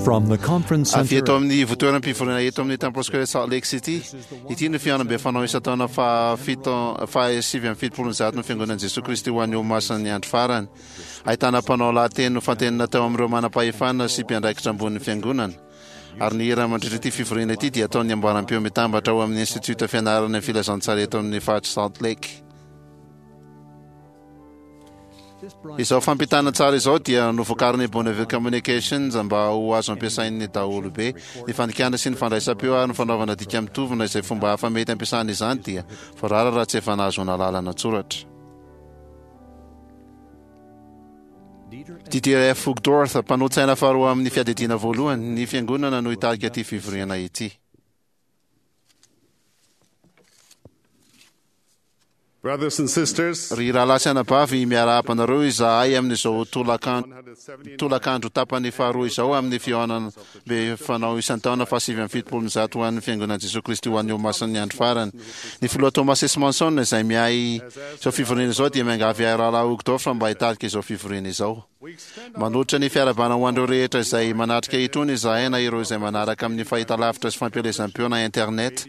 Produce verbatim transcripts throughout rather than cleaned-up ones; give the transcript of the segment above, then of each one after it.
From the conference Avy center eto amin'ny ivontoeram-pivoriana eto amin'ny Temple Square Salt Lake City. Ity no fihaonambe fanao isan-taona fahafito fahasivy amby fitopolo ny zato ny fiangonan'i Jesoa Kristy ho an'ny Olomasin'ny andro farany. Ahitana mpanao lahateny nofantenina tao amin'ireo manam-pahefana sy mpiandraikitra ambonin'ny fiangonana. Ary ny hira mandritra ity fivoriana ity dia ataon'ny amboaram-peo mitambatra ao amin'ny Institut fianarana ny filazantsara eto amin'ny faritra Salt Lake. Izao fampitana tsara izao dia novokarin'ny Bonneville Communications mba ho azo ampiasain'ny daholobe. Ny fandikana sy ny fandraisam-peo ary ny fanaovana dika mitovina izay fomba hafa mety ampiasana izany dia voarara raha tsy efa nahazoana lalana an-tsoratra. Dieter F. Uchtdorf, mpanolotsaina faharoa amin'ny fiadidiana voalohany, ny fiangonana no hitarika ity fivoriana ity. Brothers and sisters, Ry rahalahy sy anabavy, miarahaba anareo izahay amin'izao tolakan- tolakandro tapany faharoa izao amin'ny fihaonambe fanao isan-taona fahasivy amby fitopolo ny zato ho an'ny fiangonan'i Jesoa Kristy ho an'ny Olomasin'ny andro farany. Ny filoha Thomas S. Monson izay miahy izao fivoriana izao dia miangavy ahy rahalahy Uchtdorf mba hitarika izao fivoriana izao. Manolotra ny fiarahabana ho an'ireo rehetra izay manatrika itony izahay na ireo izay manaraka amin'ny fahitalavitra sy fampielezam-peo na internet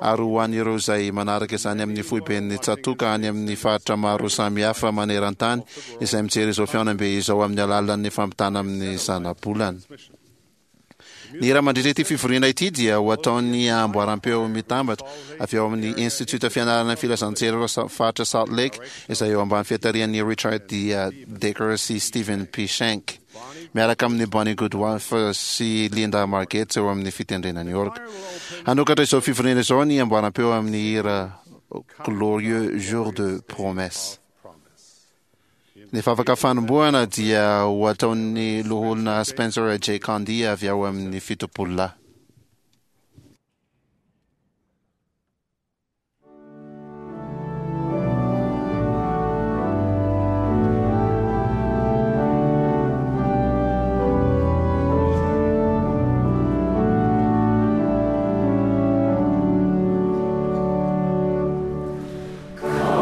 ary ho an'ireo izay manaraka izany amin'ny foiben'ny tsatòka any amin'ny faritra maro samihafa maneran-tany izay mijery izao fihaonambe izao amin'ny alalan'ny fampitana amin'ny zanabolana. Ny hira mandritra ity fivoriana ity dia ho ataon'ny amboaram-peo mitambatra avy ao amin'ny Institut fianarana ny filazantsara faritra Salt Lake izay eo ambany fiatarihan'ny Richard D. Decker sy Stephen P. Shank miaraka amin'ny Bonnie Goodwife sy Linda Margetts eo amin'ny fitendrena ny orga. Hanokatra izao fivoriana izao ny amboaram-peo amin'ny hira Glorieux Jour de Promesse. Ny vavaka fanombohana dia ho ataon'ny loholona Spencer J. Candy avy ao amin'ny fitopolo lahy. Come,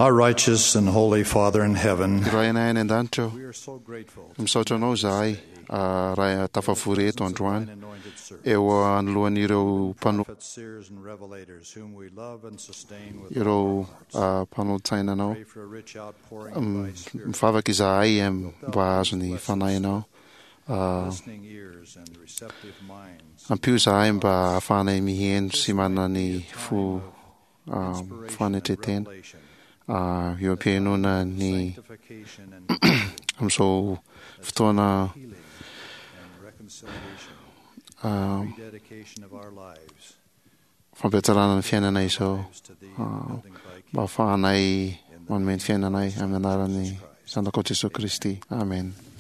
Our righteous and holy Father in heaven, Rainay any an-danitra we are so grateful misaotra anao zahay ah, raha tafavory eto androany anointed servants, eo anoloan'ireo mpano prophets, seers, and revelators whom we love and sustain with ireo ah, mpanolo-tsainanao. pray for a rich outpouring of thy Spirit, Mivavaka izahay em, mba hahazo ny fanahinao. Ah, listening ears and receptive minds, ampio izahay mba ahafahanay miheno sy manana ny fo ah, inspiration and fanetretena revelation, Ah, eo am-pihainoana ny sanctification and amin'izao fotoana healing and reconciliation, ah, rededication of our lives fampiatsarana ny fiainana izao to thee, Ah, building thy mba ahafahanay manome ny fiainanay amin'ny anaran'ny Zanakao Jesoa Kristy. Amen. King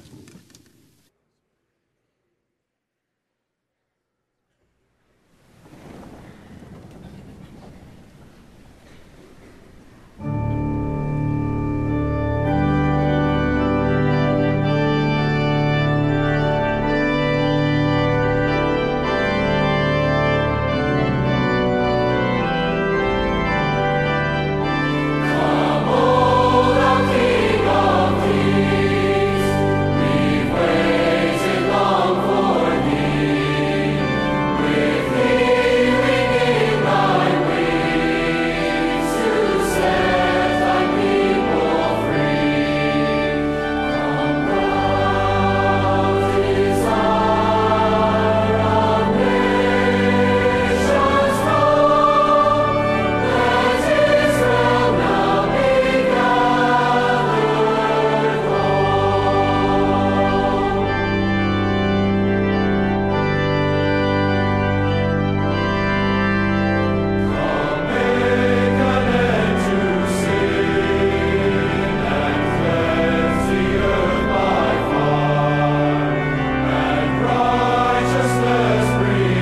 of Kings, we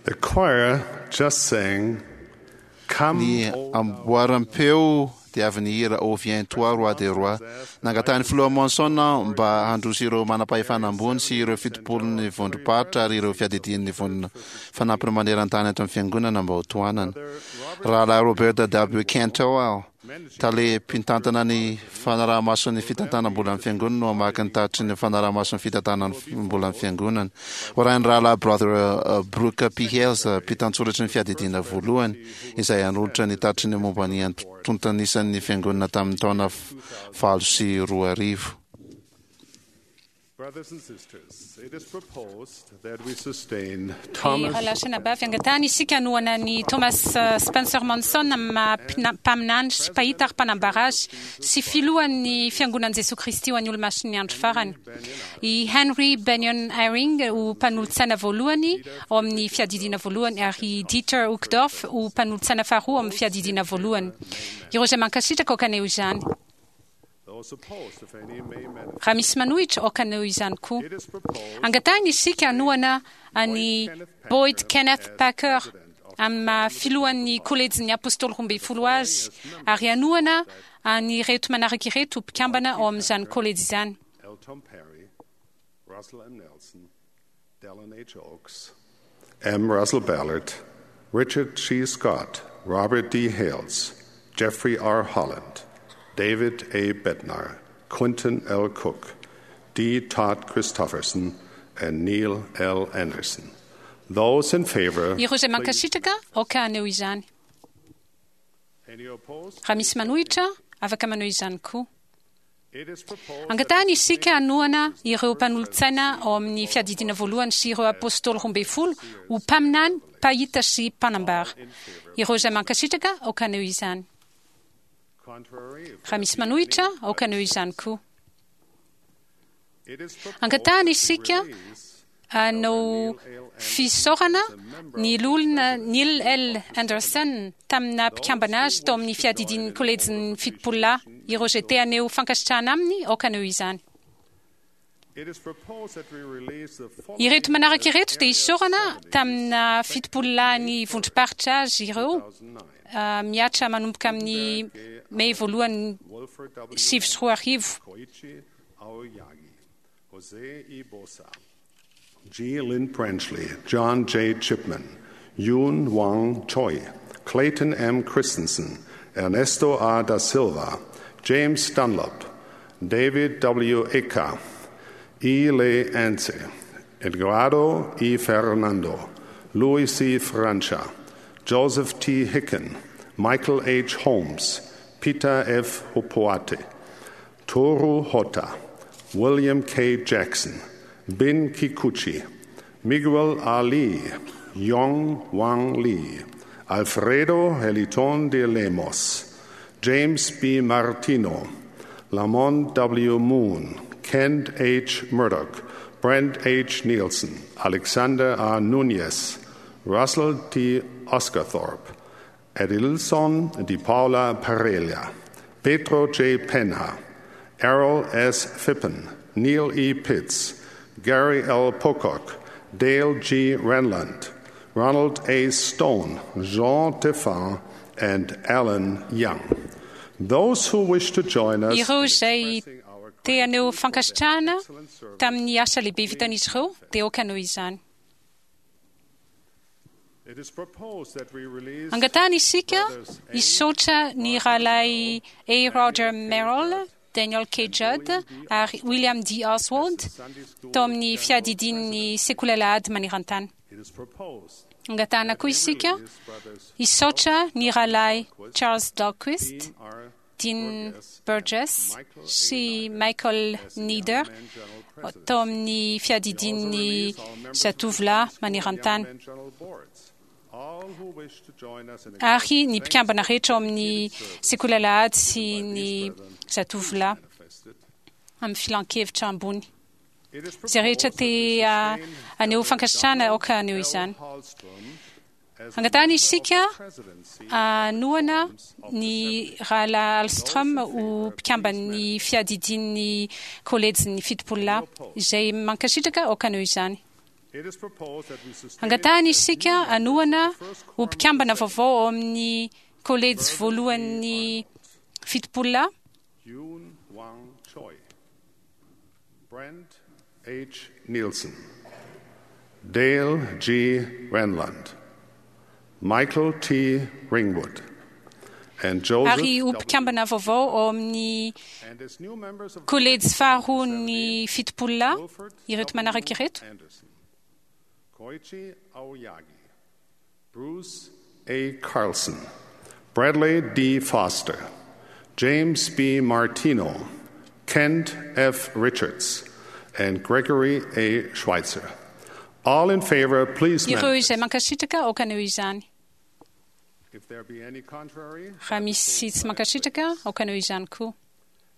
The choir just sang, Come, Ny O amboaram-peo Dia avy nihira "Ô viens toi, roi des rois". Nangatahin'ny filoha Monson mba handroso ireo manam-pahefana ambony sy ireo fitopolon'ny vondrom-paritra ary ireo fiadidian'ny vondrona fanampiny maneran-tany ato amin'ny fiangonana mba ho tohanana. Rahalahy Robert W. Cantwell, tale mpitantana ny fanaraha-mason'ny fitantanam-bolan'ny fiangonana, no hamaky ny tatitry ny fanaraha-mason'ny fitantanam-bolan'ny fiangonana. Hoarahin'ny rahalahy Brother Brooke P. Hales, mpitantsoratry ny fiadidiana voalohany, izay hanolotra ny tatitry ny momba ny antontanisan'ny fiangonana tamin'ny taona valo sy roa arivo. Brothers and sisters, it is proposed that we sustain Ny Thomas rahalahy sy anabavy, angatahana isika hanohana ny Thomas eh, Spencer Monson amin'ny maha mpina- mpaminany sy mpahita ary mpanambara azy sy filohan'ny fiangonan'i Jesosy Kristy ho an'ny olomasin'ny andro farany. I Henry Benyon Eyring ho mpanolotsaina voalohany ao amin'ny fiadidiana voalohany ary i Dieter Uchtdorf ho mpanolotsaina faharoa ao amin'ny fiadidiana voalohany. Ireo izay mankasitraka aoka haneho izany. Those opposed, if any, may manifest. Raha misy manohitra, aoka haneho izany koa. It is proposed Angatahina isika hanohana an'i Boyd Kenneth Packer amin'ny maha filohan'ny kolejin'ny apôstôly roa ambin'ny folo azy ary hanohana an'ireto manaraka ireto ho mpikambana ao amin'izany kolejy izany. L. Tom Perry, Russell M. Nelson, Dallin H. Oaks, M. Russell Ballard, Richard G. Scott, Robert D. Hales, Jeffrey R. Holland, David A. Bednar, Quentin L. Cook, D. Todd Christofferson, and Neil L. Anderson. Those in favor, Ireo izay mankasitraka aoka haneho izany. any opposed? Raha misy manohitra, afaka maneho izany koa. It is proposed Angatahana isika hanohana ireo mpanolotsaina ao amin'ny fiadidiana voalohany sy ireo apôstôly roa ambin'ny folo ho mpaminany, mpahita sy mpanambara. Ireo izay mankasitraka aoka haneho izany. contrary, if Raha misy manohitra, aoka haneho izany koa. it is proposed Angatahana isika release hanao fisaorana ny loholona Neil L. Anderson tamina mpikambana azy tao amin'ny fiadidian'ny kolejin'ny fitopolo lahy. Ireo izay te haneho fankasitrahana aminy, aoka haneho izany. It is proposed that we release the following Ireto manaraka ireto dia isaorana tamina fitopolo lahy ny vondrom-paritra azy ireo ah, mihatra manomboka amin'ny mey voalohany Wolford W. sivy sy roa arivo. Koichi Aoyagi, Jose E. Bosa, G. Lynn Branchley, John J. Chipman, Yoon Wang Choi, Clayton M. Christensen, Ernesto A. da Silva, James Dunlop, David W. Eka, E. Le Ance, Edgardo E. Fernando, Luis C. Francia, Joseph T. Hicken, Michael H. Holmes, Peter F. Hopoate, Toru Hotta, William K. Jackson, Bin Kikuchi, Miguel Ali, Yong Wang Lee, Alfredo Heliton de Lemos, James B. Martino, Lamont W. Moon, Kent H. Murdoch, Brent H. Nielsen, Alexander R. Nunez, Russell T. Oscarthorpe, Edilson Di Paula Parelia, Pedro J. Penha, Errol S. Phippen, Neil E. Pitts, Gary L. Pocock, Dale G. Renlund, Ronald A. Stone, Jean Teffin, and Alan Young. Those who wish to join us Ireo izay te haneho fankasitrahana tamin'ny asa lehibe vitan'izy ireo dia aoka haneho izany. It is proposed that we release Angatahana isika hisaotra ny rahalahy A. Roger Merrill, Daniel K. Judd ary William D. Oswald tao amin'ny fiadidian'ny sekoly alahady maneran-tany. It is proposed Angatahana koa isika release brothers hisaotra ny rahalahy Charles Dahlquist, Dean R. Dean Burgess sy Michael Nieder tao amin'ny fiadidian'ny zatovolahy maneran-tany. and General Boards. All who wish to join us in ary ny mpikambana rehetra ao amin'ny sekoly alahady sy ny zatovolahy manifested. amin'ny filan-kevitra ambony. It is Izay rehetra proposed te ah, haneho fankasitrahana aoka haneho izany. Hallstrom as Angatahana isika presidency hanohana ny rahalahy Alstrom ho mpikamban'ny fiadidian'ny kolejin'ny fitopolo lahy izay mankasitraka aoka haneho izany. It is proposed that we sustain Angatahana isika hanohana ho mpikambana vaovao ao amin'ny kolejy voalohan'ny fitopolo lahy, Yoon Wang Choi, Brent H. Nielsen, Dale G. Renlund, Michael T. Ringwood, and Joseph ary ho mpikambana vaovao ao amin'ny And as new members of kolejy faharoa ny fitopolo lahy Wilford ireto manaraka ireto: Anderson, Koichi Aoyagi, Bruce A. Carlson, Bradley D. Foster, James B. Martino, Kent F. Richards, and Gregory A. Schweitzer. All in favor, please Ireo manifest. izay mankasitraka, aoka haneho izany. If there be any contrary, Raha misy tsy mankasitraka, aoka haneho izany koa.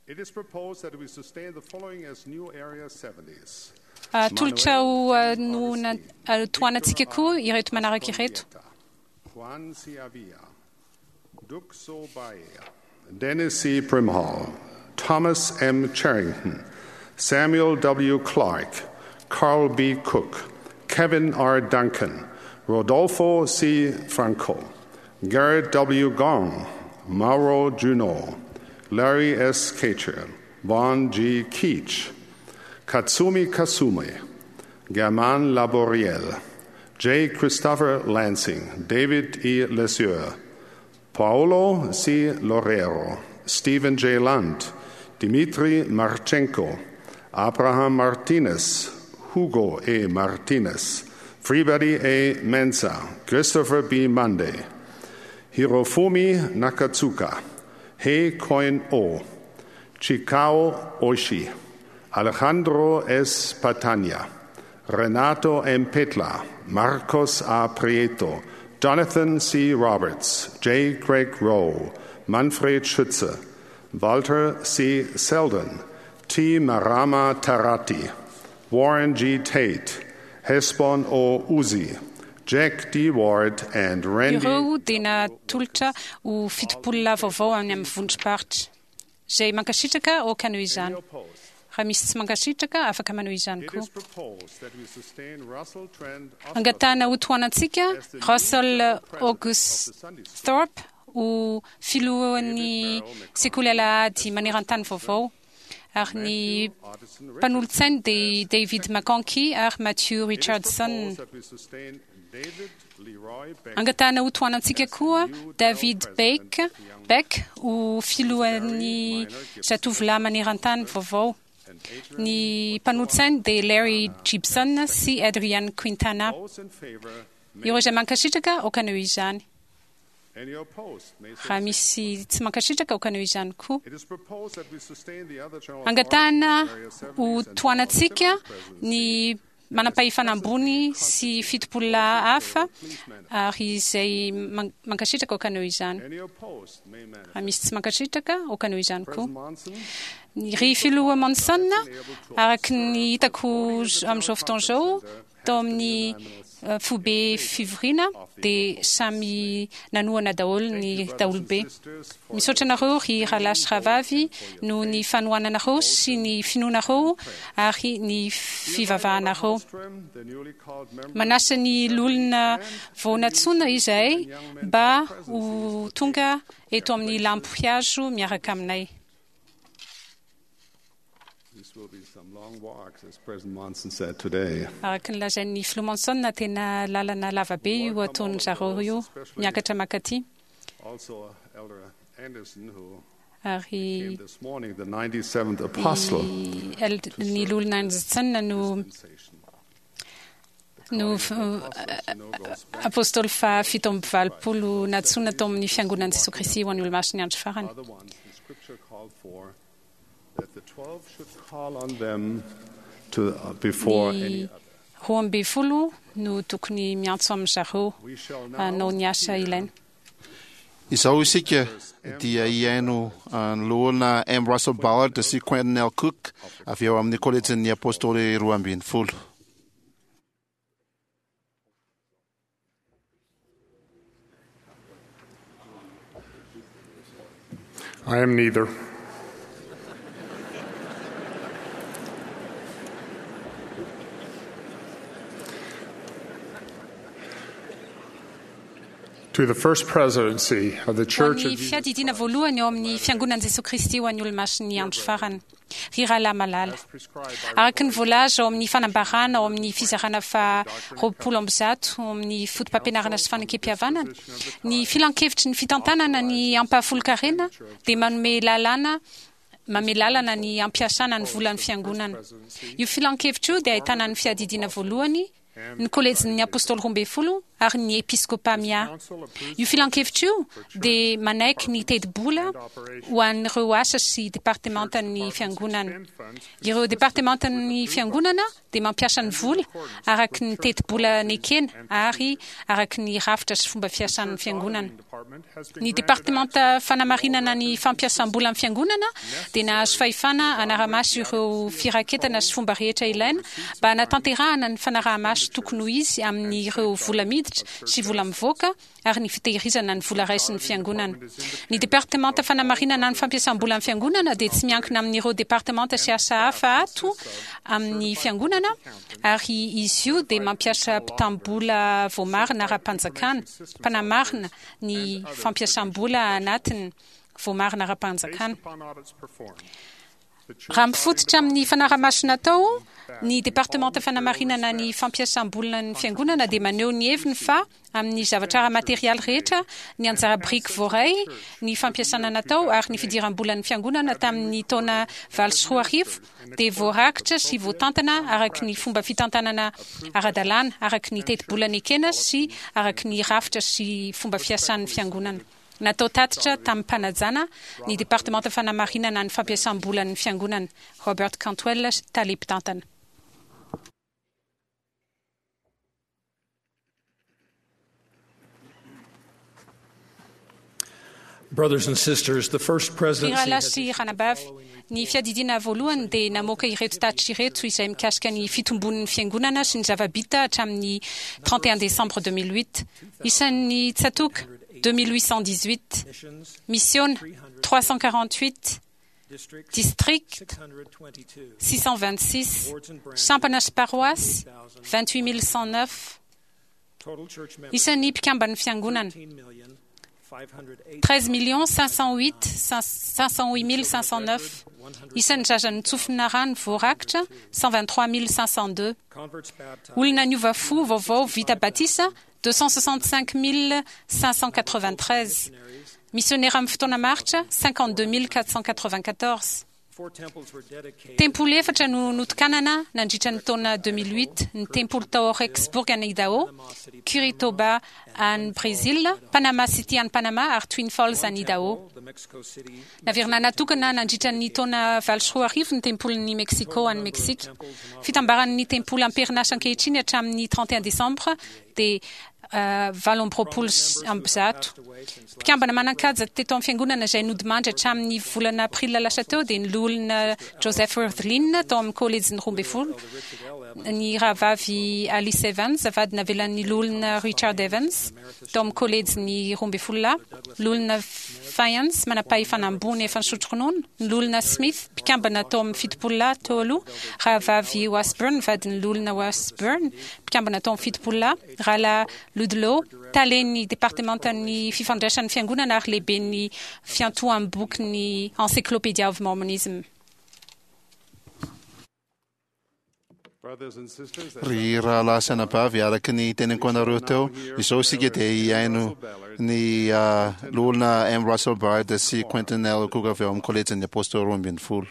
it is proposed that we sustain the following as new Area seventies. Atolotra ho ah, no na- ah, tohanantsika koa ireto manaraka ireto: Juan C. Avila, Duk So Bae, Dennis C. Primhall, Thomas M. Charrington, Samuel W. Clark, Carl B. Cook, Kevin R. Duncan, Rodolfo C. Franco, Garrett W. Gong, Mauro Juno, Larry S. Kacher, Vaughn G. Keach, Katsumi Kasume, German Laboriel, J. Christopher Lansing, David E. Lesueur, Paolo C. Lorero, Stephen J. Lund, Dmitry Marchenko, Abraham Martinez, Hugo A. Martinez, Freebody A. Mensa, Christopher B. Monday, Hirofumi Nakatsuka, Hei Koin O, Chikao Oishi, Alejandro S. Patania, Renato M. Petla, Marcos A. Prieto, Jonathan C. Roberts, J. Craig Rowe, Manfred Schütze, Walter C. Selden, T. Marama Tarati, Warren G. Tate, Hesbon O. Uzi, Jack D. Ward, and Randy Ireo dia natolotra ho fitopolo lahy vaovao any amin'ny vondrom-paritra. Izay mankasitraka, aoka haneho izany. Raha misy tsy mankasitraka, afaka maneho izany It koa. is proposed that we sustain Russell Trent Angatahana ho tohanantsika Russell August Thorpe ho filohan'ny sekoly alahady maneran-tany vaovao, ary ny mpanolotsainy dia David McConkie ary Matthew Richardson. that we sustain David Leroy Beck Angatahana ho tohanantsika koa David Beck, Beck ho filohan'ny zatovolahy maneran-tany vaovao. Ny mpanolotsainy dia Larry Gibson sy Adrian Quintana. Those in favor may, Ireo izay mankasitraka, aoka haneho izany. any opposed may so Raha misy tsy mankasitraka, aoka haneho izany koa. It is proposed that we sustain the other general Angatahana authorities, Area ho seventies and tohanantsika presidency. ny manam-pahefana ambony sy fitopolo lahy hafa, ary izay man- mankasitraka, aoka haneho izany. Any opposed may manifest. Raha misy tsy mankasitraka, aoka haneho izany koa. President Monson, Ny ry filoha Monson, araka ny hitako z- amin'izao fotoana izao tao amin'ny eh, foibe fivoriana, dia samy nanohana daholo ny daholobe. Misaotra anareo ry rahalahy sy rahavavy noho ny fanohananareo sy ny finoanareo ary ny fivavahanareo. Ostrom, the newly called member Manasa ny lolona vao nantsoina izahay mba ho tonga eto amin'ny lampihazo miaraka aminay. These will be some long walks, as President Monson said today. Araka ny lazain'ny filoha Monson, tena lalana lavabe io ataon'ny zareo io miakatra makaty. Also, Elder Anderson, who Ary came this morning, the ninety-seventh apostle. ny eld- ny lolona Anderson no Dispensation. no f- apôstôly fahafito amby valopolo nantsoina tao amin'ny fiangonan'i Jesosy Kristy ho an'ny Olomasina andro farany. Are the ones the scripture called for that the twelve should call on them to, uh, before Ny any other. roa amby folo no tokony miantso amin'ny zareo We shall now hanao ny asa ilaina. Izao isika dia hihaino ny loholona M. Russell Ballard sy Quentin L. Cook avy eo amin'ny kolejin'ny apôstôly roa ambin'ny folo. I am neither. To the First Presidency of the Ho Church an'ny of Jesus fiadidiana voalohany eo amin'ny fiangonan'i Jesosy Kristy ho an'ny olomasin'ny andro farany. Ry rahalahy malala. Araka ny voalaza ao amin'ny fanambarana ao amin'ny fizarana fa roapolo amby zato ao amin'ny foto-pampianarana sy fanekempihavanana, ny filankevitry ny fitantanana ny ampahafolon-karena dia manome lalàna manome lalana ny ampiasana ny volan'ny fiangonana. Io filankevitra io dia ahitana ny fiadidiana voalohany, ny kolejin'ny apôstôly roa ambin'ny folo ary ny episkopa mia. Io filankevitra io dia manaiky ny tetibola ho an'ireo asa sy departementan'ny fiangonana. Ireo departementan'ny fiangonana dia mampiasa ny vola araky ny tetibola nekena ary araky ny rafitra sy fomba fiasan'ny fiangonana. Ny departemanta fanamarinana ny fampiasam-bola amin'ny fiangonana dia nahazo fahefana hanara-maso ireo firaketana sy fomba rehetra ilaina mba hanatanterahana ny fanaraha-maso tokony ho izy amin'ireo vola miditra sy vola mivoaka ary ny fitehirizana ny vola raisin'ny fiangonana. Ny departemanta fanamarinana ny fampiasam-bola amin'ny fiangonana dia tsy miankina amin'ireo departemanta sy asa hafa ato amin'ny fiangonana ary izy io dia mampiasa mpitam-bola voamarina ara-panjakana, mpanamarina ny fampiasam-bola anatiny voamarina ara-panjakana. Upon audits performed, the Church Raha mifototra amin'ny fanaramaso natao, ny departemanta fanamarinana ny fampiasam-bolan'ny fiangonana dia maneho ny heviny fa amin'ny zavatra ara-materialy rehetra, ny anjara biriky voaray, ny fampiasana natao ary ny fidiram-bolan'ny fiangonana tamin'ny taona valo sy roa arivo dia voarakitra sy voatantana araky ny fomba fitantanana ara-dalàna, araky ny tetibola nekena sy araky ny rafitra sy fomba fiasan'ny fiangonana. Natao tatitra tamin'ny mpanajana ny departemanta fanamarinana ny fampiasam-bolan'ny fiangonana. Robert Cantwell, tale mpitantana. Brothers and sisters, the First Ry Presidency rahalahy has sy ranabavy, ny fiadidiana voalohany dia namoaka ireto tatitra ireto izay mikasika ny fitombon'ny fiangonana sy ny zava-bita hatramin'ny trente et un décembre deux mille huit. Isan'ny tsatoka deux mille huit cent dix-huit, misiona trois cent quarante-huit, district six cent vingt-six, sampana sy paroasy vingt-huit mille cent neuf. Isan'ny mpikamban'ny fiangonana treize millions cinq cent huit cinq cent huit mille cinq cent neuf. Isan'ny zaza nitsofina rano voarakitra cent vingt-trois mille cinq cent deux. Olona niova fo vaovao vita batisa deux cent soixante-cinq mille cinq cent quatre-vingt-treize. Missionnaire amin'ny fotoana maritra cinquante-deux mille quatre cent quatre-vingt-quatorze. Tempoly efatra no notokanana nandritra ny taona deux mille huit, ny tempoly tao Rexburg any Idaho, Curitiba any Brésil, Panama City any Panama ary Twin Falls any Idaho. Naverina natokana nandritra ny taona valo sy roa arivo ny tempolin'ny Mexico any Mexique. Fitambaran'ny tempoly am-perinasa ankehitriny hatramin'ny trente et un décembre dia, euh, valo amby roapolo sy amby zato. Mpikambana manan-kaja teto amin'ny fiangonana izay nodimandry hatramin'ny volana aprily lasa teo dia ny loholona Joseph Wirthlin tao amin'ny kolejin'ny roa ambin'ny folo, ny rahavavy Alice Evans vadina navelan'ny loholona Richard Evans tao amin'ny kolejin'ny roa ambin'ny folo lahy, loholona Fiance manam-pahefana ambony efa nisotro ronono, ny loholona Smith mpikambana tao amin'ny fitopolo lahy teo aloha, rahavavy Washburn vadin'ny loholona Washburn mpikambana tao amin'ny fitopolo lahy, rahalahy Ludlow talen'ny departementan'ny fifandraisan'ny fiangonana ary lehiben'ny fiantoham-bokin'ny Encyclopedia of Mormonism. Brothers and sisters, Ry rahalahy sy anabavy, araka ny teneniko anareo teo, izao isika dia hihaino ny, ah, loholona M. Russell Ballard sy Quentin L. Cook avy ao amin'ny kolejin'ny apôstôly roa ambin'ny folo.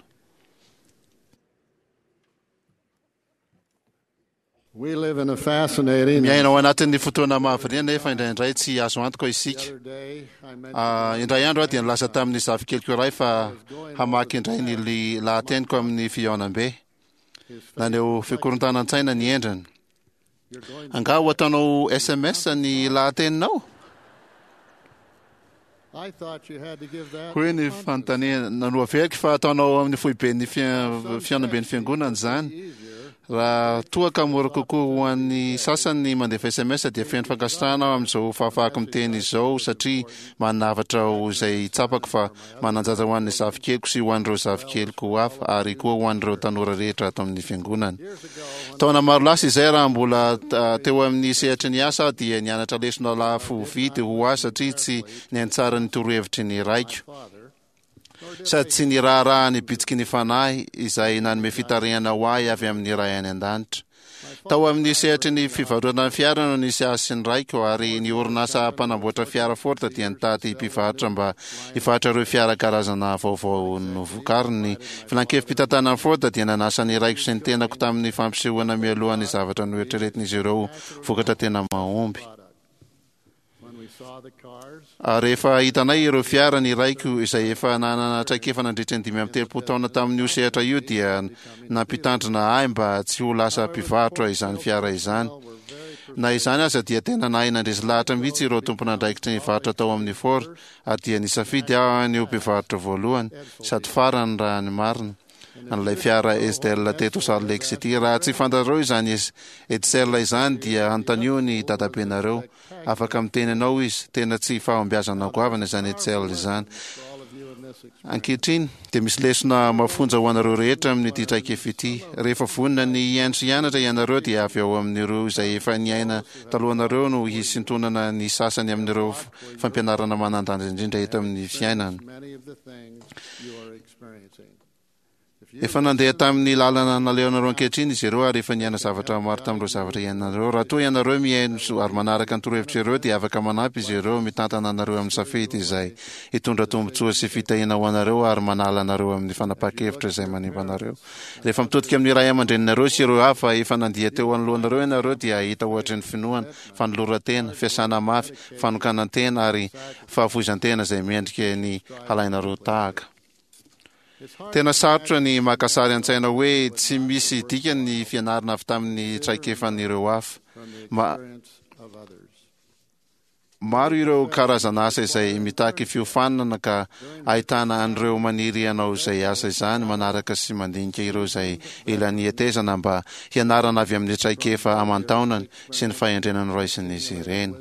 We live in a fascinating Miaina ao anatin'ny fotoana mahavariana nefa indraindray tsy azo antoka isika. The other day, I mentioned Ah, indray andro aho dia nilaza tamin'ny zafikeliko iray fa hamaky indray ny li-, lahateniko amin'ny fihaonambe. Naneho fikorontanan-tsaina ny endriny. Angaha ho ataonao S M S ny lahateninao? I thought you had to give that Hoy ny fanontaniana nanoaveriko fa ataonao amin'ny foiben'ny fia-, fihaonamben'ny fiangonana izany. Raha toa ka mora kokoa ho an'ny sasany ny mandefa S M S, dia feno fankasitrahana aho amin'izao fahafahako miteny izao, satria manavatra ho izay tsapako fa manan-danja ho an'ny zafikeliko sy ho an'ireo zafikeliko hafa ary koa ho an'ireo tanora rehetra ato amin'ny fiangonana. Taona maro lasa izay, raha mbola teo amin'ny sehatry ny asa, dia nianatra lesona lafo vidy ho ahy satria tsy nihaino tsara ny torohevitry ny raiko sady tsy ny raharaha ny bitsiky ny Fanahy izay nanome fitarihana ho ahy avy amin'ny Ray any an-danitra. Tao amin'ny sehatry ny fivarotana fiara no nisy ahy sy ny raiko, ary ny orinasa mpanamboatra fiara Ford dia nitady mpivarotra mba hivarotra ireo fiara karazana vaovao novokariny. Filan-kevi-pitantanany Ford dia nanasa ny raiko sy ny tenako tamin'ny fampisehoana mialoha ny zavatra noeritreretin'izy ireo vokatra tena mahomby. Rehefa hitanay ireo fiara, ny raiko izay efa nanana traikefa nandritra ny dimy amby telopolo taona tamin'io sehatra io dia nampitandrina ahy mba tsy ho lasa mpivarotra izany fiara izany. Na izany aza, dia tena nahay nandresy lahatra mihitsy ireo tompon'andraikitry ny varotra tao amin'ny Ford, ary dia nisafidy aho ny ho mpivarotra voalohany sady farany, raha ny marina, an'ilay fiara Edsel teto Salt Lake City. Raha tsy fantatrareo izany Edsel izany, dia anontanio ny dadabenareo, afaka miteny anao izy. Tena tsy fahombiazana goavana izany Edsel izany. Ankehitriny dia misy lesona mafonja ho anareo rehetra amin'ity traikefa ity. Rehefa vonona ny hihaino sy hianatra ianareo, dia avy ao amin'ireo izay efa niaina talohanareo no hisintonana ny sasany amin'ireo fampianarana manan-danja indrindra eto amin'ny fiainana. Efa nandeha tamin'ny lalana nalehanareo ankehitriny izy ireo ary efa niaina zavatra maro tamin'ireo zavatra iainanareo. Raha toa ianareo mihaino ary manaraka ny torohevitra ireo, dia afaka manampy izy ireo mitantana anareo amin'ny safidy izay hitondra tombontsoa sy fitahiana ho anareo ary manala anareo amin'ny fanapahan-kevitra izay manimba anareo. Rehefa mitodika amin'ny ray aman-dreninareo sy ireo hafa efa nandia teo anoloanareo ianareo, dia hahita ohatry ny finoana, fanoloran-tena, fiasana mafy, fanokanan-tena ary fahafoizan-tena izay mendrika ny halainareo tahaka. Tena sarotra ny maka sary an-tsaina hoe tsy misy dikany ny fianarana avy tamin'ny traikefan'ireo hafa. Ma maro ireo karazana asa izay mitaky fiofanana, ka ahitana an'ireo maniry hanao izay asa izany manaraka sy mandinika ireo izay ela nihetezana mba hianarana avy amin'ny traikefa aman-taonany sy ny fahendrena noraisin'izy ireny.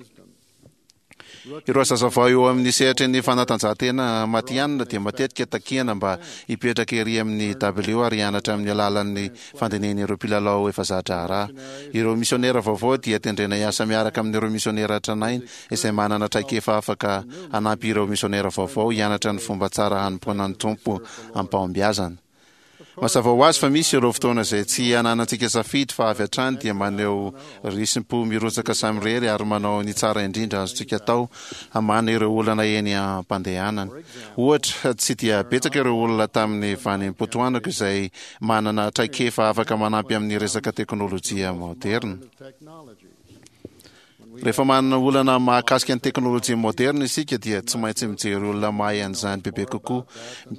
Ireo zazavao eo amin'ny sehatry ny fanatanjahantena matihanina dia matetika takiana mba hipetraka ery amin'ny dabilio ary hianatra amin'ny alalan'ny fandinihan'ireo mpilalao efa za-draharaha. Ireo misionera vaovao dia tendrena hiasa miaraka amin'ireo misionera tranainy izay manana traikefa afaka hanampy ireo misionera vaovao hianatra ny fomba tsara hanompoana ny Tompo am-pahombiazana. Mazava ho azy fa misy ireo fotoana izay tsy ananantsika safidy fa avy hatrany dia maneho risi-po mirotsaka samirery ary manao ny tsara indrindra azontsika atao hamahana ireo olana eny am-pandehanana. Ohatra, tsy dia betsaka ireo olona tamin'ny vanim-potoanako izay manana traikefa afaka manampy amin'ny resaka teknôlôjia moderna. Rehefa manana olana mahakasika ny teknôlôjia moderna isika, dia tsy maintsy mijery olona mahay an'izany bebe kokoa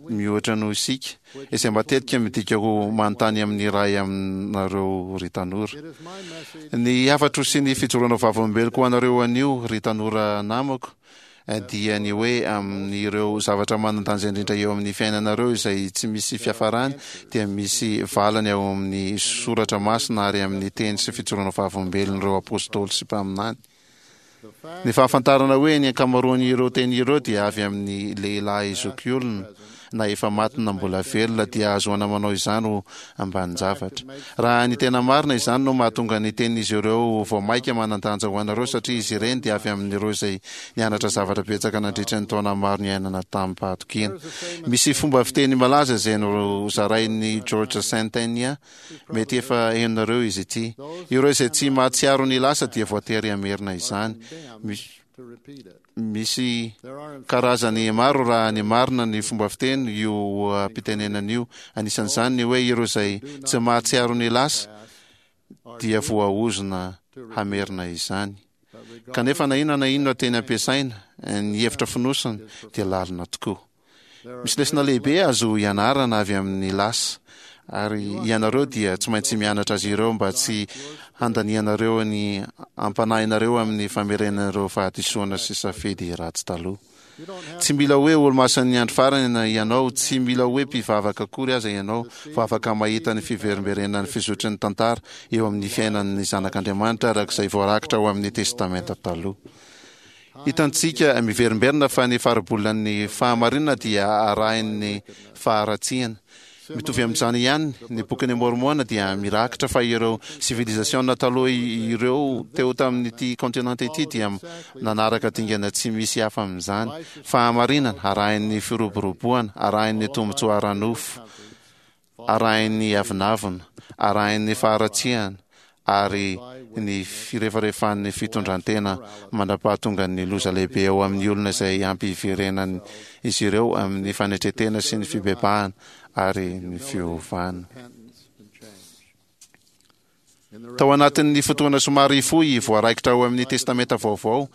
mihoatra noho isika, izay matetika midika ho manontany amin'ny iray aminareo, ry tanora. Ny hafatro sy ny fijoroana vavolombeloko ho anareo anio, ry tanora namako, dia ny hoe amin'ireo zavatra manan-danja indrindra eo amin'ny fiainanareo izay tsy misy fiafarany dia misy valiny ao amin'ny Soratra Masina ary amin'ny teny sy fijoroana vavolombelon'ireo apôstôly sy mpaminany. Ny fahafantarana hoe ny ankamaroan'ireo teny ireo dia avy amin'ny lehilahy zokiolona na efa maty na mbola velona dia ahazoana manao izany ho ambanin-javatra. Raha ny tena marina, izany no mahatonga ny tenin'izy ireo vao maika manan-danja ho anareo, satria izy ireny dia avy amin'ireo izay nianatra zavatra betsaka nandritra ny taona maro niainana tamim-pahatokiana. Misy fomba fiteny malaza izay nozarain'i George Santayana, mety efa henonareo izy ity: "Ireo izay tsy mahatsiaro ny lasa dia voatery hamerina izany." Misy karazany maro, raha ny marina, ny fomba fiteny io oha-pitenenana io, anisan'izany ny hoe "Ireo izay tsy mahatsiaro ny lasa dia voaozona hamerina izany." Kanefa na inona na inona teny ampiasaina, ny hevitra fonosina dia lalina tokoa. Misy lesona lehibe azo ianarana avy amin'ny lasa, ary ianareo dia tsy maintsy mianatra azy ireo mba tsy handanianareo ny ampanahinareo amin'ny famerenan'ireo fahadisoana sy safidy ratsy taloha. Tsy mila hoe olomasin'ny andro farany ianao, tsy mila hoe mpivavaka akory aza ianao fa afaka mahita ny fiverimberenan'ny fizotry ny tantara eo amin'ny fiainan'ny zanak'Andriamanitra araka izay voarakitra ao amin'ny Testamenta Taloha. Hitantsika miverimberina fa ny faribolan'ny fahamarinana dia arahin'ny faharatsiana. Mitovy amin'izany ihany, ny Bokin'i Môrmôna dia mirakitra fa ireo sivilizasiôna taloha ireo teo tamin'ity kaontinanta ity dia nanaraka dingana tsy misy hafa amin'izany, fahamarinana arahin'ny firoboroboana, arahin'ny tombontsoa ara-nofo, arahin'ny avonavona, arahin'ny faharatsiana, ary ny firefarefan'ny fitondran-tena mandra-pahatongan'ny loza lehibe eo amin'ny olona izay hampiverenan'izy ireo amin'ny fanetren-tena sy ny fibebahana ary ny fiovana. Tao anatin'ny fotoana somary fohy voaraikitra ao amin'ny Testamenta Vaovao,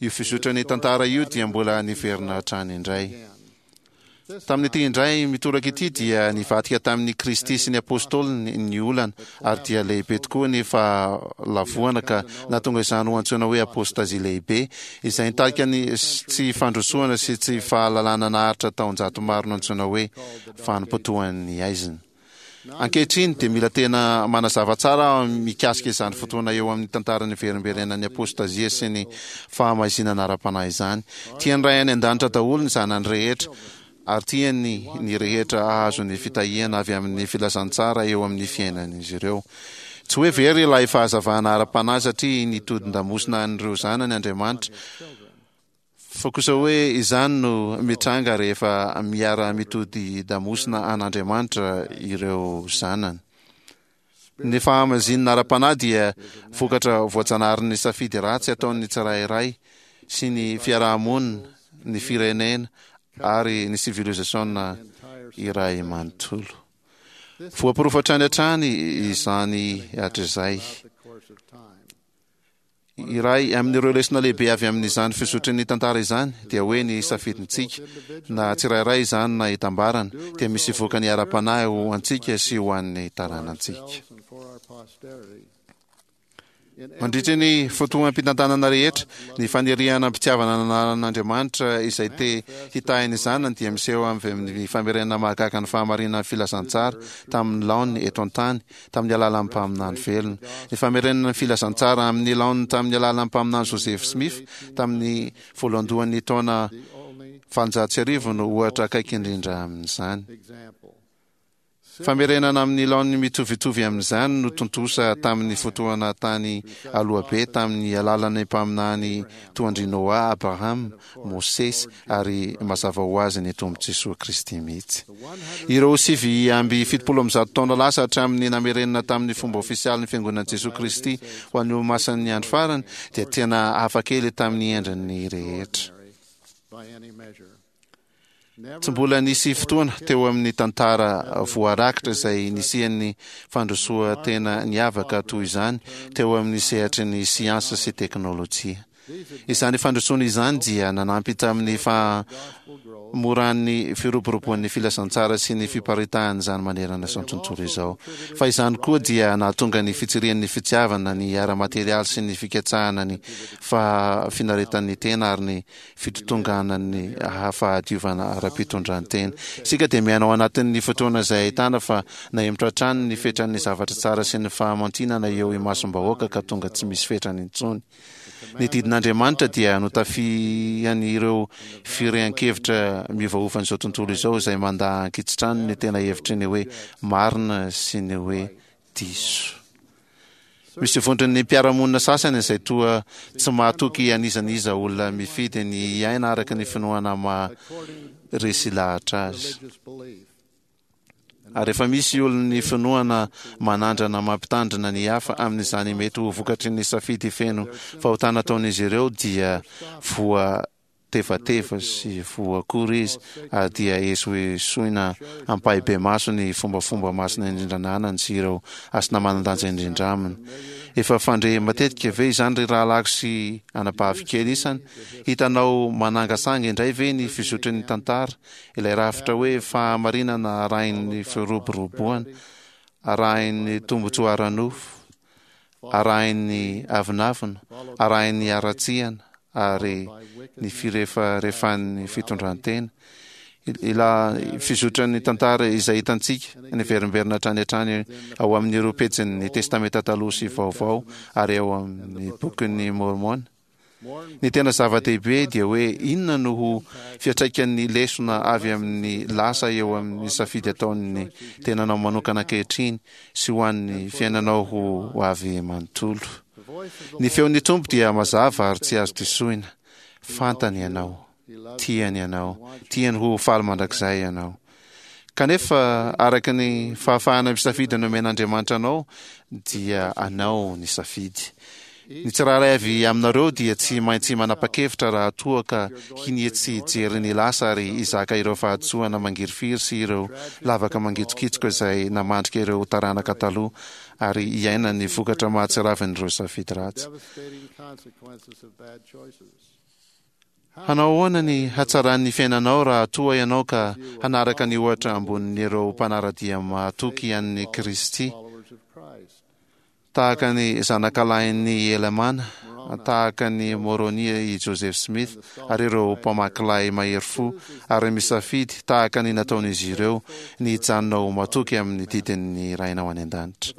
io fizotran'ny tantara io dia mbola niverina hatrany indray. Tamin'ity indray mitoraka ity dia nivadika tamin'i Kristy sy ny Apôstôliny ny olana, ary dia lehibe tokoa ny fahalavoana ka nahatonga izany ho antsoina hoe apôstazia lehibe, izay nitarika ny tsy fandrosoana sy tsy fahalalana naharitra taonjato maro nantsoina hoe vanim-potoan'ny haizina. Ankehitriny dia mila tena manazava tsara aho mikasika izany fotoana eo amin'ny tantaran'ny verimberenan'ny apôstazia sy ny fahamaizinana ara-panahy izany. Tian'ny Ray any An-danitra daholo ny zanany rehetra, ary tiany ny rehetra hahazo ny fitahiana avy amin'ny filazantsara eo amin'ny fiainan'izy ireo. Tsy hoe very ilay fahazavana ara-panahy satria nitodin-damosina an'ireo zanany Andriamanitra, Fa kosa hoe izany no mitranga rehefa miara-mitodi-damosina an'Andriamanitra ireo zanany. Ny fahamazinana ara-panahy dia vokatra voajanaharin'ny safidy ratsy ataon'ny tsirairay sy ny fiaraha-monina, ny firenena ary ny sivilizasiona iray manontolo. Voaporofo hatrany hatrany izany hatrizay. Iray amin'ireo lesona lehibe avy amin'izany fizotry ny tantara izany dia hoe ny safidintsika, na tsirairay izany na itambarana, dia misy vokany ara-panahy ho antsika sy ho an'ny taranantsika. Mandritra ny fotoam-pitantanana rehetra, ny faniriana am-pitiavana ananan'Andriamanitra izay te hitahy ny zanany dia miseho avy amin'ny famerenana mahagaga ny fahamarinan'ny filazantsara tamin'ny laoniny eto an-tany tamin'ny alalan'ny mpaminany velona. Ny famerenana ny filazantsara amin'ny laoniny tamin'ny alalan'ny mpaminany Joseph Smith tamin'ny voalohandohan'ny taona valonjato sy arivo no ohatra akaiky indrindra amin'izany. Famerenana amin'ny laoniny mitovitovy amin'izany no tontosa tamin'ny fotoana tany aloha be tamin'ny alalan'ny mpaminany toa an-dry Noa, Abrahama, Mosesy ary mazava ho azy ny Tompo Jesoa Kristy mihitsy. Ireo sivy amby fitopolo amby zato taona lasa hatramin'ny namerenana tamin'ny fomba ofisialy ny Fiangonan'i Jesoa Kristy ho an'ny Olomasin'ny Andro Farany dia tena hafa kely tamin'ny endriny rehetra. Tsy mbola nisy fotoana teo amin'ny tantara voarakitra izay nisian'ny fandrosoan-tena niavaka toy izany teo amin'ny sehatry ny siansa sy teknolojia. Izany fandrosoana izany dia nanampy tamin'ny fahamoran'ny firoboroboan'ny filazantsara sy ny fiparitahan'izany manerana izao tontolo izao. Fa izany koa dia nahatonga ny fitsirian'ny fitiavana ny ara-materialy sy ny fikatsahana ny fahafinaretan'ny tena ary ny fitotonganan'ny fahadiovana ara-pitondran-tena. Isika dia miaina ao anatin'ny fotoana izay ahitana fa nahemotra hatrany ny fetran'ny zavatra tsara sy ny fahamantinana eo imasom-bahoaka ka tonga tsy misy fetrany intsony. Ny didin'Andriamanitra dia notafihan'ireo firehan-kevitra miovaovan'izao tontolo izao izay mandà ankitsitrano ny tena hevitry ny hoe marina sy ny hoe diso. Misy vondron'ny mpiara-monina sasany izay toa tsy mahatoky an'iza n'iza olona mifidy ny hiaina araka ny finoana maha resy lahatra azy. Ary rehefa misy olon'ny finoana manandrana mampitandrina ny hafa amin'izany mety ho vokatry ny safidy feno fahotana ataon'izy ireo dia voa tevateva sy voakora izy ary dia esoesoina ampahibemaso ny fombafomba masina indrindra ananany sy ireo hasina manan-danja indrindra aminy. Efa fandre matetika ve izany ry rahalahiko sy anabavy kely isany? Hitanao manangasanga indray ve ny fizotry ny tantara, ilay rafitra hoe fahamarinana arahin'ny firoboroboana, arahin'ny tombontsoa ara-nofo, arahin'ny avonavona, arahin'ny haratsiana, ary ny firefarefan'ny fitondran-tena. Ila fizotran'ny tantara izay hitantsika niverimberina hatrany hatrany ao amin'ireo pejin'ny Testamenta Taloha sy Vaovao ary ao amin'ny bokin'ny Mormona. Ny tena zava-dehibe dia hoe inona no ho fiantraikan'ny lesona avy amin'ny lasa eo amin'ny safidy ataon'ny tenanao manokana ankehitriny sy ho an'ny fiainanao ho avy manontolo. Ny feon'ny Tompo dia mazava ary tsy azo disoina. Fantany ianao, tiany ianao, tiany ho faly mandrakizay ianao. Kanefa araka ny fahafahana misafidy nomen'Andriamanitra anao dia anao ny safidy. Ny tsirairay avy aminareo dia tsy maintsy manapa-kevitra raha toa ka hinia tsy hijery ny lasa ary hizaka ireo fahadisoana mangirifiry sy ireo lavaka mangitsokitsoka izay namandrika ireo taranaka taloha ary hiaina ny vokatra mahatsiravin'ireo safidy ratsy. Hanao ahoana ny hatsaran'ny fiainanao raha toa ianao ka hanaraka ny ohatra ambonin'ireo mpanara-dia mahatoky an'i Kristy, tahaka ny zanakalahin'i Helamàna, tahaka ny Môrônia i Joseph Smith ary ireo mpamakilahy mahery fo, ary misafidy, tahaka ny nataon'izy ireo, ny hijanona ho matoky amin'ny didin'ny Rainao any an-danitra.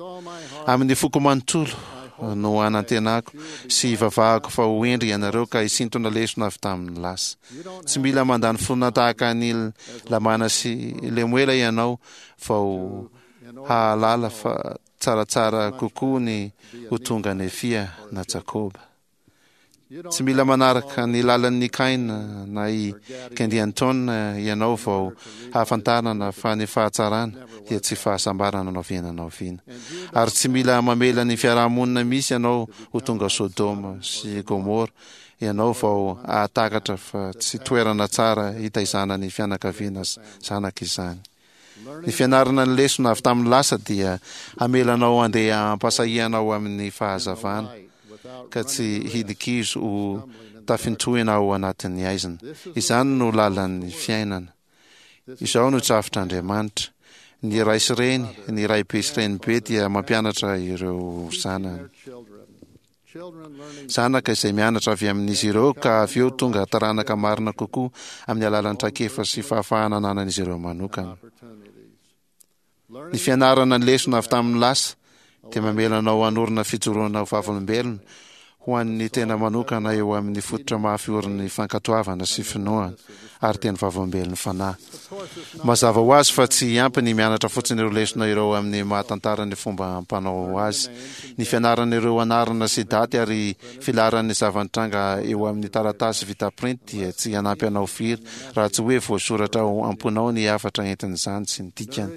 Amin'ny foko manontolo no anantenako sy ivavahako fa ho hendry ianareo ka hisintona lesona avy tamin'ny lasa. Tsy mila mandany fotoana tahaka an'i Lamàna sy Lemoela ianao vao hahalala fa tsaratsara kokoa ny ho tonga Nefia na Jakoba. Tsy mila manaraka ny lalan'i Kaina na i Kendianton ianao vao hahafantarana fa ny fahatsarana dia tsy fahasambarana na oviana na oviana. Ary tsy mila mamela ny fiarahamonina misy ianao ho tonga Sodoma sy Gomora ianao vao hahatakatra fa tsy toerana tsara hitaizana ny fianakaviana zanaka izany. Ny fianarana ny lesona avy tamin'ny lasa dia hamela anao handeha am-pahasahiana ao amin'ny fahazavana, ka tsy hidikizo ho tafintohina ao anatin'ny haizina. Izany no lalan'ny fiainana. Izao no drafitr'Andriamanitra. Ny ray sy reny, ny raibe sy renibe dia mampianatra ireo zanany. Zanaka izay mianatra avy amin'izy ireo ka avy eo tonga taranaka marina kokoa amin'ny alalan'ny traikefa sy fahafahana ananan'izy ireo manokana. Ny fianarana ny lesona avy tamin'ny lasa dia mamela anao hanorina fijoroana ho vavolombelona ho an'ny tena manokana eo amin'ny fototra mafy orin'ny fankatoavana sy finoana ary teny vavolombelon'ny Fanahy. Mazava ho azy fa tsy ampy ny mianatra fotsiny ireo lesona ireo amin'ny maha-tantara ny fomba ampanao azy. Ny fianarana ireo anarana sy daty ary filaharan'ny zava-nitranga eo amin'ny taratasy vita printy dia tsy hanampy anao firy raha tsy hoe voasoratra ao am-ponao ny hafatra entin'izany sy ny dikany.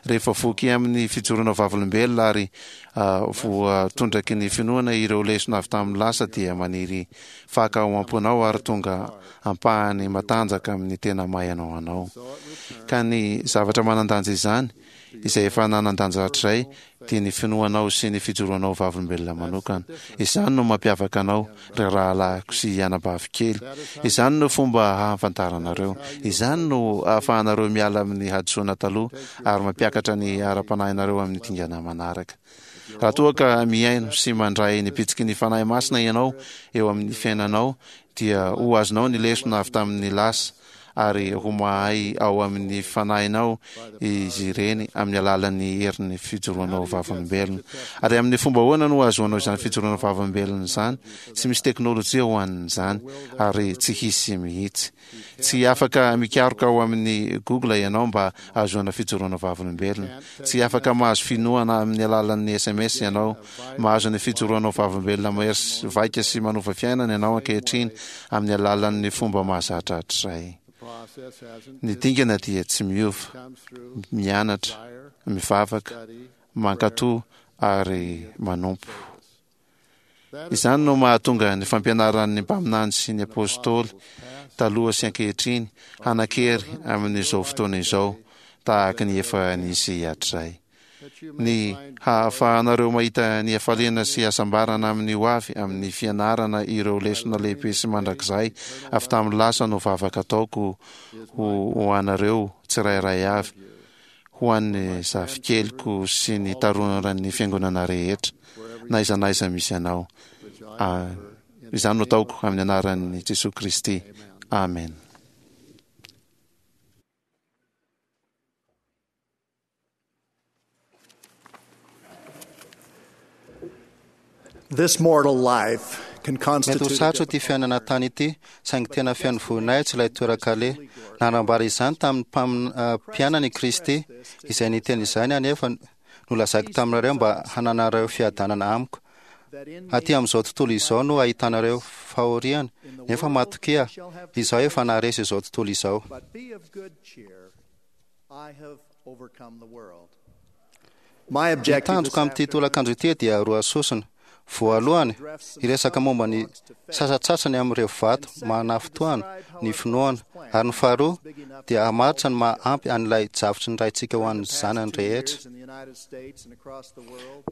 Rehefa voky amin'ny fijoroana vavolombelona ary voatondraky ny finoana ireo lesona avy tamin'ny lasa dia maniry faka ao am-ponao ary tonga ampahany matanjaka amin'ny tena maha ianao anao. Ka ny zavatra manan-danja izany, izay efa nanan-danja hatrizay, dia ny finoanao sy ny fijoroanao vavolombelona manokana. Izany no mampiavaka anao, ry rahalahiko sy anabavy kely. Izany no fomba hahafantaranareo. Izany no ahafahanareo miala amin'ny hadisoana taloha ary mampiakatra ny ara-panahinareo amin'ny dingana manaraka. Raha toa ka mihaino sy mandray ny bitsiky ny Fanahy Masina ianao eo amin'ny fiainanao, dia ho azonao ny lesona avy tamin'ny lasa ary ho mahay ao amin'ny fanahinao izy ireny amin'ny alalan'ny herin'ny fijoroanao vavolombelona. Ary amin'ny fomba ahoana no ahazoanao izany fijoroana vavolombelona izany? Tsy misy teknolojia ho an'izany ary tsy hisy mihitsy. Tsy afaka mikaroka ao amin'ny Google ianao mba hahazoana fijoroana vavolombelona. Tsy afaka mahazo finoana amin'ny alalan'ny S M S ianao. Mahazo ny fijoroanao vavolombelona mahery vaika sy manova fiainana ianao ankehitriny amin'ny alalan'ny fomba mahazatra hatrizay. Ny dingana dia tsy miova, mianatra, mivavaka, mankatò ary manompo. Izany no mahatonga ny fampianaran'ny mpaminany sy ny apostoly taloha sy ankehitriny hanan-kery amin'izao fotoana izao tahaka ny efa nisy hatrizay. Ny hahafahanareo mahita ny hafaliana sy hasambarana amin'ny ho avy amin'ny fianarana ireo lesona lehibe sy mandrakizay avy tamin'ny lasa no vavaka ataoko ho anareo tsirairay avy, ho an'ny zafikeliko sy ny taroran'ny fiangonana rehetra, na aiza na aiza misy anao. Izany no ataoko amin'ny anaran'i Jesosy Kristy. Amen. This mortal life can Mety ho constitute a sarotra ity fiainana tany ity, saingy tena feno voninahitra ilay toeran-kale. Nanambara izany tamin'ny mpamin- eh, mpianany i Kristy, izay niteny izany anefa nolazaiko taminareo mba hananareo fiadanana amiko. Aty amin'izao tontolo izao no ahitanareo fahoriana, nefa matokia, izaho efa naharesy izao tontolo izao. But be of good cheer, I have overcome the world. My Ny objective tanjoko this amin'ity tolakandro ity dia roa sosona. Voalohany, hiresaka momba ny sasatsasany amin'ireo vato manafotoana ny finoana, ary ny faharoa dia hamaritra ny maha-ampy an'ilay drafitry ny Raintsika ho an'ny zanany rehetra. in the United States and across the world,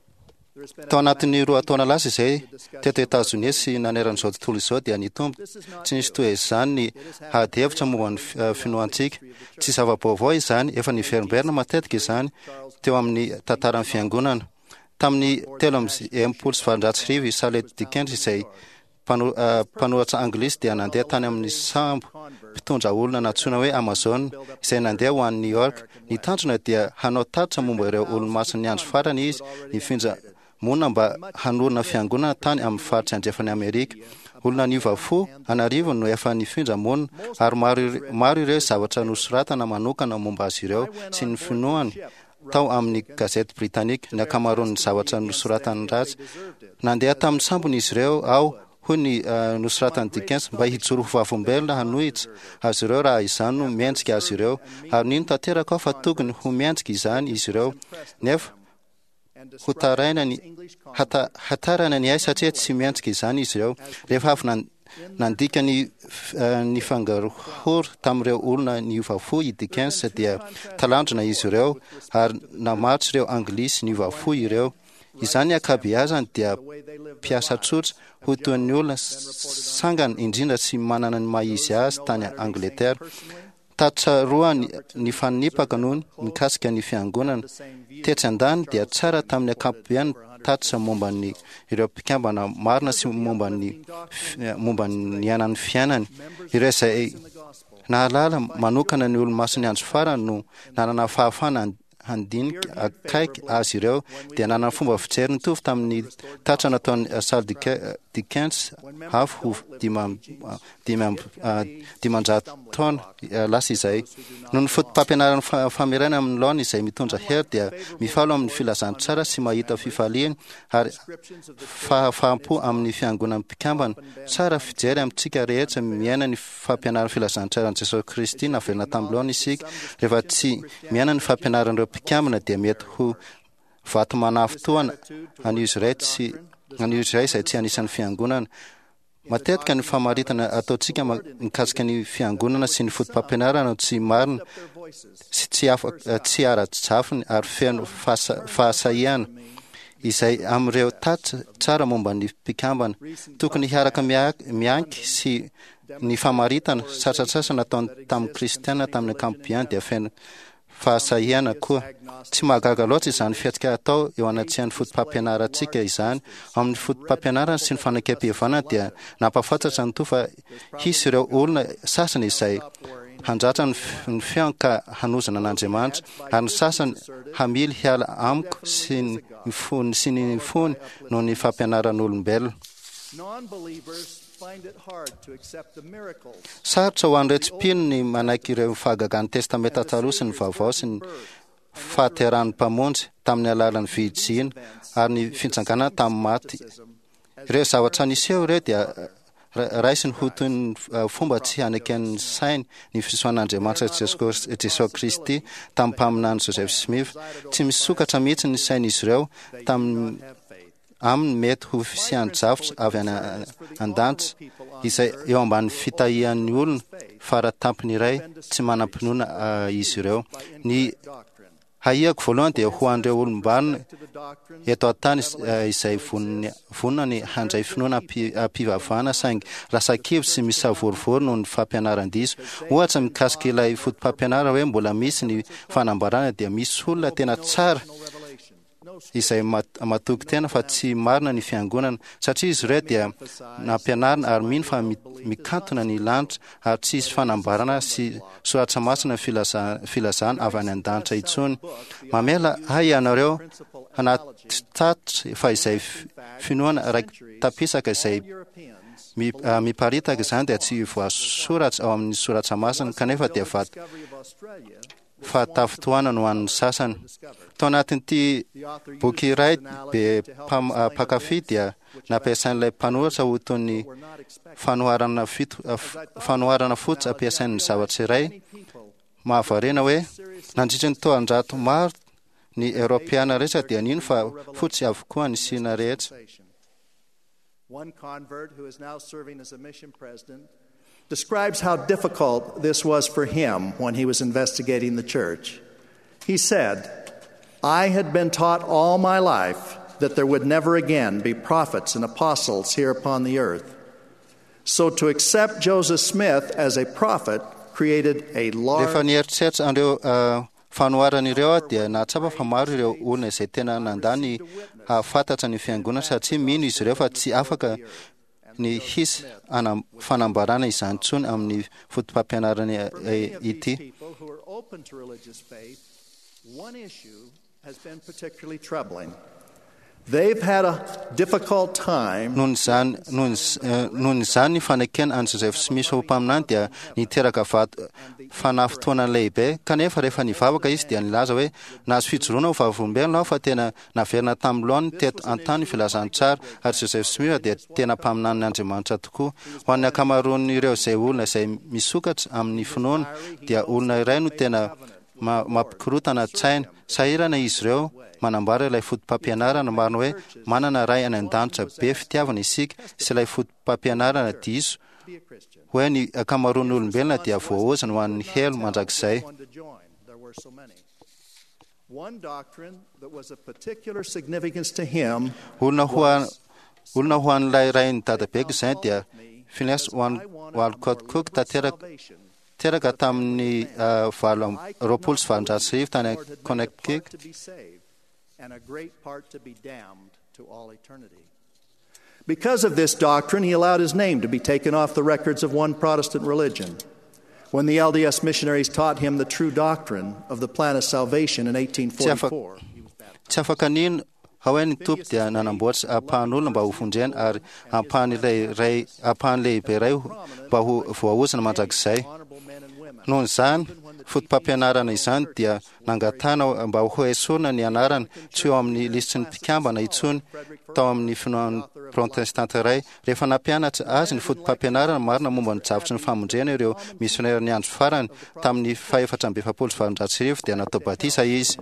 there has been a Tao anatin'ny roa taona lasa izay, teto Etazonia sy naneran'izao tontolo izao dia nitombo tsy nisy toy izany ny ady hevitra momba ny fi- eh, finoantsika. Tsy zava-baovao izany, efa niverimberina matetika izany teo amin'ny tantaran'ny fiangonana. Tamin'ny telo amby enimpolo sy valonjato sy arivo i Charles Dickens izay mpano- eh, mpanoratra anglisy dia nandeha tany amin'ny sambo mpitondra olona nantsoina hoe Amazon izay nandeha ho any New York. Ny tanjona dia hanao tatitra momba ireo olo-masin'ny andro farany izy nifindra monina mba hanorina fiangonana tany amin'ny faritra andrefan'i Amerika. Olona niova fo an'arivony no efa nifindra monina ary maro ire- maro ireo zavatra nosoratana manokana momba azy ireo sy ny finoany tao amin'ny gazety britanika ny ankamaroan'ny zavatra nosoratany ratsy. Nandeha tamin'ny sambony izy ireo aho, hoy ny eh, nosoratan'i Dickens, mba hijoro ho vavolombelona hanohitra azy ireo raha izany no mendrika azy ireo, ary nino tanteraka aho fa tokony ho mendrika izany izy ireo, nefa ho taraina ny hata, hatarana ny ahy satria tsy mendrika izany izy ireo. Rehefa avy nan- nandika ny f- eh, ny fangarohoro tamin'ireo olona niova fo i Dickens dia talanjona izy ireo ary namaritra ireo anglisy niova fo ireo. Izany ankabeazany dia mpiasa tsotra ho toy ny olona sangany indrindra sy manana ny maha izy azy tany Angleterre. Tatitra roa ny, ny fanipaka no mikasika ny fiangonana. Tetsy an-daniny dia tsara tamin'ny ankapobeny tatitra momba ny ireo mpikambana marina sy momba ny fi- momba ny niainan'ny fiainany. Ireo izay nahalala manokana ny olo-masin'ny andro farany no nanana fahafahana han- handinika akaiky azy ireo dia nanana fomba fijery nitovy tamin'ny tatitra nataon'i Charles Dick- Dickens avy ho dima- dimy amby- ah, dimanjato taona eh, lasa izay. Noho ny foto-pampianaran'ny fa- famerana amin'ny laona izay mitondra hery dia mifalo amin'ny filazantsara sy mahita fifaliana ary fahafaham-po amin'ny fiangonan'ny mpikambana. Tsara fijery amintsika rehetra miaina ny fampianaran'ny filazantsaran'i Jesosy Kristy naverina tamin'ny laona isika. Rehefa tsy miaina ny fampianaran'ireo mpikambana dia mety ho vato manafotoana an'izy iray tsy an'izy iray izay tsy anisan'ny fiangonana. Matetika ny famaritana ataontsika ma- mikasika ny fiangonana sy ny foto-pampianarana no tsy marina sy tsy afa- tsy ara-drafiny ary feno fahasa- fahasahiana izay amin'ireo tatitra tsara momba ny mpikambana. Tokony hiaraka mia- mianky sy ny famaritana sasatsasany nataony tamin'ny kristiana tamin'ny ankapobeny dia feno fahasahiana koa. Tsy mahagaga loatra izany fihetsika atao eo anatrehan'ny foto-pampianarantsika izany. Amin'ny foto-pampianarana sy ny fanekempihavanana dia nampahafantatra ny Tompo fa hisy ireo olona sasany izay handratra ny f- ny feony ka hanozana an'Andriamanitra, ary ny sasany hamily hiala amiko sy ny fony sy ny fony noho ny fampianaran'olombelona. Non-believers find it hard to accept the miracles Sarotra ho an'ireo tsy mpino ny manaiky ireo fahagagan'ny Testamenta Taloha sy ny Vaovao sy ny fahaterahan'ny Mpamonjy tamin'ny alalan'ny virijina ary ny fitsanganana tamin'ny maty. Ireo zavatra niseho ireo dia ra- raisiny ho toy ny eh, fomba tsy haneken'ny sainy ny fisoan'Andriamanitra Jesosy Jesosy Kristy tamin'ny mpaminany Joseph Smith. Tsy misokatra mihitsy ny sain'izy ireo tamin'ny aminy mety ho fisian-javatra avy any an-danitra izay eo ambanin'ny fitahian'ny olona faratampony iray tsy manam-pinoana ah, izy ireo. Ny hahiako voalohany dia ho an'ireo olom-banona eto an-tany is- eh, izay vonona vonona ny handray finoana ampi- am-pivavahana saingy lasa kivy sy misavorovoro noho ny fampianaran-diso. Ohatra mikasika ilay foto-pampianarana hoe mbola misy ny fanambarana dia misy olona tena tsara izay matoky tena fa tsy marina ny fiangonana, satria izy ireo dia nampianarina ary mino fa mikantona ny lanitra ary tsy hisy fanambarana sy soratra masina filazana avy any an-danitra intsony. Mamela ahy ianareo hanatitatitra fa izay finoana raiki-tapisaka izay miparitaka izany dia tsy voasoratra ao amin'ny soratra masina, kanefa dia vato fahatafitohana no an'ny sasany. Tao anatin'ity boky iray be mpankafy dia nampiasain'ilay mpanoratra ho toy ny fanoharana fito fanoharana fotsy ampiasain'ny zavatra iray mahavariana hoe nandritra ny taonjato maro ny Eoropeana rehetra dia nino fa fotsy avokoa ny sina rehetra. One convert who is now serving as a mission president describes how difficult this was for him when he was investigating the church. He said, I had been taught all my life that there would never again be prophets and apostles here upon the earth. So to accept Joseph Smith as a prophet created a large. Rehefa nieritreritra an'ireo fanoharana ireo aho dia nahatsapa fa maro ireo olona izay tena nandà ny hahafantatra ny fiangonana satria mino izy ireo fa tsy afaka ny hisy fanambarana izany intsony amin'ny fotopampianarana ity. One issue has been particularly troubling. They've had a difficult time. Noho izany noho izany ny fanekena an'i Joseph Smith ho mpaminany dia niteraka vato fanafotoana lehibe, kanefa rehefa nivavaka izy dia nilaza hoe nahazo fijoroana ho vavolombelona aho fa tena naverina tamin'ny laoniny teto an-tany filazantsara ary Joseph Smith dia tena mpaminanin'Andriamanitra tokoa. Ho an'ny ankamaroan'ireo izay olona izay misokatra amin'ny finoana dia olona iray no tena mampikorotana tsaina. Sahirana izy ireo manambara ilay fotopampianarana marina hoe manana ray any an-danitra be fitiavana isika sy ilay fotopampianarana diso hoe ny ankamaroan'ny olombelona dia voaozona ho an'ny helo mandrakizay. Olona ho olona ho an'ilay rain'ny dadabeko izany dia Phineas Walcott Cook tanteraka teraka tamin'ny valo roapolo sy valonjato sy arivo tany Connecticut. Because of this doctrine, he allowed his name to be taken off the records of one Protestant religion. When the L D S missionaries taught him the true doctrine of the plan of salvation in eighteen forty-four, tsy afaka nino hoe ny tompo dia nanamboatra ampahan'olona mba ho vonjena ary ampahan'ilay ray ampahany lehibe iray mba ho voaozona mandrakizay. Noho izany fotopampianarana izany dia nangatahana mba ho esorina ny anarany tsy eo amin'ny lisitry ny mpikambana intsony tao amin'ny finoan'ny protestanta iray. Rehefa nampianatra azy ny fotopampianarana marina momba ny drafitry ny famonjena ireo misionera ny andro farany tamin'ny fahefatra amby efapolo sy valonjato sy arivo dia natao batisa izy.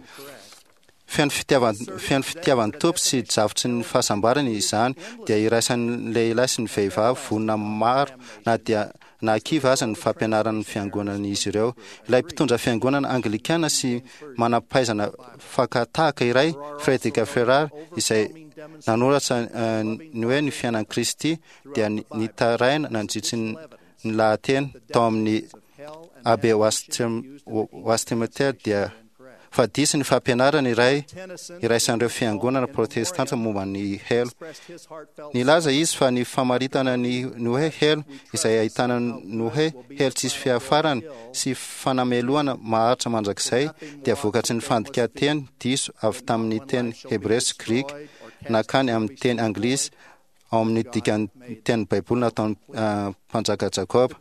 Feno fitiavan feno fitiavan'ny tompo sy drafitry ny fahasambarana izany dia iraisan'ny lehilahy sy ny vehivavy vonona maro na dia nahakivy aza ny fampianaran'ny fiangonan'izy ireo. Ilay mpitondra fiangonana anglikana sy manam-pahaizana fakatahaka iray, Frederick Ferrar, izay nanoratra ny hoe ny fiainan'i Kristy dia nitaraina nandritry ny lahateny tao amin'ny Abbey Westminster dia fa diso ny fampianarana iray iraisan'ireo fiangonana protestanta momba ny helo. Nilaza izy fa ny famaritana ny hoe helo izay ahitana ny hoe helo tsisy fiafarany sy fanamelohana maharitra mandrakizay dia vokatry ny fandikan-teny diso avy tamin'ny teny hebreo sy grika nakany amin'ny teny anglisy ao amin'ny dikan'ny teny Baiboly nataon'ny mpanjaka Jakoba.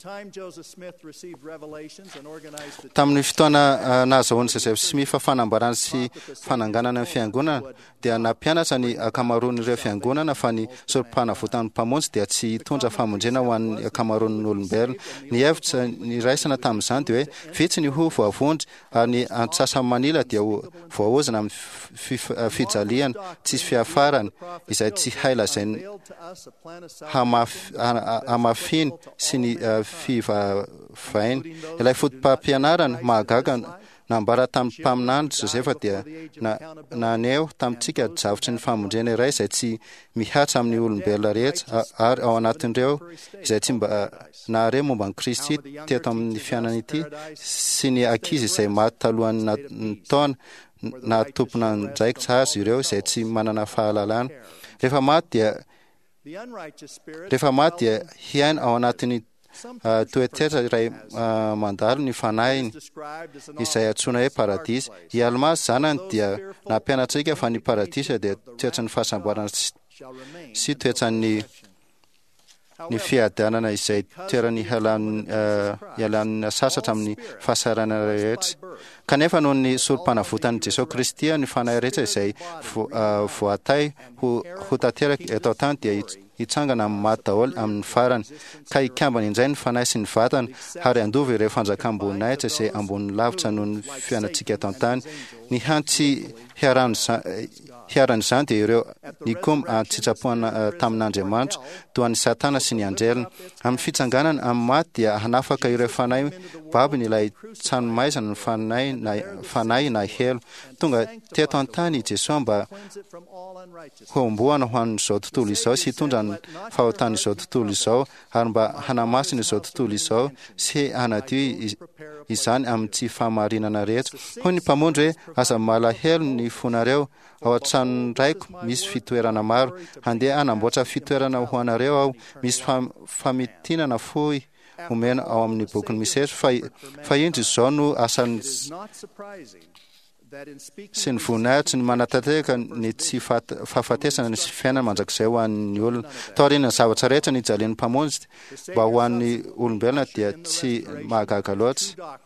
Tamin'ny fotoana nahazahoan'i Joseph Smith fanambarana sy fananganana ny fiangonana dia nampianatra ny ankamaroan'ireo fiangonana fa ny sorom-panavotan'ny mpamonjy dia tsy hitondra famonjena ho an'ny ankamaroan'ny olombelona. Ny hevitra niraisana tamin'izany dia hoe vitsy ny ho voavonjy ary ny antsasa-manila dia ho voaozona amin'ny fijaliana tsisy fiafarany izay tsy hay lazainy hamafiny sy ny fivavainy. Ilay fotopampianarana mahagaga nambara tamin'ny mpaminany Josefa dia naneho tamintsika drafitry ny famonjena iray izay tsy mihatra amin'ny olombelona rehetra ary ao anatin'ireo izay tsy mba nahare momba an'i Kristy teto amin'ny fiainana ity sy ny ankizy izay maty talohan'ny taona Naha-tompon'andraikitra azy ireo izay tsy manana fahalalana. Rehefa maty dia rehefa maty dia hiaina ao anatin'ny toetoetra iray mandalo ny fanahiny, izay antsoina hoe paradisa. I Almà zanany dia nampianatra antsika fa ny paradisa dia toetran'ny fahasambarana sy toetran'ny ny fiadanana, izay toerany hialan'ny sasatra amin'ny fahasahiranana rehetra. Kanefa noho ny sorom-panavotan'i Jesosy Kristy, ny fanahy rehetra izay voatay ho ho tanteraka eto an-tany dia hitsangana amin'ny maty daholo amin'ny farany, ka hikambana indray ny fanahy sy ny vatana ary handova ireo fanjakam-boninahitra izay ambony lavitra noho ny fiainantsika eto an-tany. Ny hany tsy hiharan'izany dia ireo nikomy an-tsitrapo tamin'Andriamanitra, toa an'i Satana sy ny anjeliny. Amin'ny fitsanganana amin'ny maty dia hanafaka ireo fanahy babony ilay tranomaizina ny fanahy na fanahy na helo. Tonga teto an-tany i Jesoa mba hohomboana ho an'izao tontolo izao sy hitondra ny fahotan'izao tontolo izao ary mba hanamasina izao tontolo izao sy hanadio izany amin'ny tsy fahamarinana rehetra. Hoy ny Mpamonjy hoe: "Aza malahelo ny fonareo, ao an-tranon'ny Raiko misy fitoerana maro. Handeha hanamboatra fitoerana ho anareo aho." Misy famintinana fohy omena ao amin'ny bokin'ny Misery fa fa indro izao no asan'ny sy ny voninahitry ny manatanteraka ny tsy fahafatesana ny fiainana mandrakizay ho an'ny olona. Taorian'ny zavatra rehetra nijalian'ny Mpamonjy mba ho an'ny olombelona dia tsy mahagaga loatra.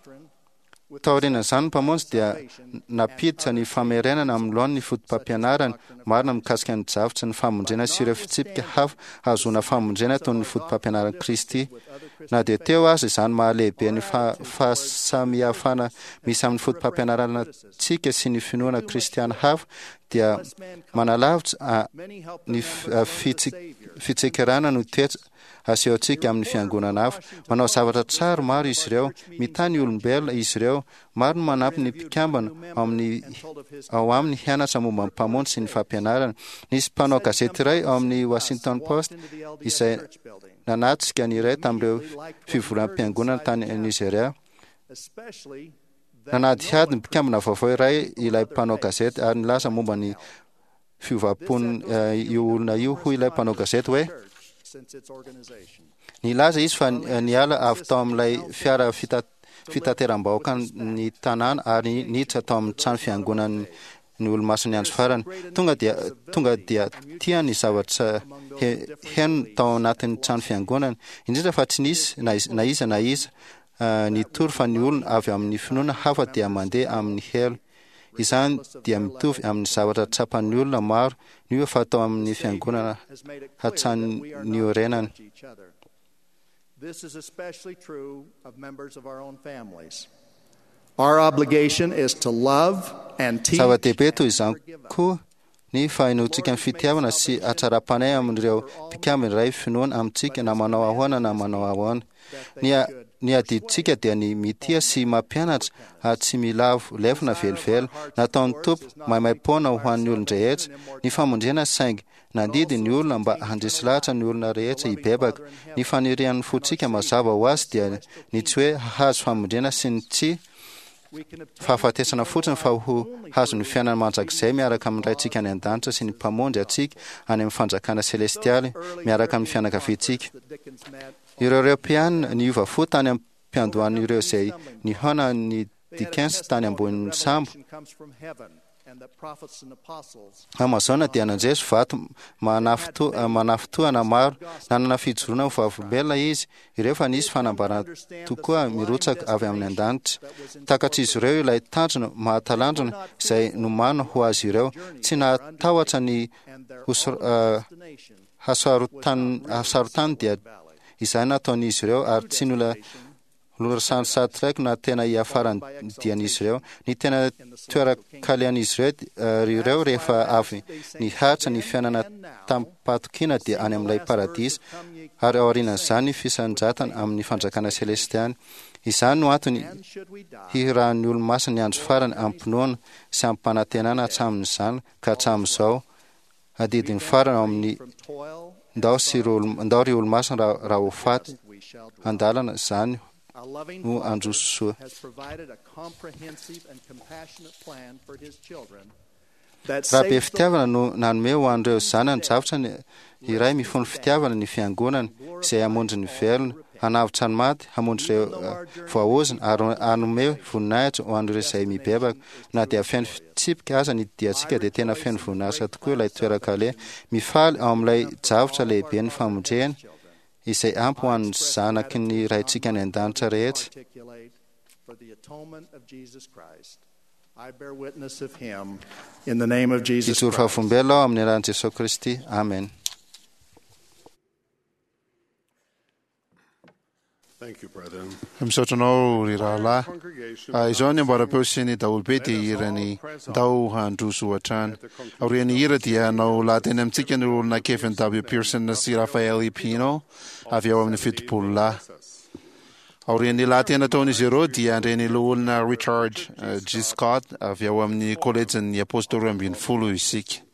Taorian'izany ny Mpamonjy dia nampiditra ny famerenana amin'ny laoniny ny fotopampianarany marina mikasika ny drafitry ny famonjena sy ireo fitsipika hafa hahazoana famonjena toy ny fotopampianaran'i Kristy. Na dia teo aza izany mahalehibe ny fahasamihafana misy amin'ny fotopampianarantsika sy ny finoana kristiana hafa, dia manalavitra ny fitsikerana no toetra asehontsika amin'ny fiangonana hafa. Manao zavatra tsara maro izy ireo. Mitahy ny olombelona izy ireo. Maro no manampy ny mpikambana ao amin'ny ao aminy hianatra momba ny Mpamonjy sy ny fampianarana. Nisy mpanao gazety iray ao amin'ny Washington Post izay nanatrika ny iray tamin'ireo fivoram-piangonana tany Nigeria. Nanadihady ny mpikambana vaovao iray ilay mpanao gazety ary nilaza momba ny fiovam-pon io olona io. Hoy ilay mpanao gazety hoe: "Nilaza izy fa niala avy tao amin'ilay fiara fitateram-bahoaka ny tanàna ary niditra tao amin'ny trano fiangonan'ny ny Olomasin'ny Andro Farany. Tonga dia tonga dia tia ny zavatra heno tao anatin'ny trano fiangonana, indrindra fa tsy nisy na iza na iza nitory fa ny olona avy amin'ny finoana hafa dia mandeha amin'ny helo. Izany dia mitovy amin'ny zavatra tsapan'ny olona maro niova fa tao amin'ny fiangonana hatrany niorenany." This is especially true of members of our own families. Our obligation is to love and teach. Zava-dehibe toy izany koa ny fahenoantsika ny fitiavana sy hatsaram-panahy amin'ireo mpikambana iray finoana amintsika, na manao ahoana na manao ahoana. Ny ny adidintsika dia ny mitia sy mampianatra ary tsy milavo lefona velively. Nataon'ny Tompo maimaim-poana ho an'ny olon-drehetra ny famonjena, saingy nandidy ny olona mba handresy lahatra ny olona rehetra hibebaka. Ny fanirian'ny fontsika mazava ho azy dia ny tsy hoe hahazo famonjena sy ny tsy fahafatesana fotsiny, fa ho hazo ny fiainana mandrakizay miaraka amin'ny Raintsika any an-danitra sy ny Mpamonjy antsika any amin'ny fanjakana selestialy miaraka amin'ny fianakaviantsika. Ireo Eoropeana niova fo tany am-piandohan'ireo izay nihaona ny Dickens tany ambonin'ny sambo Amazona dia nandresy vato manafintohina maro. Nanana fijoroana ho vavolombelona izy ireo fa nisy fanambarana tokoa mirotsaka avy amin'ny an-danitra. Takatr'izy ireo ilay tanjona mahatalanjona izay nomanina ho azy ireo. Tsy nahatahotra ny hasarotany dia izay nataon'izy ireo ary tsy nola Lorasany Star na tena hiafaran'ny dian'izy ireo. Ny tena toeran-kalehan'izy ireo ireo rehefa avy niharitra ny fiainana tamim-pahatokiana dia any amin'ilay paradisa, ary aorianan'izany ny fisandrantana amin'ny fanjakana selestialy. Izany no antony hihirahan'ny Olomasina ny andro farany amim-pinoana sy amim-panantenana hatramin'izany ka hatramin'izao. Adidin'ny farany ao amin'ny Ndao sy Ndao ry Olomasina raha ho faty an-dalana izany no handroso soa. Raha be fitiavana no nanome ho an'ireo zanany drafitra ny iray mifono fitiavana ny fiangonana izay hamonjy ny velona, hanavotra ny maty, hamonjy ireo voaozona ary hanome voninahitra ho an'ireo izay mibebaka. Na dia feno fitsipika aza ny diantsika dia tena feno voninahitra tokoa ilay toeran-kaleha. Mifaly ao amin'ilay drafitra lehibe ny famonjena izay ampy ho an'ny zanaky ny Raintsika any an-danitra rehetra. Hijoro vavolombelona aho amin'ny anaran'i Jesosy Kristy. Amen. Misaotra anao ry rahalahy. Izao ny amboaram-peo sy ny daholobe dia hirany Ndao handroso hatrany. Aorian'ny hira dia hanao lahateny amintsika ny olona Kevin W. Pearson sy Rafael E. Pino avy ao amin'ny fitopolo lahy. Aorian'ny lahateny nataon'izy ireo dia handre ny loholona Richard G. Scott avy ao amin'ny kolejin'ny Apôstôly roa ambin'ny folo isika.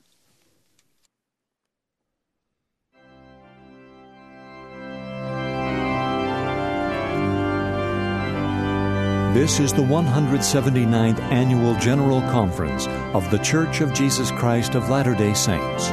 This is the one hundred seventy-ninth Annual General Conference of The Church of Jesus Christ of Latter-day Saints.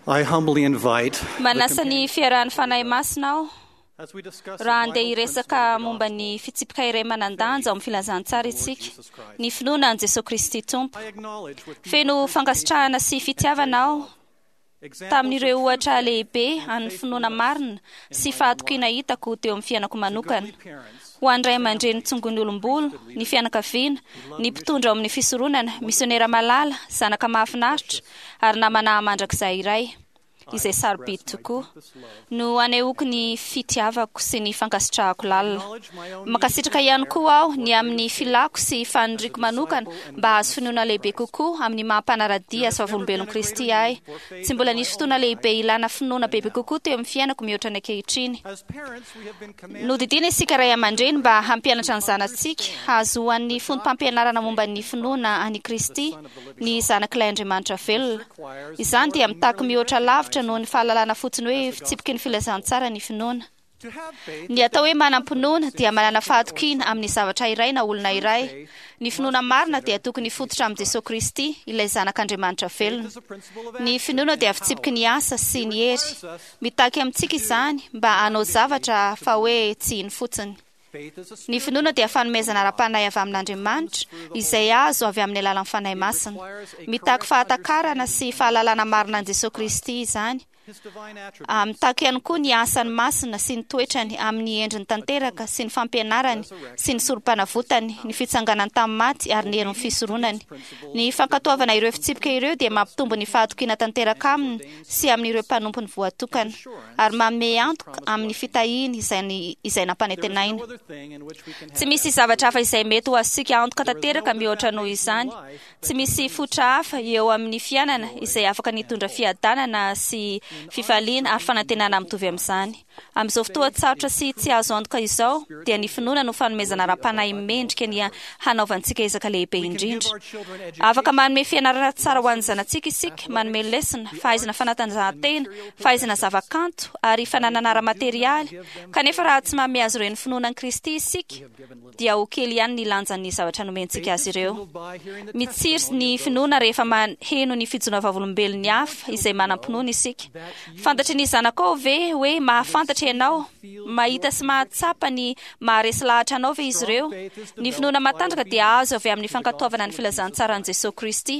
I humbly invite Manasa ny fiarahan'ny Fanahy Masina aho raha handeha hiresaka momba ny fitsipika iray manan-danja ao amin'ny filazantsara isika, ny finoana an'i Jesosy Kristy Tompo. Feno fankasitrahana sy fitiavana aho tamin'ireo ohatra lehibe an'ny finoana marina sy fahatokiana hitako teo amin'ny fiainako manokana. Ho an'ny ray aman-dreny tsongon'ny olom-bolo, ny fianakaviana, ny mpitondra ao amin'ny fisoronana, misionera malala, zanaka mahafinaritra ary namana mandrakizay iray, izay sarobidy tokoa, no anehoako ny fitiavako sy ny fankasitrahako lalina. Mankasitraka ihany koa aho ny amin'ny filako sy faniriako manokana mba hahazo finoana lehibe kokoa amin'ny maha mpanara-dia sy vavolombelon'i Kristy ahy. Tsy mbola nisy fotoana lehibe ilana finoana bebe kokoa teo amin'ny fiainako mihoatra ny ankehitriny. Nodidiana isika ray aman-dreny mba hampianatra ny zanatsika hahazoan'ny fonom-pampianarana momba ny finoana an'i Kristy, ny zanak'ilay Andriamanitra velona. Izany dia mitaky mihoatra lavitra noho ny fahalalana fotsiny hoe fitsipiky ny filazantsara ny finoana. Ny atao hoe manam-pinoana dia manana fahatokiana amin'ny zavatra iray na olona iray. Ny finoana marina dia tokony hifototra amin'i Jesosy Kristy, ilay zanak'Andriamanitra velona. Ny finoana dia fitsipiky ny asa sy ny hery. Mitaky amintsika izany mba hanao zavatra fa hoe tsy hino fotsiny. Ny finoana dia fanomezana ara-panahy avy amin'Andriamanitra izay azo avy amin'ny alalan'ny Fanahy Masina. Mitaky fahatakarana sy fahalalana marina an'i Jesosy Kristy izany. Mitaky ihany koa ny asany masina sy ny toetrany amin'ny endriny tanteraka sy ny fampianarany sy ny sorom-panavotany, ny fitsanganany tamin'ny maty ary ny herin'ny fisoronany. Ny fankatoavana ireo fitsipika ireo dia mampitombo ny fahatokiana tanteraka aminy sy amin'ireo mpanompony voatokana ary manome antoka amin'ny fitahiany izay, izay nampanantenaina. Tsy misy zavatra hafa izay mety ho azontsika antoka tanteraka mihoatra noho izany. Tsy misy fototra hafa eo amin'ny fiainana izay afaka nitondra fiadanana sy fifaliana ary fanantenana mitovy amin'izany. Amin'izao fotoan-tsarotra sy tsy azo antoka izao, dia ny finoana no fanomezana ara-panahy mendrika ny hanaovantsika ezaka lehibe indrindra. Afaka manome fianarana tsara ho an'ny zanatsika isika, manome lesona, fahaizana fanatanjahantena, fahaizana zavakanto ary fananana ara-materialy. Kanefa raha tsy manome azy ireo ny finoana an'i Kristy isika, dia ho kely ihany ny lanjan'ny zavatra nomentsika azy ireo. Mitsiry ny finoana rehefa maheno ny fijoroana vavolombelon'ny hafa izay manam-pinoana isika. Fantatry ny zanakao ve hoe mahafantatra ianao? Mahita sy mahatsapa ny maharesy lahatra anao ve izy ireo? Ny finoana matanjaka dia azo avy amin'ny fankatoavana ny filazantsaran'i Jesosy Kristy.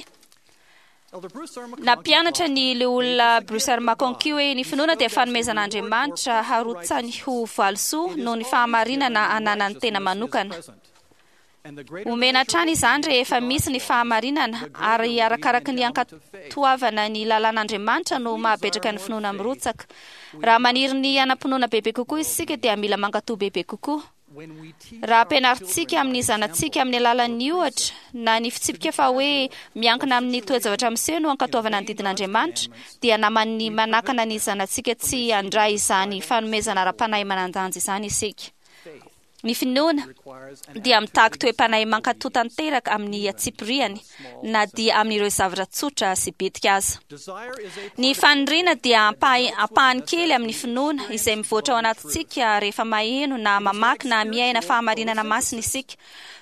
Nampianatra ny loholona Bruce R. McConkie hoe ny finoana dia fanomezan'Andriamanitra harotsany ho valisoa noho ny fahamarinana ananan'ny tena manokana. Omena hatrany izany rehefa misy ny fahamarinana ary arakaraky ny ankatoavana ny lalàn'Andriamanitra no mahabetraka ny finoana mirotsaka. Raha maniry ny hanam-pinoana bebe kokoa isika dia mila mankatò bebe kokoa. Raha ampianarintsika amin'ny zanatsika amin'ny alalan'ny ohatra na ny fitsipika fa hoe miankina amin'ny toe-javatra miseho no ankatoavana ny didin'Andriamanitra, dia naman'ny manakana ny zanatsika tsy handray izany fanomezana ara-panahy manan-danja izany isika. Ny finoana dia mitaky toe-panahy mankatò tanteraka amin'ny antsipiriany na dia amin'ireo zavatra tsotra sy bitika aza. Ny faniriana dia ampahany kely amin'ny finoana izay mivoatra ao anatintsika rehefa maheno na mamaky na miaina fahamarinana masina isika.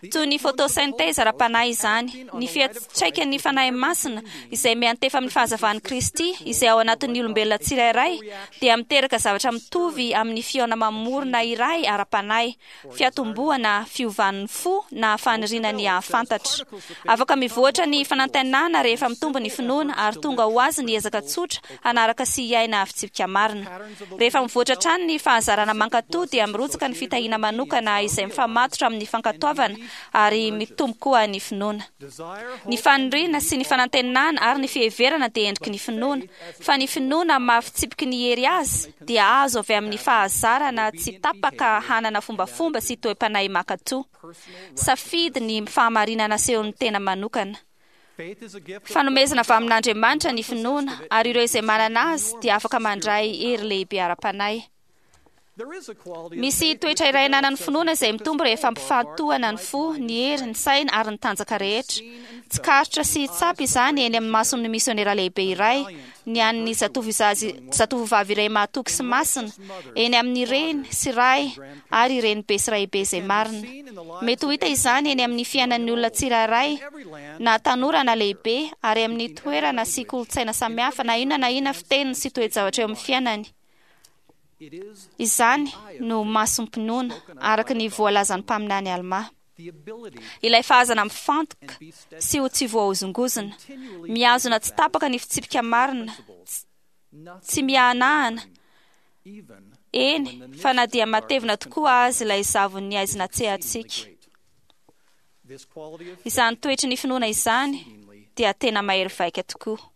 Toy ny photosynthèse ara-panahy izany, ny fiantraikan'ny fanahy masina izay miantefa amin'ny fahazavan'i Kristy izay ao anatin'ny olombelona tsirairay dia miteraka zavatra mitovy amin'ny fihaona mamorona iray ara-panahy, fiatombohana fiovan'ny fo na faniriana ny hahafantatra. Afaka mivoatra ny fanantenana rehefa mitombo ny finoana ary tonga ho azy ny ezaka tsotra hanaraka sy hiaina fitsipika marina. Rehefa mivoatra hatrany ny fahazarana mankatò dia mirotsaka ny fitahiana manokana izay mifamatotra amin'ny fankatoavana ary mitombo koa ny finoana. Ny faniriana sy ny fanantenana ary ny fiheverana dia endriky ny finoana, fa ny finoana mahafitsipiky ny hery azy dia azo avy amin'ny fahazarana tsy tapaka hanana fombafomba sy toe-panahy mankatò. Safidy ny fahamarinana asehon'ny tena manokana. Fanomezana avy amin'Andriamanitra ny finoana ary ireo izay manana azy dia afaka mandray hery lehibe ara-panahy. Misy toetra iray ananan'ny finoana izay mitombo rehefa ampifantohana ny fo, ny hery, ny saina ary ny tanjaka rehetra. Tsikaritra sy tsapa izany eny amin'ny mason'ny misionera lehibe iray, ny an'ny zatovovavy iray mahatoky sy masina, eny amin'ny reny sy ray ary renibe sy raibe izay marina. Mety ho hita izany eny amin'ny fiainan'ny olona tsirairay, na tanora na lehibe, ary amin'ny toerana sy kolontsaina samihafa na inona na inona fiteniny sy toe-javatra eo amin'ny fiainany. Izany no masom-pinoana araka ny voalazan'ny mpaminany Alma. Ilay fahazana mifantoka sy ho tsy voahozongozona, mihazona tsy tapaka ny fitsipika marina, tsy miahanahana, eny fa na dia matevina tokoa azy ilay zavon'ny aizina tsehantsika. Izany toetry ny finoana izany dia tena mahery vaika tokoa.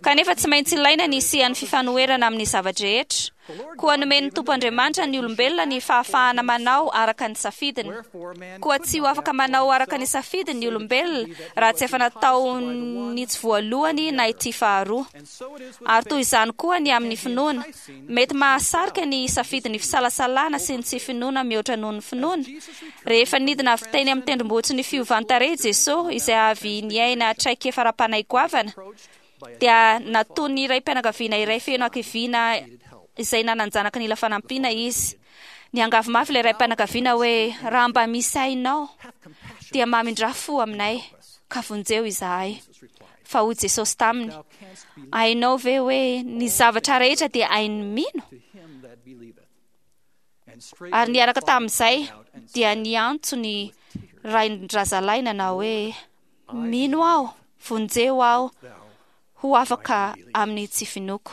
Kanefa tsy maintsy ilaina ny hisian'ny fifanoherana amin'ny zava-drehetra. Koa nomen'ny Tompo Andriamanitra ny olombelona ny fahafahana manao araka ny safidiny. Koa tsy ho afaka manao araka ny safidiny ny olombelona raha tsy efa nataony tsy voalohany na ity faharoa. Ary toy izany koa ny amin'ny finoana. Mety mahasarika ny safidin'ny fisalasalana sy ny tsy finoana mihoatra noho ny finoana. Rehefa nidina avy teny amin'ny tendrombohitry ny fiovan-tarehy Jesosy izay avy niaina traikefa ara-panahy goavana, dia nataon'ny raim-pianakaviana iray feno hakiviana izay nanan-janaka nila fanampiana izy. Niangavy mafy ilay raim-pianakaviana hoe raha mba misy hainao dia mamindrà fo aminay ka vonjeo izahay. Fa hoy Jesosy taminy, hainao ve hoe ny zavatra rehetra dia hain'ny mino? Ary niaraka tamin'izay dia niantso ny rain-drazalahy nanao hoe mino aho, vonjeo aho ho afaka amin'ny tsy finoako.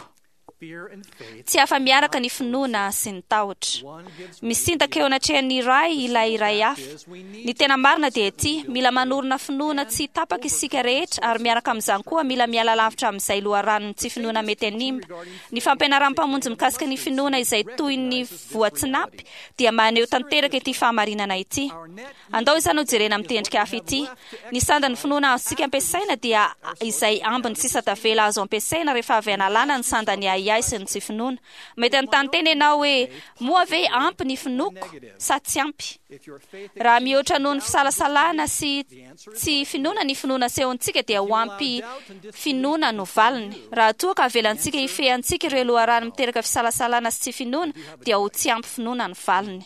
Tsy afa-miaraka ny finoana sy ny tahotra. Misintaka eo anatrehan'ny iray ilay iray hafa. Ny tena marina dia ity: mila manorina finoana tsy tapaka isika rehetra, ary miaraka amin'izany koa mila miala lavitra amin'izay loharanon'ny tsy finoana mety hanimba. Ny fampianaran'ny Mpamonjy mikasika ny finoana izay toy ny voatsinapy dia maneho tanteraka ity fahamarinana ity. Andao izany ho jerena amin'ny tendrika hafa ity. Ny sandan'ny finoana azontsika ampiasaina dia izay ambiny sisa tavela azo ampiasaina rehefa avy analana ny sandan'ny ahiahy sy ny tsy finoana. Mety hanontany tena ianao hoe, moa ve ampy ny finoako sa tsy ampy? Raha mihoatra noho ny fisalasalana sy tsy finoana ny finoana asehontsika dia ho ampy finoana no valiny. Raha toa ka avelantsika hifehy antsika ireo loharano miteraka fisalasalana sy tsy finoana dia ho tsy ampy finoana ny valiny.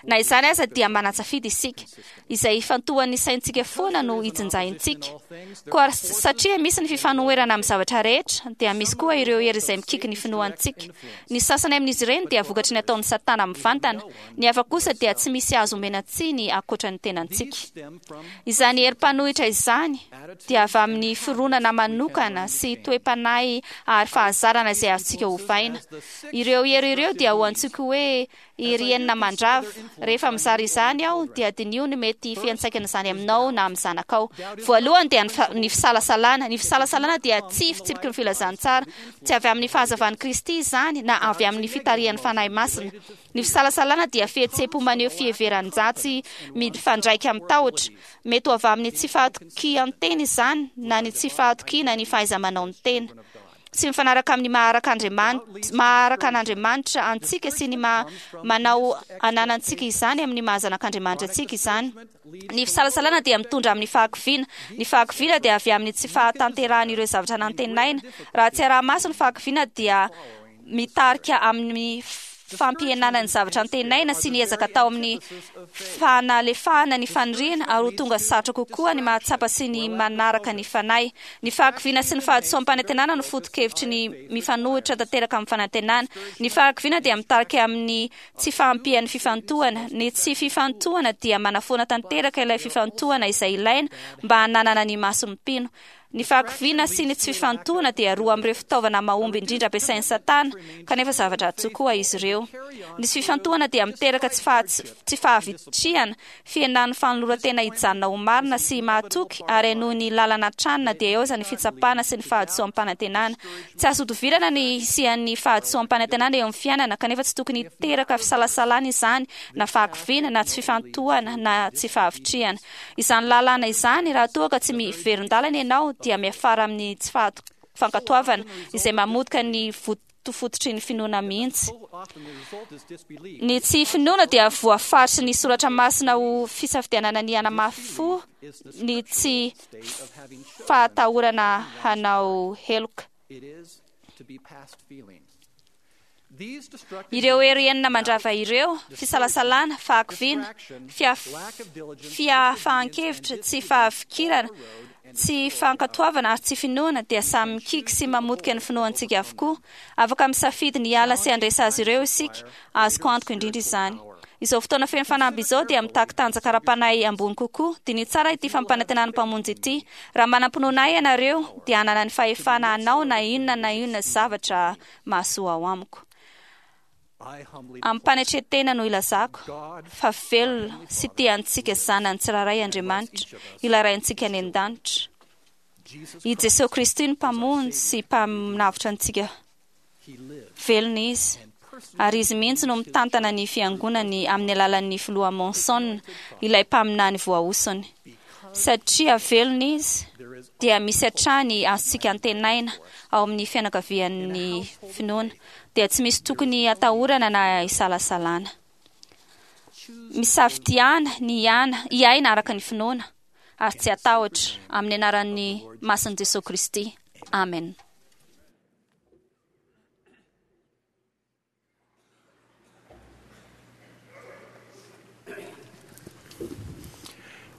Na izany aza dia manan-tsafidy isika. Izay ifantohan'ny saintsika foana no ijinjaintsika. Koa satria misy ny fifanoherana amin'ny zavatra rehetra, dia misy koa ireo hery izay mikiky ny finoantsika. Ny sasany amin'izy ireny dia vokatry ny ataon'i Satana mivantana, ny hafa kosa dia tsy misy azo omena tsiny ankoatra ny tenantsika. Izany hery mpanohitra izany dia avy amin'ny fironana manokana sy toe-panahy ary fahazarana izay azontsika ovaina. Ireo hery ireo dia ho antsoiko hoe hery enina mandrava. Rehefa mizara izany aho dia diniho ny mety fiantraikan'izany aminao na amin'ny zanakao. Voalohany dia ny fisalasalana. Ny fisalasalana dia tsy fitsipiky ny filazantsara. Tsy avy amin'ny fahazavan'i Kristy izany na avy amin'ny fitarihan'ny Fanahy Masina. Ny fisalasalana dia fihetseham-po maneho fiheveran-dratsy mifandraika amin'ny tahotra. Mety ho avy amin'ny tsy fahatokian-tena izany na ny tsy fahatokiana ny fahaiza-manao ny tena. Tsy mifanaraka amin'ny maha araka Andriamanitra, maha araka an'Andriamanitra antsika sy ny maha manao ananantsika izany amin'ny maha zanak'Andriamanitra antsika izany. Ny fisalasalana dia mitondra amin'ny fahakiviana. Ny fahakiviana dia avy amin'ny tsy fahatanterahan'ireo zavatra nantenaina. Raha tsy araha-maso ny fahakiviana dia mitarika amin'ny fampihenana ny zavatra antenaina sy ny ezaka atao amin'ny fanalefahana ny faniriana, ary ho tonga sarotra kokoa ny mahatsapa sy ny manaraka ny Fanahy. Ny fahakiviana sy ny fahadisoam-panantenana no foto-kevitry ny mifanohitra tanteraka amin'ny fanantenana. Ny fahakiviana dia mitarika amin'ny tsy fahampian'ny fifantohana. Ny tsy fifantohana dia manafoana tanteraka ilay fifantohana izay ilaina mba hananana ny mason'ny mpino. Ny fahakiviana sy ny tsy fifantohana dia roa amin'ireo fitaovana mahomby indrindra ampiasain'i Satana, kanefa zavatra ratsy koa izy ireo. Ny tsy fifantohana dia miteraka tsy faha- tsy fahavitrihana, fihenan'ny fanoloran-tena hijanona ho marina sy mahatoky, ary hanohy ny lalana hatrany na dia eo aza ny fitsapana sy ny fahadisoam-panantenana. Tsy azo ihodivirana ny hisian'ny fahadisoam-panantenana eo amin'ny fiainana, kanefa tsy tokony hiteraka fisalasalana izany, na fahakiviana, na tsy fifantohana, na tsy fahavitrihana. Izany lalàna izany, raha toa ka tsy miverin-dalana ianao, dia miafara amin'ny tsy fankatoavana, izay mamotika ny fotofototry ny finoana mihitsy. Ny tsy finoana dia voafaritry ny Soratra Masina ho fisafidianana ny hanamafy fo ny tsy fahatahorana hanao heloka. Ireo hery enina mandrava ireo, fisalasalana, fahakiviana, fiafahan-kevitra, tsy fahafikirana, tsy fankatoavana ary tsy finoana, dia samy mikiky sy mamotika ny finoantsika avokoa. Afaka misafidy ny hiala sy handresy azy ireo isika. Azoko antoka indrindra izany. Izao fotoana feno fanamby izao dia mitaky tanjaka ara-panahy ambony kokoa. Diniho tsara ity fampanantenan'ny Mpamonjy ity. Raha manam-pinoana Ahy ianareo, dia hanana ny fahefana hanao na inona na inona zavatra mahasoa ao amiko. Amim-panetren-tena no ilazako fa velona sy tia antsika zanany tsirairay Andriamanitra, ilay Raintsika any an-danitra. I Jesoa Kristy no Mpamonjy sy Mpanavotra antsika. Velona Izy, ary Izy mihitsy no mitantana ny Fiangonany amin'ny alalan'ny Filoha Monson, ilay mpaminany voahosony. Satria velona Izy, dia misy hatrany azontsika antenaina ao amin'ny fianakavian'ny finoana, dia tsy misy tokony hatahorana na hisalasalana. Misafidiana ny hiana, hiaina araka ny finoana, ary tsy hatahotra, amin'ny anaran'ny masin'i Jesoa Kristy. Amen.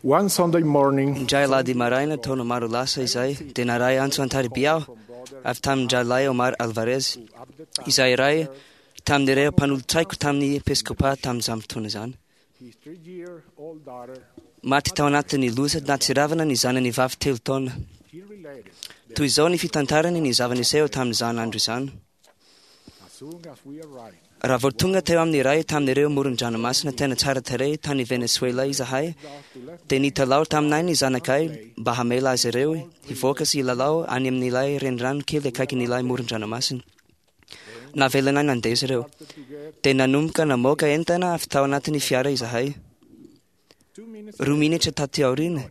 One Sunday morning, Indray alahady maraina taona maro lasa izay dia naray antso an-tariby aho avy tamin-drahalahy Omar Alvarez, izay iray tamin'ireo mpanolotsaiko tamin'ny episkopa tamin'izany fotoana izany. Maty tao anatin'ny loza nahatsiravina ny zanany vavy telo taona. Toy izao ny fitantarany ny zava-niseho tamin'izany andro izany. Raha vao tonga teo amin'ny iray tamin'ireo moron-dranomasina tena tsara tarehy tany Venezuela izahay, dia nitalaho taminay ny zanakay mba hamela azy ireo hivoaka sy hilalao any amin'ilay renirano kely akaikin'ilay moron-dranomasina. Navelanay nandeha izy ireo. Dia nanomboka namoaka entana avy tao anatin'ny fiara izahay. Roa minitra taty aoriana,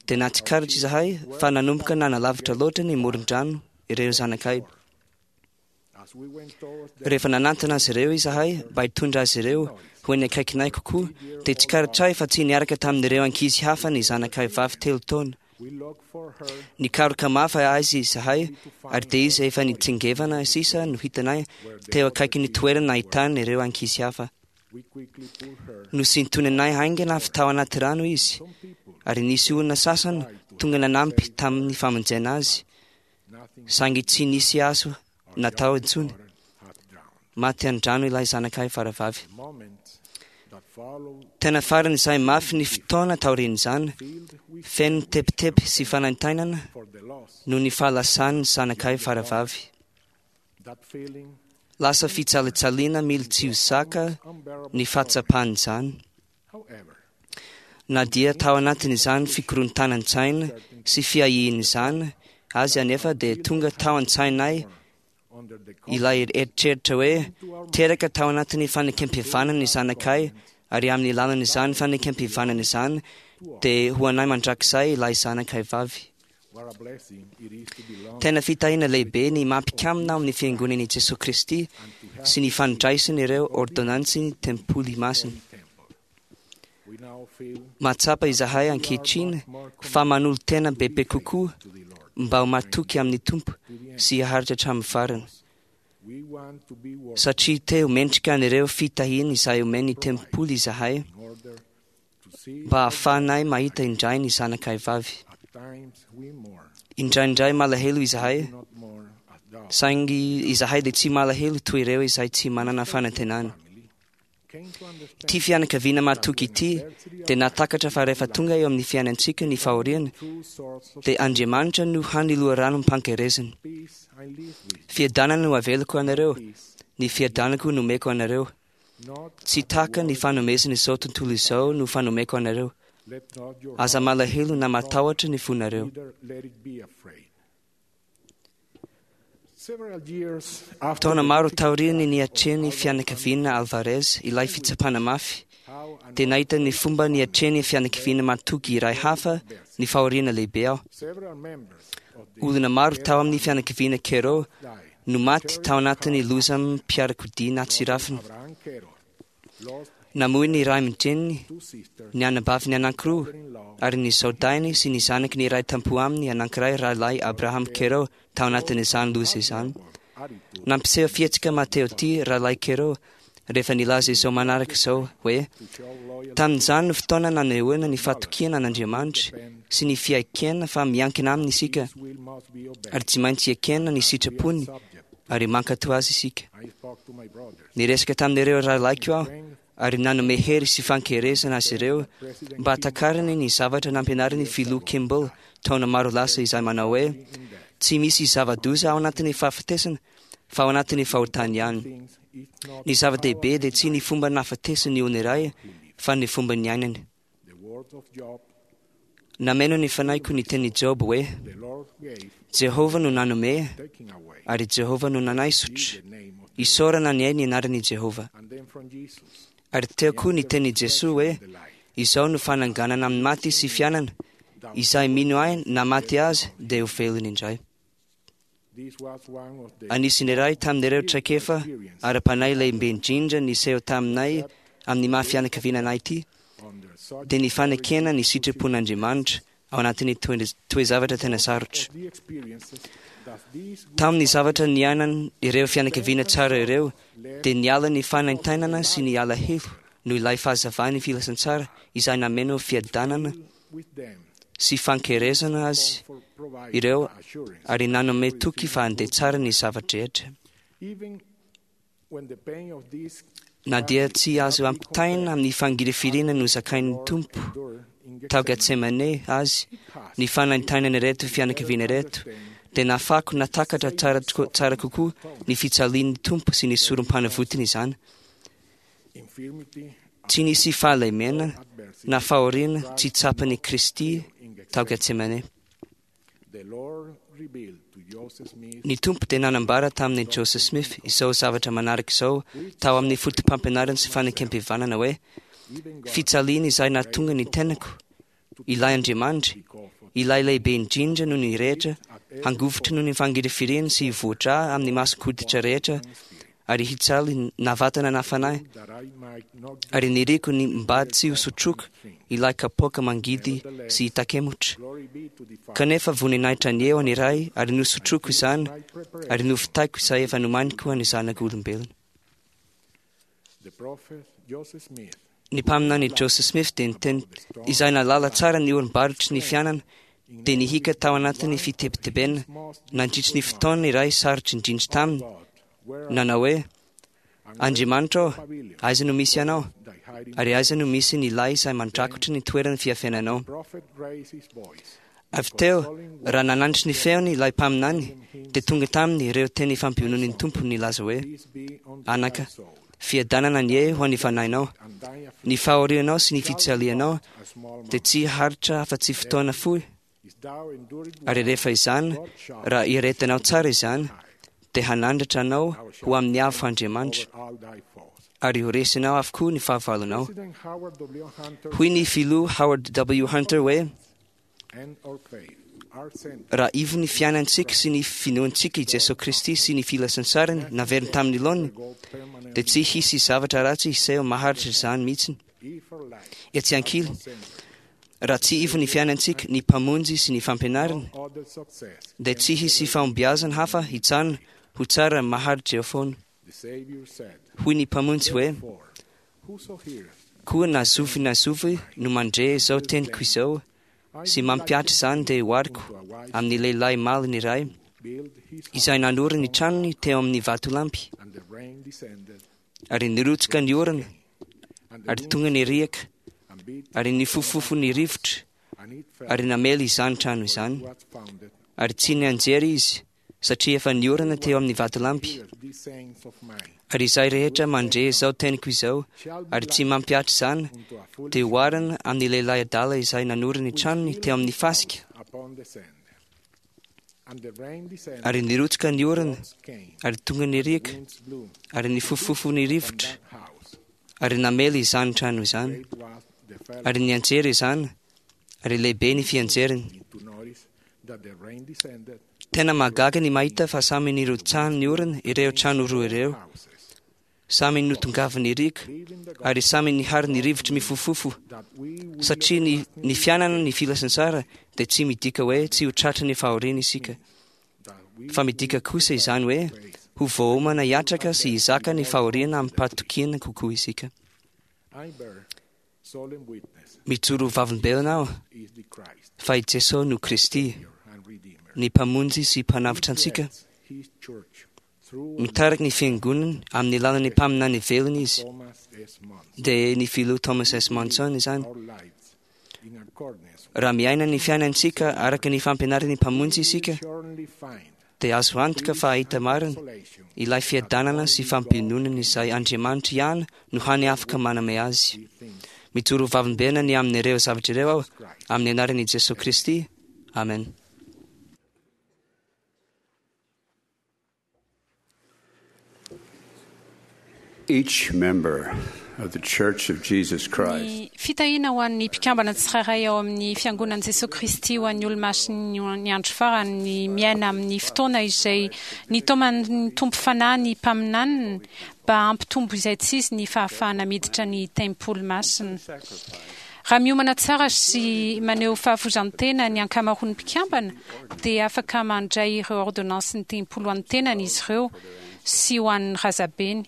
dia nahatsikaritra izahay fa nanomboka nanalavitra loatra ny moron-drano ireo zanakay. Rehefa nanantona azy ireo izahay mba hitondra azy ireo ho eny akaikinay kokoa, dia tsikaritray fa tsy niaraka tamin'ireo ankizy hafa ny zanakay vavy telo taona. Nikaroka mafy azy izahay ary dia izy efa nitsingevana sisa no hitanay teo akaikin'ny toerana nahitana ireo ankizy hafa. Nosintoninay haingana avy tao anaty rano izy ary nisy olona sasany tonga nanampy tamin'ny famonjena azy, saingy tsy nisy azo natao intsony. Maty an-drano ilay zanakay faravavy. Tena faran'izay mafy ny fotoana taorian'izany, feno tebiteby sy fanaintainana noho ny fahalasan'ny zanakay faravavy. Lasa fijalijalina mily tsy ho zaka ny fahatsapan'izany. Na dia tao anatin'izany fikorontanan-tsaina sy fiahian'izany azy anefa, dia tonga tao an-tsainay ilay eritreritra hoe teraka tao anatin'ny fanekempihavanana ny zanakay, ary amin'ny alalan'izany fanekempihavanana izany dia ho anay mandrakizay ilay zanakay vavy. Tena fitahiana lehibe ny mampikamina ao amin'ny fiangonan'i Jesoa Kristy sy ny fandraisana ireo ordonansin'ny tempoly masina. Mahatsapa izahay ankehitriny fa manolo-tena bebe kokoa mba ho matoky amin'ny Tompo sy haharitra hatramin'ny farany, satria te ho mendrika an'ireo fitahiana izay omen'ny tempoly izahay mba hahafahanay mahita indray ny zanakay vavy. Indraindray malahelo izahay, saingy izahay dia tsy malahelo toy ireo izay tsy manana fanantenana. Ity fianakaviana matoky ity dia nahatakatra fa rehefa tonga eo amin'ny fiainantsika ny fahoriana, dia Andriamanitra no hany loharanom-pankerezana. Fiadanana no avelako anareo, ny fiadanako no omeko anareo. Tsy tahaka ny fanomezan'izao tontolo izao no fanomeko anareo. Aza malahelo na matahotra ny fonareo. Taona maro taorian'ny niatrehan'ny fianakaviana Alvarez ilay fitsapana mafy, dia nahita ny fomba niatrehan'ny fianakaviana matoky iray hafa ny fahoriana lehibe aho. Olona maro tao amin'ny fianakaviana Quero no maty tao anatin'ny lozam-piarakodia natsirafina. Namoy ny ray aman-dreniny, ny anabaviny anankiroa, ary ny zaodahiny sy ny zanaky ny iray tampo aminy anankiray rahalahy Abraham Quero tao anatin'izany loza izany. Nampiseho fihetsika Mateo ity rahalahy Quero rehefa nilaza izao manaraka izao hoe: tamin'izany no fotoana nanehoana ny fahatokiana an'Andriamanitra sy ny fiaikena fa miankina aminy isika, ary tsy maintsy ekena ny sitrapony ary mankatò azy isika. Niresaka tamin'ireo rahalahiko aho ary nanome hery sy fankerezana azy ireo mba hatakariny ny zavatra nampianarin'ny filoha Kimball taona maro lasa izay manao hoe: tsy misy zava-doza ao anatin'ny fahafatesana fa ao anatin'ny fahotany ihany. Ny zava-dehibe dia tsy ny fomba nahafatesan'ny olona iray fa ny fomba niainany. Nameno ny fanahiko ny tenin'i Job hoe: Jehovah no nanome ary Jehovah no nanaisotra. Isaorana ny ainy anaran'i Jehovah. Ary teo koa ny tenin'i Jesoa hoe: izao no fananganana amin'ny maty sy fiainana, izay mino ahy na maty azy dia ho velona indray. Anisan'ny iray tamin'ireo traikefa ara-panahy lehibe indrindra niseho taminay amin'ny maha fianakaviana anay ity, dia ny fanekena ny sitrapon'Andriamanitra ao anatin'ny toe-zavatra tena sarotra. Tamin'ny zavatra niainan ireo fianakaviana tsara ireo, dia niala ny fanaintainana sy ny alahelo noho ilay fahazavan'ny filazantsara izay nameno fiadanana sy fankerezana azy ireo ary nanome toky fa handeha tsara ny zava-drehetra. Na dia tsy azo ampitaina amin'ny fangirifiriana nozakain'ny Tompo tao Getsemane azy ny fanaintainana ireto fianakaviana ireto, dia nahafahako natakatra tsara tsara kokoa ny fijalian'ny Tompo sy ny sorom-panavotiny izany. Tsy nisy fahalemena na fahoriana tsy tsapan'i Kristy tao Getsemane. Ny Tompo dia nanambara tamin'i Joseph Smith izao zavatra manaraka izao tao amin'ny foto-pampianarana sy fanekempihavanana hoe: fijaliana izay nahatonga ny tenako, ilay Andriamanitra, ilay lehibe indrindra noho ny rehetra, hangovitra noho ny fangirifiriany sy hivoatra amin'ny mason-koditra rehetra, ary hijaly na vatana na fanahy, ary niriko ny mba tsy hosotroiko ilay kapoaka mangidy sy hitakemotra. Kanefa voninahitra ny eo ny Ray, ary nosotroiko izany, ary novitaiko izay efa nomaniko ho an'ny zanak'olombelona. Ny mpaminany Joseph Smith dia niteny izay nahalala tsara ny orim-barotry ny fiainana, dia nihika tao anatin'ny fitebitebena nandritry ny fotoana iray sarotra indrindra taminy, nanao hoe: Andriamanitra ô, aiza no misy Anao? Ary aiza no misy ny lay izay mandrakotry ny toeran'ny fiafenanao? Avy teo, raha nanandritry ny feony ilay mpaminany, dia tonga taminy ireo teny fampionon'ny Tompo nilaza hoe: Anaka, fiadanana anie ho an'ny fanahinao. Ny fahorianao sy ny fijalianao dia tsy haharitra afa-tsy fotoana fohy. Ary rehefa izany, raha iretinao tsara izany, dia hanandratra anao ho amin'ny avo Andriamanitra, ary ho resinao avokoa ny fahavalonao. Hoy ny filoha Howard W. Hunter hoe: raha ivo ny fiainantsika sy ny finoantsika i Jesoa Kristy sy ny filazantsarany naveriny tamin'ny laoniny, dia tsy hisy zavatra ratsy hiseho maharitra izany mihitsy. Etsy ankilany, raha tsy ivo ny fiainantsika, ny Mpamonjy sy ny fampianarany, dia tsy hisy fahombiazana hafa hijanona ho tsara maharitra eo foana. Hoy ny Mpamonjy hoe: koa na zovy na zovy no mandre izao teniko izao sy mampihatra izany, dia ohariko amin'ny lehilahy malina iray izay nanorina ny tranony teo amin'ny vatolampy, ary nirotsaka ny orana, ary tonga ny riaka, ary nifofofo ny rivotra, ary namely izany trano izany, ary tsy nianjera izy, satria efa niorina teo amin'ny vatolampy. Ary izay rehetra mandre izao teniko izao, ary tsy mampihatra izany, dia oharina amin'ny lehilahy adala izay nanorina ny tranony teo amin'ny fasika, ary nirotsaka ny orana, ary tonga ny riaka, ary nifofofo ny rivotra, ary namely izany trano izany, ary nianjera izany, ary lehibe ny fianjerany. Tena mahagaga ny mahita fa samy nirotsahan'ny orana ireo trano roa ireo, samy notongavin'ny riaka, ary samy nihary ny rivotra mifofofo, satria ny, ny fiainana ny filazantsara dia tsy midika hoe tsy ho tratry ny fahoriana isika, fa midika kosa izany hoe ho voaomana hiatraka sy hizaka ny fahoriana amim-pahatokiana kokoa isika. Mijoro ho vavolombelona aho fa i Jesoa no Kristy, ny Mpamonjy sy Mpanavotra antsika. Mitariky ny fiangonany amin'ny alalan'ny mpaminany velona izy, dia ny filoha Thomas S. Monson izany. Raha miaina ny fiainantsika araka ny fampianaran'ny Mpamonjy isika, dia azo antoka fa hahita marina ilay fiadanana sy fampiononana izay Andriamanitra ihany no hany afaka manome azy. Mijoro ho vavolombelona ny amin'ireo zavatra ireo aho, amin'ny anaran'i Jesoa Kristy. Amen. Each member of the Church of Jesus Christ Ny fitahiana ho an'ny mpikambana tsirairay ao amin'ny Fiangonan'i Jesoa Kristy ho an'ny Olomasin'ny ny andro farany ny miaina amin'ny fotoana izay nitaoman'ny Tompo Fanahy ny mpaminaniny mba hampitombo izay tsy izy ny fahafahana miditra ny tempoly masina. Raha miomana tsara sy maneho fahafoizan-tena ny ankamaroan'ny mpikambana, dia afaka mandray ireo ôrdônansin'ny tempoly ho an'ny tenany izy ireo sy ho an'ny razabeny,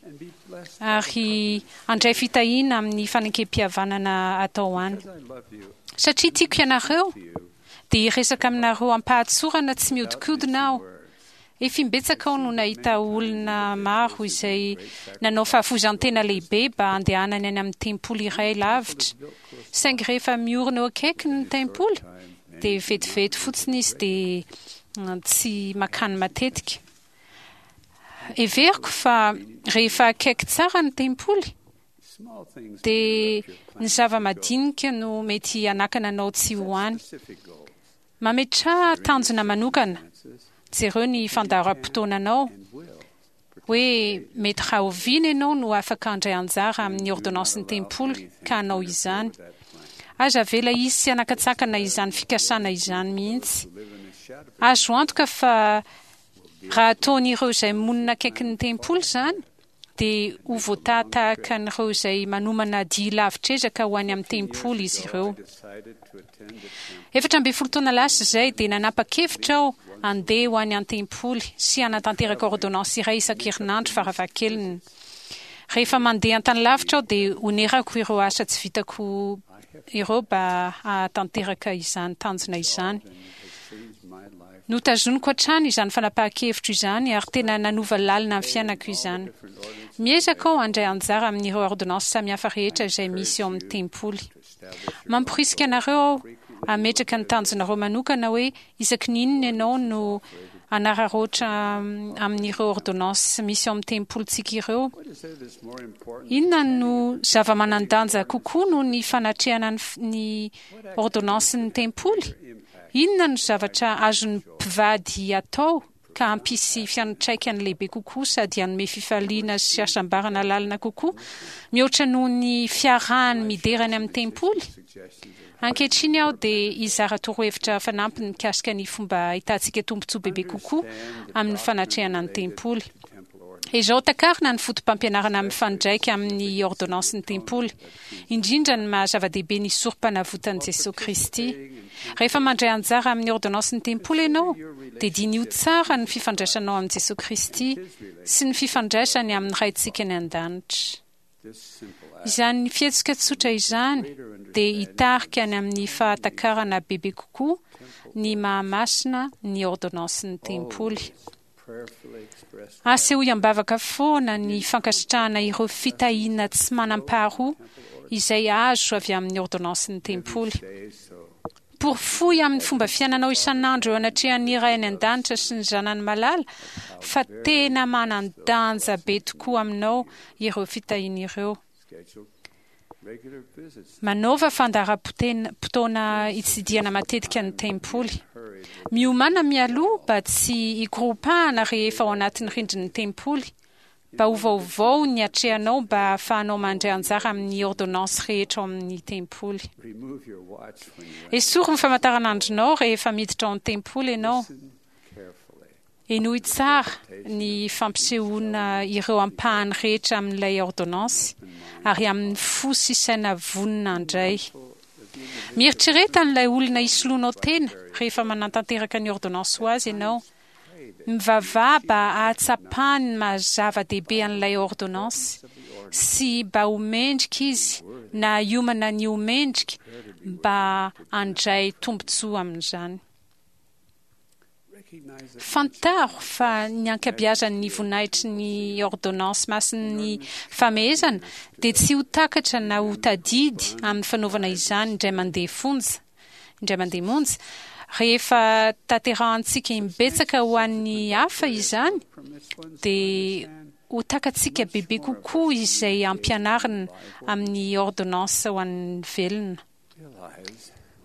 ary handray fitahiana amin'ny fanekempihavanana atao any. Satria tiako ianareo, dia hiresaka aminareo am-pahatsorana tsy mihodinkodina aho. Efa imbetsaka aho no nahita olona maro izay nanao fahafoizan-tena lehibe mba handehanany any amin'ny tempoly iray lavitra. Saingy rehefa miorina eo akaikiny ny tempoly, dia vetivety fotsiny izy dia tsy makany matetika. Heveriko fa rehefa akaiky tsara ny tempoly dia ny zava-madinika no mety hanakana anao tsy ho any. Mametraha tanjona manokana. Jereo ny fandaharam-potoananao hoe mety rahoviana ianao no afaka handray anjara amin'ny ordonnance-n'ny tempoly ka hanao izany. Aza avela hisy hanakatsakana izany fikasana izany mihitsy. Azo antoka fa raha ataon'ireo izay monina akaikin'ny tempoly izany, dia ho voatahatahaka an'ireo izay manomana dia lavitr'ezaka ho any amin'ny tempoly izy ireo. Efatra ambin'ny folo taona lasa izay dia nanapa-kevitra aho handeha ho any an-tempoly sy hanatanteraka ordonnance iray isan-kerinandro farafahakeliny. Rehefa mandeha an-tany lavitra aho dia onerako ireo asa tsy vitako ireo mba hahatanteraka izany tanjona izany. Notazoniko hatrany izany fanapahan-kevitro izany ary tena nanova lalina ny fiainako izany. Miezaka aho handray anjara amin'ireo ordonnance samihafa rehetra izay misy ao amin'ny tempoly. Mamporisika anareo aho hametraka ny tanjonareo manokana hoe isaky ny inona ianao no hanararaotra amin'ireo ordonnance misy ao amin'ny tempolintsika ireo. Inona no zava-manan-danja kokoa noho ny fanatrehana ny ordonnance-n'ny tempoly? Inona no zavatra azon'ny mpivady atao ka hampisy fiantraikany lehibe kokoa sady hanome fifaliana sy hasambarana lalina kokoa mihoatra noho ny fiarahany midera any amin'ny tempoly? Ankehitriny aho dia hizara torohevitra fanampiny mikasika ny fomba ahitantsika tombontsoa bebe kokoa amin'ny fanatrehana ny tempoly. Izao takarina ny foto-pampianarana mifandraika amin'ny ordonnance-n'ny tempoly, indrindra ny maha zava-dehibe ny sorom-panavotan'i Jesosy Kristy. Rehefa mandray anjara amin'ny ordonnance-n'ny tempoly ianao, dia diniho tsara ny fifandraisanao amin'i Jesosy Kristy sy ny fifandraisany amin'ny Raintsika any an-danitra. Izany fihetsika tsotra izany dia hitarika any amin'ny fahatakarana bebe kokoa ny mahamasina ny ordonnance-n'ny tempoly. Asehoy am-bavaka foana ny fankasitrahana ireo fitahiana tsy manam-paharoa izay azo avy amin'ny ordonnance-n'ny tempoly. Porofoy amin'ny fomba fiainanao isan'andro eo anatrehan'ny Ray any an-danitra sy ny Zanany malala fa tena manan-danja be tokoa aminao ireo fitahiana ireo. Manaova fandaharam-potoana hitsidihana matetika ny tempoly. Miomàna mialoha mba tsy hikoropahana rehefa ao anatin'ny rindrin'ny tempoly, mba ho vaovao ny atrehanao mba hahafahanao mandray anjara amin'ny ordonnance rehetra ao amin'ny tempoly. Esory ny famantaranandronao rehefa miditra ao an-tempoly ianao. Henoy tsara ny fampisehoana ireo ampahany rehetra amin'ilay ordonnance ary amin'ny fo sy saina vonona handray. Mieritrereta an'ilay olona hisoloanao tena rehefa manatanteraka ny ordonnance ho azy ianao. Mivavaha mba hahatsapany ny maha zava-dehibe an'ilay ordonnance sy mba ho mendrika izy na hiomana ny ho mendrika mba handray tombontsoa amin'izany. Fantaro fa ny ankabeazan'ny voninahitry ny ordonnance masin'ny famehezana dia tsy ho takatra na ho tadidy amin'ny fanaovana izany indray mandeha fonja, indray mandeha monja. Rehefa tanterahantsika imbetsaka ho an'ny hafa izany, dia ho takatsika bebe kokoa izay ampianarina amin'ny ordonnance ho an'ny velona.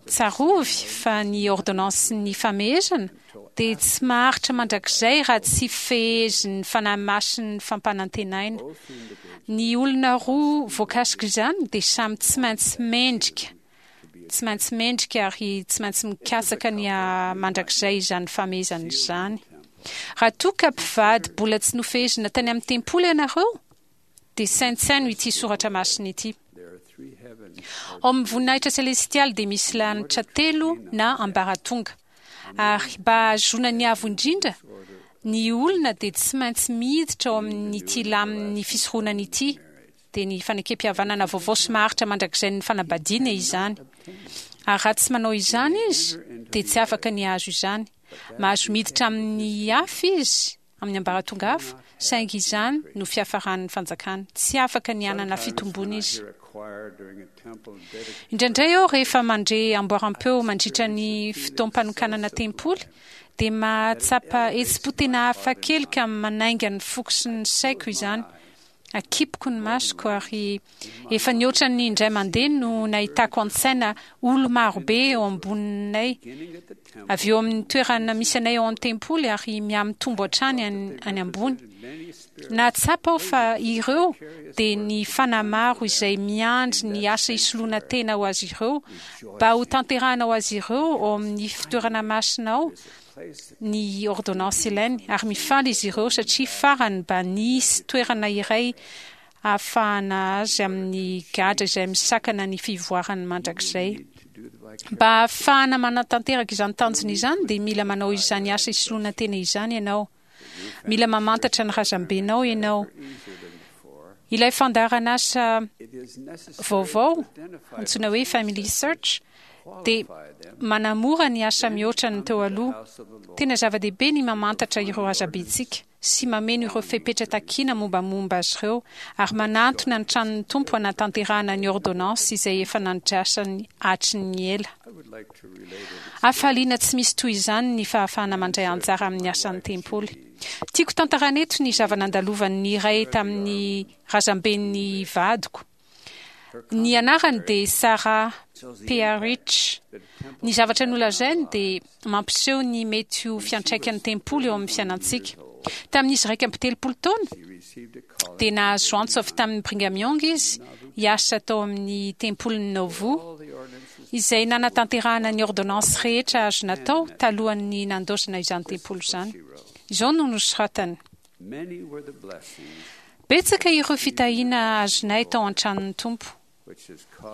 Tsarovy fa ny ordonnance-n'ny famehezana dia tsy maharitra mandrakizay raha tsy fehezin'ny Fanahy Masin'ny fampanantenaina. Ny olona roa voakasika izany dia samy tsy maintsy mendrika, tsy maintsy mendrika ary tsy maintsy mikatsaka ny haha-mandrakizay izany famehezana izany. Raha toa ka mpivady mbola tsy nofehezina tany amin'ny tempoly ianareo, dia saintsaino ity soratra masina ity. Ao amin'ny voninahitra selestialy dia misy lanitra telo na ambaratonga. Ary mba hahazoana ny avo indrindra, ny olona dia tsy maintsy miditra ao amin'ity lamin'ny fisoronana ity, dia ny fanekem-pihavanana vaovao sy maharitra mandrakizain'ny fanambadiana izany. Ary raha tsy manao izany izy, dia tsy afaka ny hahazo izany. Mahazo miditra amin'ny hafa izy, amin'ny ambaratonga hafa, saingy izany no fiafaran'ny fanjakana. Tsy afaka ny hanana fitomboana izy. Indraindray aho rehefa mandre amboaram-peo mandritra ny fotoam-panokanana tempoly, dia mahatsapa hetsi-po tena hafa kely ka manainga ny foko sy ny saiko izany. Akipiko ny masoko ary efa nihoatra ny indray mandeha no nahitako an-tsaina olo marobe eo amboninay, avy eo amin'ny toerana misy anay ao an-tempoly ary mihamitombo hatrany any ambony. Nahatsapa aho fa ireo dia ny fanahy maro izay miandry ny asa isoloana tena ho azy ireo mba ho tanterahana ho azy ireo ao amin'ny fitoerana masina ao ny ordonnance ilainy, ary mifaly izy ireo satria farany mba nisy toerana iray ahafahana azy amin'ny gadra izay misakana ny fivoarany mandrakizay. Mba ahafahana manatanteraka izany tanjona izany dia mila manao izany asa isoloana tena izany ianao. Mila mamantatra ny razambenao ianao. Ilay fandaharan'asa vaovao antsoina hoe Family Search dia manamora ny asa mihoatra ny teo aloha. Tena zava-dehibe ny mamantatra ireo razambentsika sy mameno ireo fepetra takiana mombamomba azy ireo ary manantona ny tranon'ny Tompo hanatanterahana ny ordonnance izay efa nandrasany hatry ny ela. Hafaliana tsy misy toy izany ny fahafahana mandray anjara amin'ny asan'ny tempoly. Tiako tantarana eto ny zava-nandalovan'ny iray tamin'ny razamben'ny vadiko. Ny anarany dia Sarah Pearich. Ny zavatra nolazainy dia mampiseho ny mety ho fiantraikan'ny tempoly eo amin'ny fiainantsika. Tamin'izy iraika amby telopolo taona dia nahazo antso avy tamin'ny Brigham Young izy hiasa tao amin'ny tempolin'ny Nauvoo, izay nanatanterahana ny ordonnance rehetra azo natao talohan'ny nandaozana izany tempoly izany. Izao no nosoratany: Betsaka ireo fitahiana azonay tao an-tranon'ny Tompo,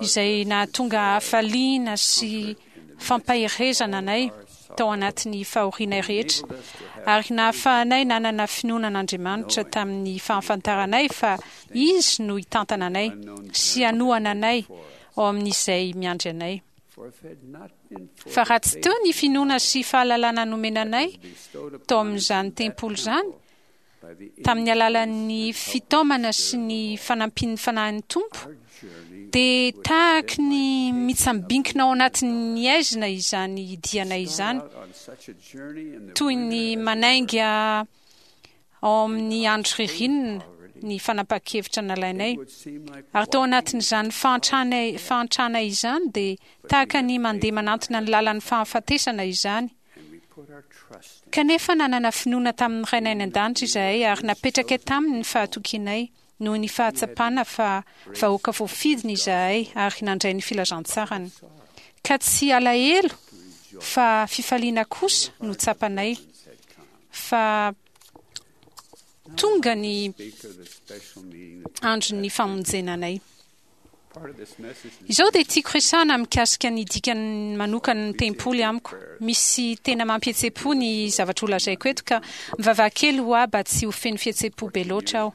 izay nahatonga hafaliana sy fampaherezana anay tao anatin'ny fahorianay rehetra, ary nahafahanay nanana finoana an'Andriamanitra tamin'ny fahafantaranay fa Izy no hitantana anay sy hanohana anay ao amin'izay miandry anay. Fa raha tsy teo ny finoana sy fahalalana nomena anay tao amin'izany tempoly izany, tamin'ny alalan'ny fitaomana sy ny fanampian'ny Fanahin'ny Tompo, dia tahaky ny mitsambinkina ao anatin'ny aizina izany dianay izany, toy ny manainga ao amin'ny andro ririnina ny fanapahan-kevitra nalainay. Ary tao anatin'izany fahantrana fahantrana izany dia tahaka ny mandeha manantona ny lalan'ny fahafatesana izany. Kanefa nanana finoana tamin'ny Rainay any an-danitra izahay ary napetrakay taminy ny fahatokianay noho ny fahatsapana fa vahoaka voafidiny izahay ary nandray ny filazantsarany. Ka tsy alahelo fa fifaliana kosa no tsapanay fa tonga ny andron'ny famonjena anay. Izao dia tiako resahana mikasika ny dikany manokana ny tempoly amiko. Misy tena mampihetsepo ny zavatra holazaiko eto ka mivavaha kely ho ahy mba tsy ho feno fihetsepo be loatra aho.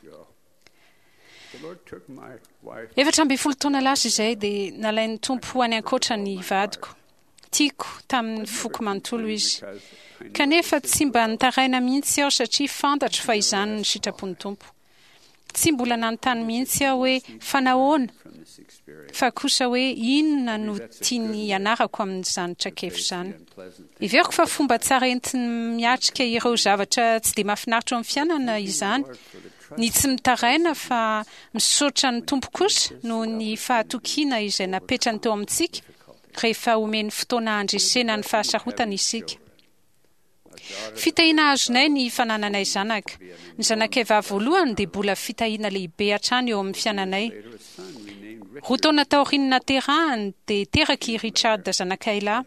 Efatra ambin'ny folo taona lasa izay dia nalain'ny Tompo ho any ankoatra ny vadiko. Tiako tamin'ny foko manontolo izy. Kanefa tsy mba nitaraina mihitsy aho satria fantatro fa izany ny sitrapon'ny Tompo. Tsy mbola nanontany mihitsy aho hoe fa nahoana, fa kosa hoe inona no tiany hianarako amin'izany traikefa izany. Heveriko fa fomba tsara entiny miatrika ireo zavatra tsy dia mahafinaritra eo amin'ny fiainana izany, ny tsy mitaraina fa misaotra ny Tompo kosa noho ny fahatokiana izay napetrany teo amintsika rehefa omeny fotoana handresena ny fahasarotana isika. Fitahiana azonay ny fanananay zanaka. Ny zanakay vavy voalohany dia mbola fitahiana lehibe hatrany eo amin'ny fiainanay. Roa taona taorian'ny naterahany dia teraka i Richard zanakay lahy.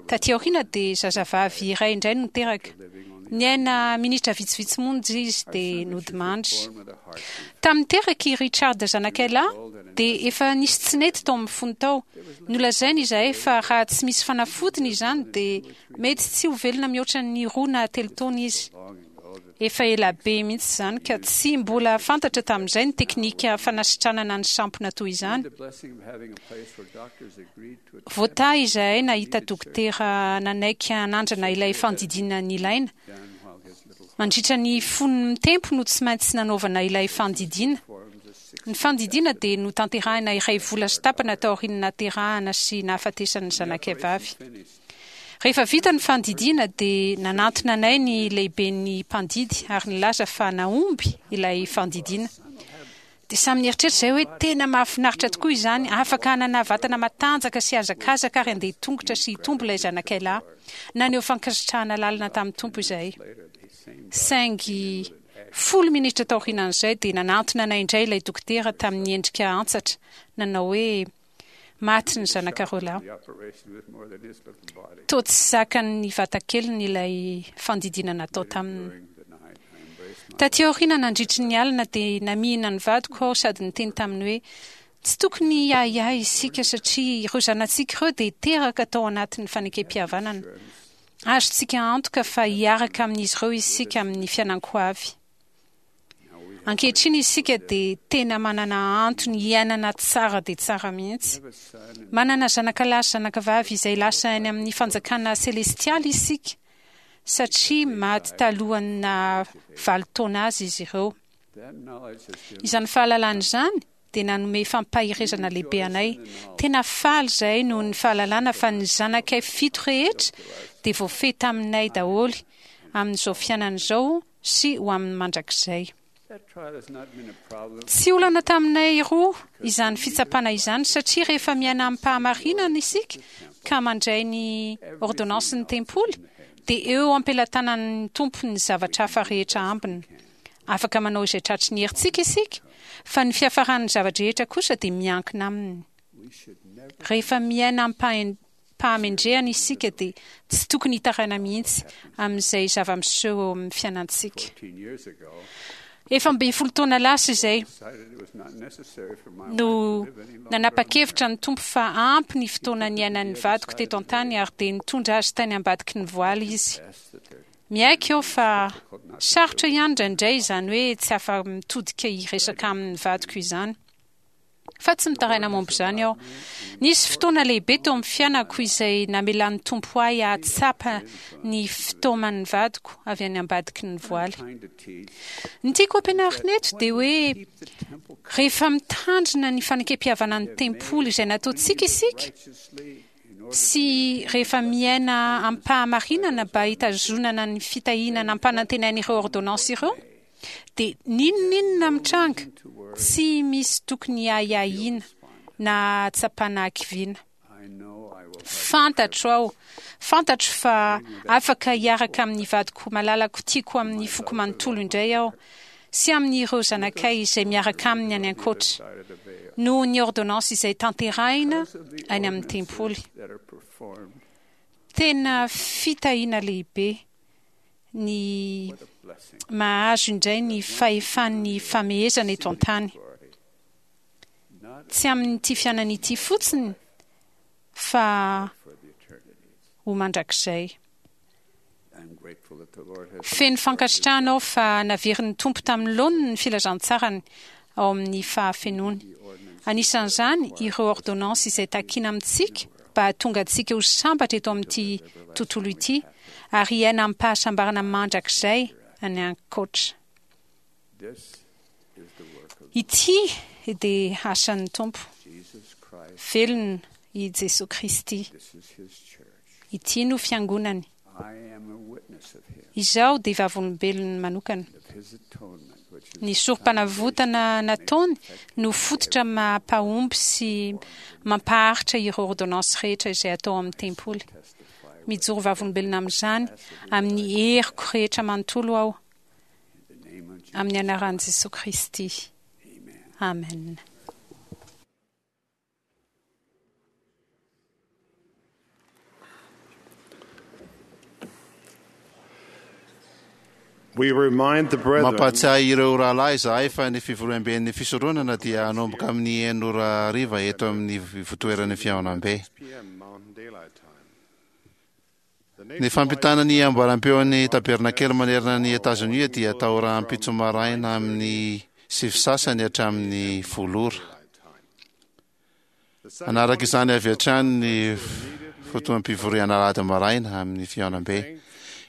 Taty aoriana dia zazavavy iray indray no teraka. Niaina minitra vitsivitsy monja izy dia nodimandry. Tamin'ny teraka i Richard zanakay lahy dia efa nisy tsy nety tao amin'ny fony tao. Nolazainy izahay fa raha tsy misy fanafodiny izany dia mety tsy ho velona mihoatra ny roa na telo taona izy. Efa ela be mihitsy izany ka tsy mbola fantatra tamin'izay ny teknika fanasitranana ny sampona toy izany. Voatahy izahay nahita dokotera nanaiky hanandrana ilay fandidiana nilaina. Mandritra ny fony mitempo no tsy maintsy nanaovana ilay fandidiana. Ny fandidiana dia notanterahina iray vola sy tapany taorian'ny nahaterahana sy nahafatesan'ny zanakay vavy. Rehefa vita ny fandidiana dia nanantona anay ny lehiben'ny mpandidy ary nilaza fa nahomby ilay fandidiana. Dia samy nieritreritra izahay hoe tena mahafinaritra tokoa izany, afaka hanana vatana matanjaka sy hihazakazaka ary handeha tongotra sy hitombo ilay zanakay lahy. Naneho fankasitrahana lalina tamin'ny Tompo izahay. Saingy folo minitra taorianan'izay dia nanantona anay indray ilay dokotera tamin'ny endrika antsatra, nanao hoe, Maty ny zanakareo lahy. Toa tsy zakan'ny vatakeliny ilay fandidiana natao taminy. Taty aoriana nandritry ny alina dia namihina ny vadiko aho sady niteny taminy hoe, Tsy tokony hiahiahy isika satria ireo zanatsika ireo dia teraka tao anatin'ny fanekempihavanana. Azontsika antoka fa hiaraka amin'izy ireo isika amin'ny fiainan-koavy. Ankehitriny isika dia tena manana antony hiainana tsara dia tsara mihitsy. Manana zanakalahy sy zanakavavy izay lasa any amin'ny fanjakana selestialy isika, satria maty talohan'ny naha valo taona azy izy ireo. Izany fahalalana izany dia nanome fampaherezana lehibe anay. Tena faly izahay noho ny fahalalana fa ny zanakay fito rehetra dia voafehy taminay daholo amin'izao fiainana izao sy ho amin'ny mandrakizay. Tsy olana taminay roa izany fitsapana izany satria rehefa miaina amim-pahamarinana isika ka mandray ny ôrdônansin'ny tempoly dia eo am-pelatanan'ny Tompo ny zavatra hafa rehetra ambiny. Afaka manao izay tratry ny herintsika isika fa ny fiafaran'ny zava-drehetra kosa dia miankina Aminy. Rehefa miaina amim-pahendrena pahamendrehana isika dia tsy tokony hitaraina mihitsy amin'izay zava-miseho eo amin'ny fiainantsika. Efa ambin'ny folo taona lasa izay no nanapa-kevitra ny Tompo fa ampy ny fotoana niainan'ny vadiko teto an-tany ary dia nitondra azy tany ambadiky ny voaly izy. Miaiky aho fa sarotra ihany indraindray izany hoe tsy afa-mitodika hiresaka amin'ny vadiko izany. Fa tsy mitaraina momba izany aho. Nisy fotoana lehibe teo amin'ny fiainako izay namelan'ny Tompo ahy hahatsapa ny fitaoman'ny vadiko avy any ambadiky ny voaly. Ny tiako hampianarina eto dia hoe rehefa mitandrina ny fanekempihavanan'ny tempoly izay nataontsika isika, sy rehefa miaina amim-pahamarinana mba hitazonana ny fitahiana nampanantenain'ireo ôrdônansy ireo, Dia n'inon'inona mitranga, tsy misy tokony hiahiahiana na hahatsapana hakiviana. Fantatro aho, fantatro fa afaka hiaraka amin'ny vadiko malalako tiako amin'ny foko manontolo indray aho, sy amin'ireo zanakay izay miaraka aminy any ankoatra, noho ny ôrdônansy izay tanterahina any amin'ny tempoly. Tena fitahiana lehibe ny mahazo indray ny fahefan'ny famehezana eto an-tany. Tsy amin'ity fiainana ity fotsiny fa ho mandrakizay. Feno fankasitrahana aho fa naverin'ny Tompo tamin'ny laoniny ny filazantsarany ao amin'ny fahafenoany. Anisan'izany ireo ôrdônansy izay takina amintsika mba hahatonga antsika ho sambatra eto amin'ity tontolo ity ary hiaina amim-pahasambarana mandrakizay any ankoatra. Ity dia asan'ny Tompo. Velona i Jesoa Kristy. Ity no Fiangonany. Izaho dia vavolombelony manokana. Ny sorompanavotana nataony no fototra maha-mpahomby sy mampaharitra ireo ôrdônansy rehetra izay atao amin'ny tempoly. Mijoro vavolombelona amin'izany amin'ny heriko rehetra manontolo aho, amin'ny anaran'i Jesoa Kristy. Amen. Mampahatsiahy ireo rahalahy izahay fa ny fivoriamben'ny fisoronana dia hanomboka amin'ny enina ora hariva eto amin'ny ivotoeran'ny fihaonambe. Ny fampitana ny amboaram-peon'ny tabernakely manerana an'i Etazonia dia atao rahampitso maraina amin'ny sivy sasany hatramin'ny folo ora. Hanaraka izany avy hatrany ny fotoam-pivoriana alahady maraina amin'ny fihaonambe.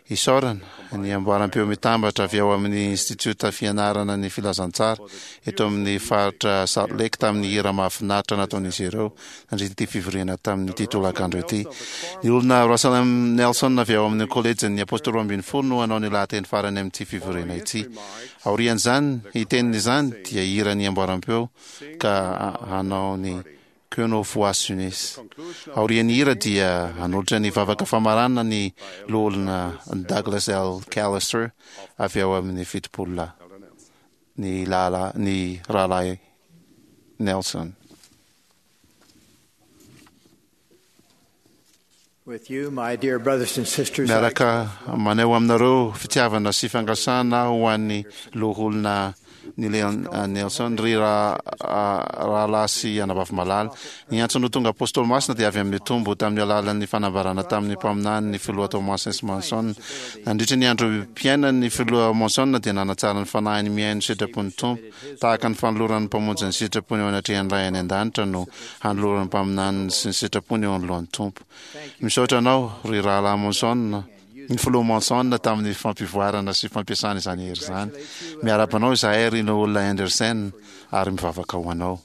Isaorana ny amboaram-peo mitambatra avy ao amin'ny Institiota Fianarana ny Filazantsara eto amin'ny faritra Salt Lake tamin'ny hira mahafinaritra nataon'izy ireo nandritra ity fivoriana tamin'ity tolakandro ity. Ny olona Russell M. Nelson avy ao amin'ny Kolejin'ny Apôstôly Roa Ambin'ny Folo no hanao ny lahateny farany amin'ity fivoriana ity. Aorian'izany hiteny izany dia hira ny amboaram-peo ka hanao ny Que nos voix s'unissent. Aorian'ny hira dia hanolotra ny vavaka famaranana ny Loholona Douglas L. Callister avy ao amin'ny Fitopolo Lahy, ny lahalahy, ny Rahalahy Nelson. Miaraka maneho aminareo fitiavana sy fangasana aho ho an'ny Loholona Neil Nelson, ry rahalahy sy anabavy malala. Ny antso no tonga Apôstôly Masina dia avy amin'ny Tompo tamin'ny alalan'ny fanambarana tamin'ny mpaminany ny Filoha Thomas S. Monson. Nandritra ny androm-piainany ny Filoha Monson dia nanatsara ny fanahiny mihaino ny sitrapon'ny Tompo, tahaka ny fanoloran'ny Mpamonjy ny sitrapony eo anatrehan'ny Ray any An-danitra no hanoloran'ny mpaminaniny sy ny sitrapony eo anoloan'ny Tompo. Misaotra anao, ry Rahalahy Monson, ny Filoha Monson, tamin'ny fampivoarana sy fampiasana izany hery izany. Miarahaba anao izahay, ry Loholona Henderson, ary mivavaka ho anao.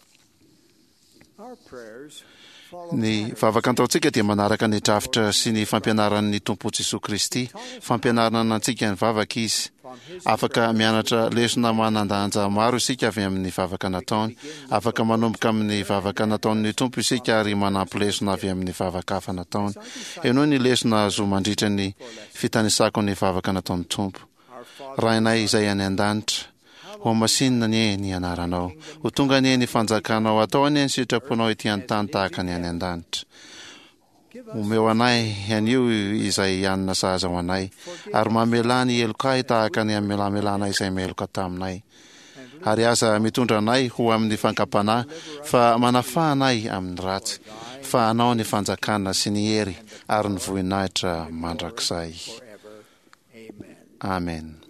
Ny vavaka ataontsika dia manaraka ny drafitra sy ny fampianaran'ny Tompo Jesoa Kristy. Fampianarana antsika ny vavaka Izy. Afaka mianatra lesona manan-danja maro isika avy amin'ny vavaka nataony. Afaka manomboka amin'ny vavaka nataon'ny Tompo isika ary manampy lesona avy amin'ny vavaka hafa nataony. Henoy ny lesona azo mandritra ny fitanisako ny vavaka nataon'ny Tompo. Rainay izay any an-danitra, hohamasinina anie ny anaranao. Ho tonga anie ny fanjakanao, atao anie ny sitraponao ety an-tany tahaka ny any an-danitra. Omeo anay anio izay hanina sahaza ho anay, ary mamelà ny helokay tahaka ny amelamelana izay meloka taminay. Ary aza mitondra anay ho amin'ny fankam-panahy, fa manafaha anay amin'ny ratsy, fa Anao ny fanjakana sy ny hery ary ny vohinahitra mandrakizay. Amen.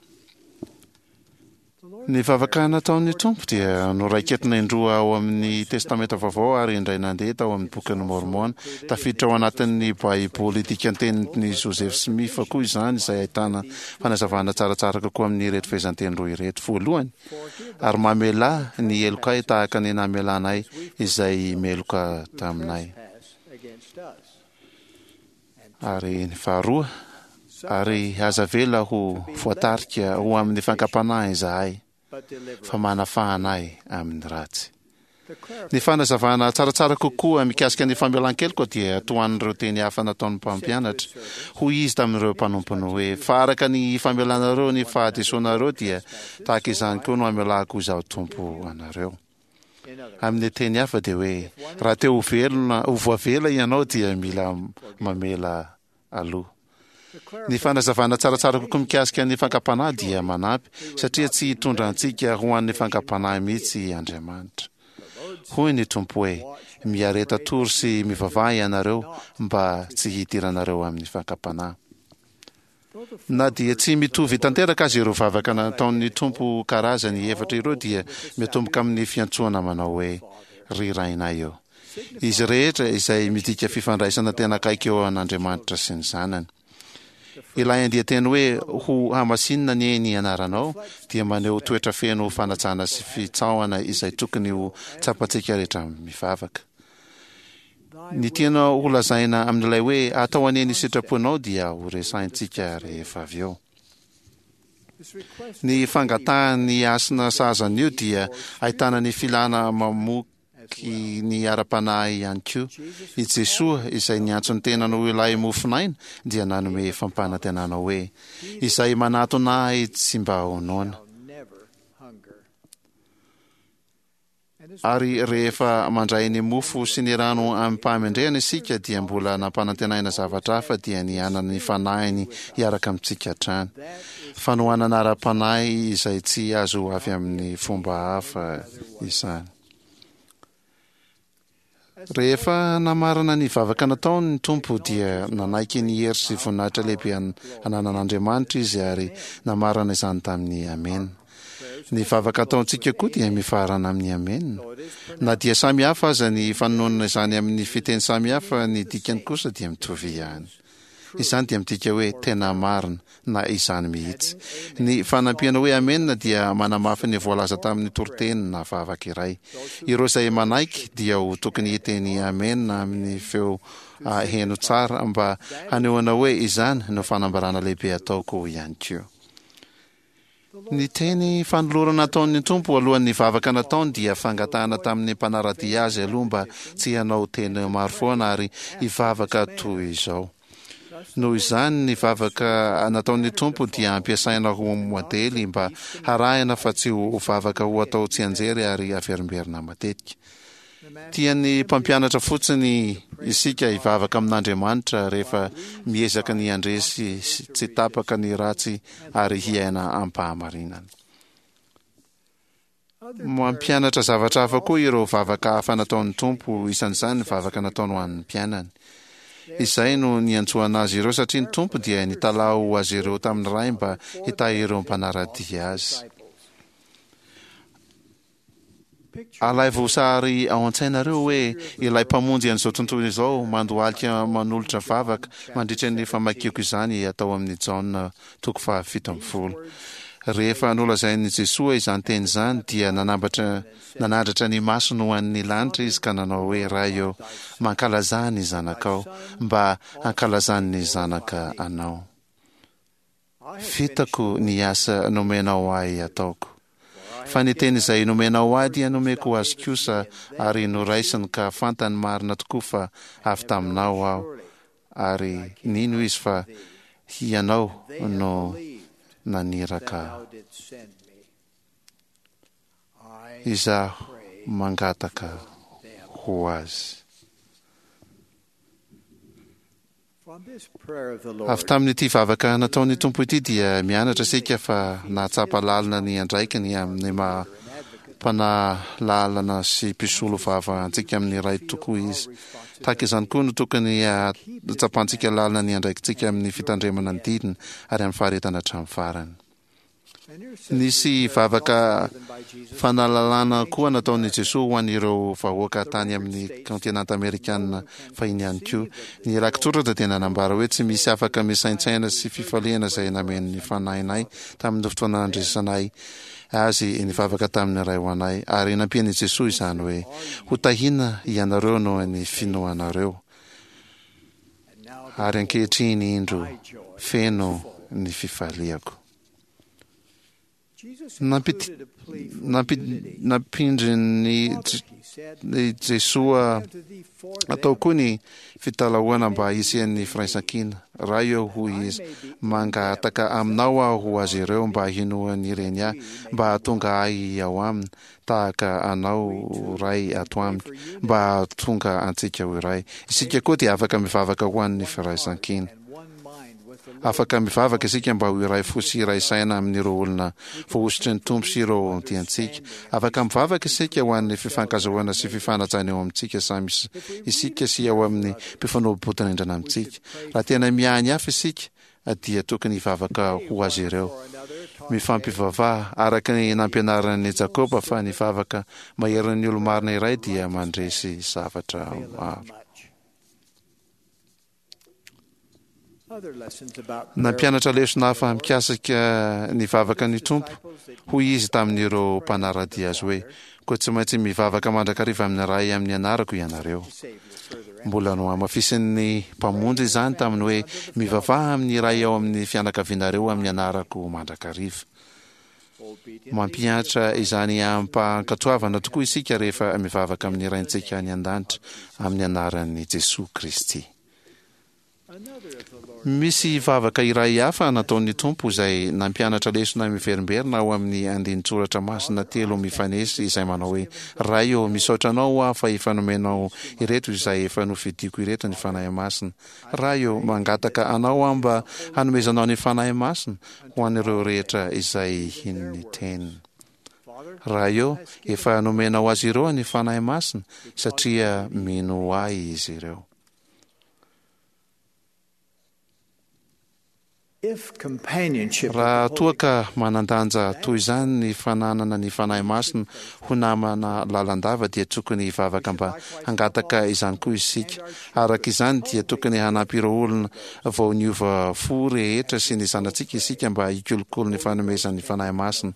Ny vavaka nataon'ny Tompo dia noraiketina indroa ao amin'ny Testamenta Vaovao ary indray nandeha tao amin'ny Bokin'i Môrmôna. Tafiditra ao anatin'ny Baiboly dikantenin'i Joseph Smith koa izany, izay ahitana fanazavana tsaratsara kokoa amin'ireto fehezanteny roa ireto. Voalohany, Ary mamelà ny helokay tahaka ny namelanay izay meloka taminay. Ary ny faharoa, Ary aza avela ho voatarika ho amin'ny fankam-panahy izahay, fa manafaha anay amin'ny ratsy. Ny fanazavana tsaratsara kokoa mikasika ny famelan-keloka dia tohan'ireo teny hafa nataon'ny mpampianatra. Hoy izy tamin'ireo mpanompony hoe, Fa araka ny famelanareo ny fahadisoanareo dia tahaka izany koa no hamelako Izaho Tompo anareo. Amin'ny teny hafa dia hoe, raha te ho velona, ho voavela ianao dia mila mamela aloha. Ny fanazavana tsaratsara kokoa mikasika ny fankam-panahy dia manampy, satria tsy hitondra antsika ho an'ny fankam-panahy mihitsy Andriamanitra. Hoy ny Tompo hoe, Miareta tory sy mivavaha ianareo mba tsy hidiranareo amin'ny fankam-panahy. Na dia tsy mitovy tanteraka aza ireo vavaka nataon'ny Tompo karazany efatra ireo dia miatomboka amin'ny fiantsoana manao hoe, Ry Rainay ô. Izy rehetra izay midika fifandraisana tena akaiky eo an'Andriamanitra sy ny Zanany. Ilay andian-teny hoe ho hamasinina anie ny anaranao dia maneho toetra feno fanajana sy fitsaohana izay tokony ho tsapantsika rehetra mivavaka. Ny tiana holazaina amin'ilay hoe atao anie ny sitraponao dia horesahintsika rehefa avy eo. Ny fangatahan'ny hasina sahaza an'io dia ahitana ny filana mamoky ny ara-panahy ihany koa. I Jesoa, izay niantso ny tenany ho ilay mofon'aina, dia nanome fampanantenana hoe, Izay manatona Ahy tsy mba ho noana. Ary rehefa mandray ny mofo sy ny rano amim-pahamendrehana isika dia mbola nampanantenaina zavatra hafa dia ny hanana ny Fanahiny hiaraka amintsika hatrany. Fanohanana ara-panahy izay tsy azo avy amin'ny fomba hafa izany. Rehefa namarana ny vavaka nataony ny Tompo dia nanaiky ny hery sy voninahitra lehibe ananan'Andriamanitra izy ary namarana izany tamin'ny Amena. Ny vavaka ataontsika koa dia mifarana amin'ny Amena. Na dia samy hafa aza ny fanononana izany amin'ny fiteny samy hafa, ny dikany kosa dia mitovy ihany. Izany dia midika hoe tena marina na izany mihitsy. Ny fanampiana hoe amena dia manamafy ny voalaza tamin'ny toriteny na vavaka iray. Ireo izay manaiky dia ho tokony hiteny amena amin'ny feo heno tsara mba hanehoana hoe izany no fanambarana lehibe ataoko ihany koa. Ny teny fanolorana nataon'ny Tompo alohan'ny vavaka nataony dia fangatahana tamin'ny mpanara-dia azy aloha mba tsy hanao teny maro foana ary hivavaka toy izao. Noho izany, ny vavaka nataon'ny Tompo dia ampiasaina ho modely mba harahina fa tsy ho vavaka ho atao tsianjery ary averimberina matetika. Tian'ny mpampianatra fotsiny isika hivavaka amin'Andriamanitra rehefa miezaka ny handresy tsy tapaka ny ratsy ary hiaina am-pahamarinana. Mampianatra zavatra hafa koa ireo vavaka hafa nataon'ny Tompo, isan'izany ny vavaka nataony ho an'ny mpianany. Izay no niantsoana azy ireo satria ny Tompo dia nitalaho ho azy ireo tamin'ny Ray mba hitahy ireo mpanara-dia azy. Alaivo sary ao an-tsainareo hoe ilay Mpamonjy an'izao tontolo izao mandohalika manolotra vavaka mandritra ny famakiako izany atao amin'ny Jaona toko fahafito ambin'ny folo. Rehefa nolazain'i Jesoa izany teny izany dia nanambatra nanandratra ny masony ho an'ny lanitra izy ka nanao hoe, Ray ô, mankalazà ny Zanakao, mba hankalazan'ny Zanaka Anao. Vitako ny asa nomenao ahy hataoko. Fa ny teny izay nomenao ahy dia nomeko azy kosa ary noraisiny ka fantany marina tokoa fa avy taminao aho ary nino izy fa Hianao no naniraka ahy. Izaho mangataka ho azy. Avy tamin'ity vavaka nataon'ny Tompo ity dia mianatra isika fa nahatsapa lalina ny andraikiny amin'ny maha mpanalalana sy mpisolo vava antsika amin'ny Ray tokoa izy. Tahaka izany koa no tokony hahatsapantsika lalina ny andraikitsika amin'ny fitandremana ny didiny ary amin'ny faharetana hatramin'ny farany. Nisy vavaka fanalalana koa nataon'i Jesoa ho an'ireo vahoaka tany amin'ny kaontinanta amerikana fahiny ihany koa. Ny rakitsoratra dia nanambara hoe tsy misy afaka misaintsaina sy fifaliana izay nameno ny fanahinay tamin'ny fotoana nandresanay azy nivavaka tamin'ny Ray ho anay, ary nampian'i Jesoa izany hoe, Ho tahiana ianareo noho ny finoanareo. Ary ankehitriny indro feno ny fifaliako. Nampindrin'i Jesoa atao koa ny fitalahoana mba hisian'ny firaisankina. Ray ô, hoy Izy, mangataka Aminao aho ho azy ireo mba hinoan'ireny ahy, mba hahatonga ahy ao aminy, tahaka Anao Ray ato amiko, mba hahatonga antsika ho iray. Isika koa dia afaka mivavaka ho an'ny firaisankina. Afaka mivavaka isika mba ho iray fo sy iray saina amin'ireo olona voahosotry ny Tompo sy ireo tiantsika. Afaka mivavaka isika ho an'ny fifankazahoana sy fifanajana eo amintsika samy isika sy eo amin'ny mpifanolo-bodirindrina amintsika. Raha tena miahy ny hafa isika, dia tokony hivavaka ho azy ireo. Mifampivavaha, araka ny nampianaran'i Jakoba fa ny vavaka maherin'ny olo-marina iray dia mandresy zavatra maro. Nampianatra lesona hafa mikasika ny vavaka ny Tompo, hoy Izy tamin'ireo mpanara-dia Azy hoe, Koa tsy maintsy mivavaka mandrakariva amin'ny Ray amin'ny anarako ianareo. Mbola nohamafisin'ny Mpamonjy izany tamin'ny hoe, Mivavaha amin'ny iray ao amin'ny fianakavianareo amin'ny anarako mandrakariva. Mampihatra izany amim-pankatoavana tokoa isika rehefa mivavaka amin'ny Raintsika any An-danitra amin'ny anaran'i Jesoa Kristy. Misy vavaka iray hafa nataon'ny Tompo izay nampianatra lesona miverimberina ao amin'ny andinin-tsoratra masina telo mifanesy izay manao hoe, Ray ô, misaotra Anao aho fa efa nomenao ireto izay efa nofidiko ireto ny Fanahy Masina. Ray ô, mangataka Anao aho mba hanomezanao ny Fanahy Masina ho an'ireo rehetra izay hino ny Teniny. Ray ô, efa nomenao azy ireo ny Fanahy Masina satria mino Ahy izy ireo. Raha toa ka manan-danja toy izany ny fananana ny Fanahy Masina ho namana lalandava dia tokony hivavaka mba hangataka izany koa isika. Araka izany dia tokony hanampy ireo olona vao niova fo rehetra sy ny zanatsika isika mba hikolokolo ny fanomezan'ny Fanahy Masina.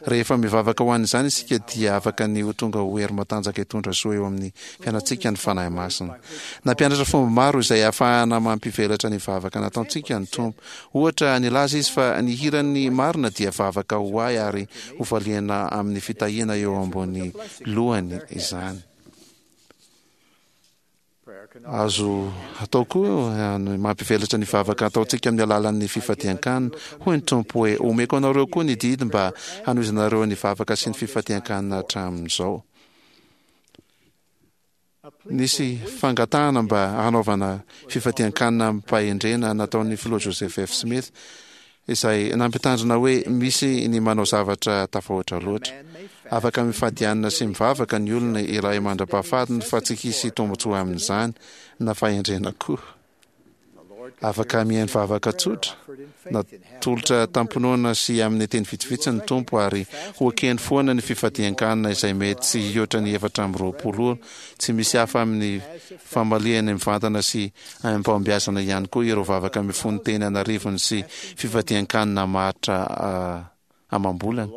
Rehefa mivavaka ho an'izany isika dia afaka ny ho tonga ho hery matanjaka hitondra soa eo amin'ny fiainantsika ny Fanahy Masina. Nampianatra fomba maro izay ahafahana mampivelatra ny vavaka nataontsika ny Tompo. Ohatra, nilaza Izy fa ny hiran'ny marina dia vavaka ho ahy ary hovaliana amin'ny fitahiana eo ambony lohany izany. Azo atao koa ny mampivelatra ny vavaka ataontsika amin'ny alalan'ny fifadian-kanina. Hoy ny Tompo hoe, Omeko anareo koa ny didy mba hanohizanareo ny vavaka sy ny fifadian-kanina hatramin'izao. Nisy fangatahana mba hanaovana fifadian-kanina amim-pahendrena nataon'ny Filoha Joseph F. Smith, izay nampitandrina hoe misy ny manao zavatra tafahoatra loatra. Afaka mifady hanina sy mivavaka ny olona iray mandra-pahafatiny fa tsy hisy tombontsoa amin'izany, na fahendrena koa. Afaka mihaino vavaka tsotra, natolotra tamim-pinoana sy amin'ny teny vitsivitsy ny Tompo ary ho ekeny foana ny fifadian-kanina izay mety tsy hihoatra ny efatra amby roapolo ora, tsy misy hafa amin'ny famaliany mivantana sy amim-pahombiazana ihany koa ireo vavaka mifono teny an'arivony sy fifadian-kanina maharitra amam-bolana.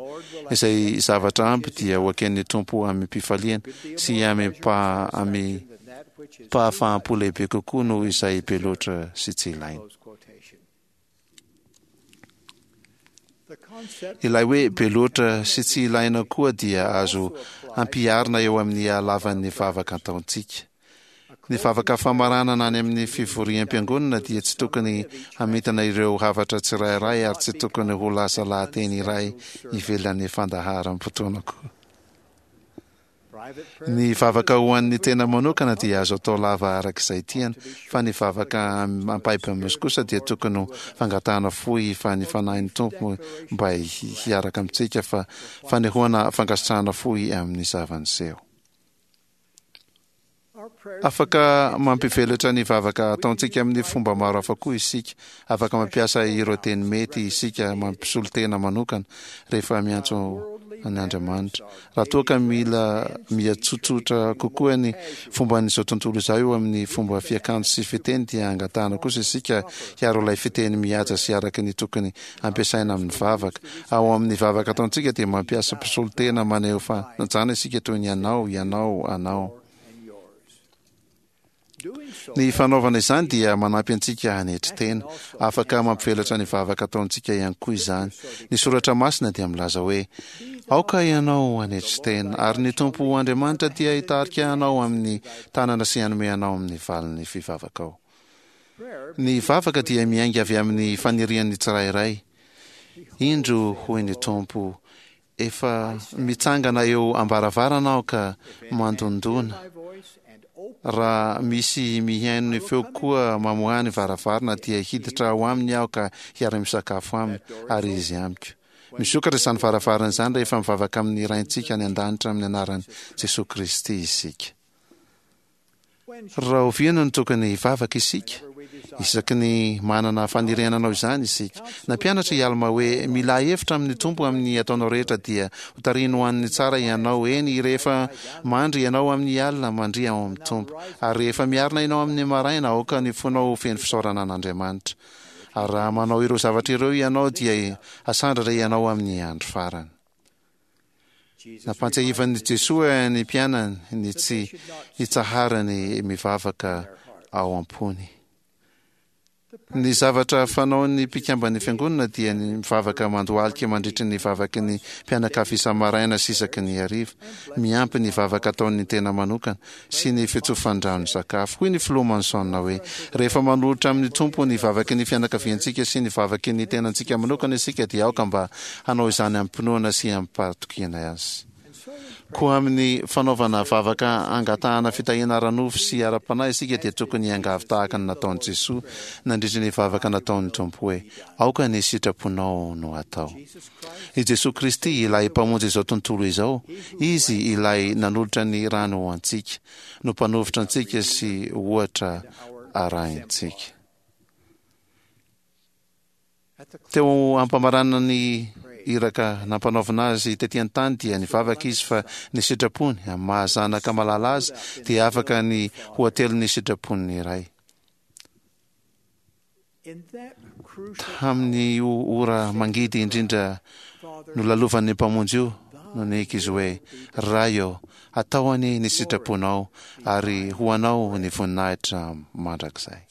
Izay zavatra ampy dia ho eken'ny Tompo amim-pifaliana sy amim-pahafaham-po lehibe kokoa noho izay be loatra sy tsy ilaina. Ilay hoe be loatra sy tsy ilaina koa dia azo ampiharina eo amin'ny halavan'ny vavaka ataontsika. Ny vavaka famaranana any amin'ny fivoriam-piangonana dia tsy tokony hamitana ireo hafatra tsirairay ary tsy tokony ho lasa lahateny iray ivelan'ny fandaharam-potoana koa. Ny vavaka ho an'ny tena manokana dia azo atao lava araka izay tiana, fa ny vavaka ampahibemaso kosa dia tokony ho fangatahana fohy fa ny Fanahin'ny Tompo mba hiaraka amintsika fa fanehoana fankasitrahana fohy amin'ny zava-niseho. Afaka mampivelatra ny vavaka ataontsika amin'ny fomba maro hafa koa isika. Afaka mampiasa ireo teny mety isika mampisolo tena manokana rehefa miantso an' Andriamanitra. Raha toa ka mila mihatsotsotra kokoa ny fomban'izao tontolo izao eo amin'ny fomba fiakanjo sy fiteny dia angatahana kosa isika hiaro ilay fiteny mihaja sy araka ny tokony ampiasaina amin'ny vavaka. Ao amin'ny vavaka ataontsika dia mampiasa mpisolo tena maneho fanajana isika toy ny anao, ianao, anao. Ny fanaovana izany dia manampy antsika hanetry tena. Afaka mampivelatra ny vavaka ataontsika ihany koa izany. Ny Soratra Masina dia milaza hoe, Aoka ianao hanetry tena, ary ny Tompo Andriamanitra dia hitarika anao amin'ny tanana sy hanome anao amin'ny valin'ny fivavakao. Ny vavaka dia miainga avy amin'ny fanirian'ny tsirairay. Indro, hoy ny Tompo, efa mitsangana eo am-baravarana aho ka mandondona. Raha misy mihaino ny feoko koa mamoaha ny varavarana dia hiditra ao aminy aho ka hiara-misakafo aminy, ary izy amiko. Misokatra izany varavarana izany rehefa mivavaka amin'ny Raintsika any an-danitra amin'ny anaran'i Jesoa Kristy isika. Rahoviana no tokony hivavaka isika? Isaky ny manana faniriana hanao izany isika. Nampianatra i Alma hoe, Milà hevitra amin'ny Tompo amin'ny ataonao rehetra dia hotarihiny ho an'ny tsara ianao. Eny, rehefa mandry ianao amin'ny alina, mandria ao amin'ny Tompo. Ary rehefa miarina ianao amin'ny maraina, aoka ny fonao ho feno fisaorana an'Andriamanitra. Ary raha manao ireo zavatra ireo ianao dia hasandratra ianao amin'ny andro farany. Nampantsiahivan'i Jesoa ny mpianany ny tsy hitsaharany mivavaka ao am-pony. Ny zavatra fanaon'ny mpikamban'ny Fiangonana dia ny mivavaka mandohalika mandritry ny vavaky ny mpianakavy isa-maraina sy isaky ny hariva, miampy ny vavaka ataon'ny tena manokana sy ny fitsofan-drano sakafo. Hoy ny Filoha Monson hoe, Rehefa manolotra amin'ny Tompo ny vavaky ny fianakaviantsika sy ny vavaky ny tenantsika manokana isika dia aoka mba hanao izany amim-pinoana sy amim-pahatokiana Azy. Koa amin'ny fanaovana vavaka angatahana fitahiana ara-nofo sy ara-panahy isika dia tokony hiangavy tahaka ny nataon'i Jesoa nandritra ny vavaka nataon'ny Tompo hoe, Aoka ny sitraponao no hatao. I Jesoa Kristy, ilay Mpamonjy izao tontolo izao, Izy ilay nanolotra ny rany ho antsika, no Mpanovotra antsika sy ohatra arahintsika. Teo ampamaranana ny iraka nampanaovina azy tety an-tany dia nivavaka izy fa ny sitrapony amin'ny maha zanaka malala azy dia afaka ny ho atelin'ny sitrapon'ny Ray. Tamin'io ora mangidy indrindra nolalovan'ny Mpamonjy io no niaiky izy hoe, Ray ô, atao anie ny sitraponao ary ho anao ny voninahitra mandrakizay.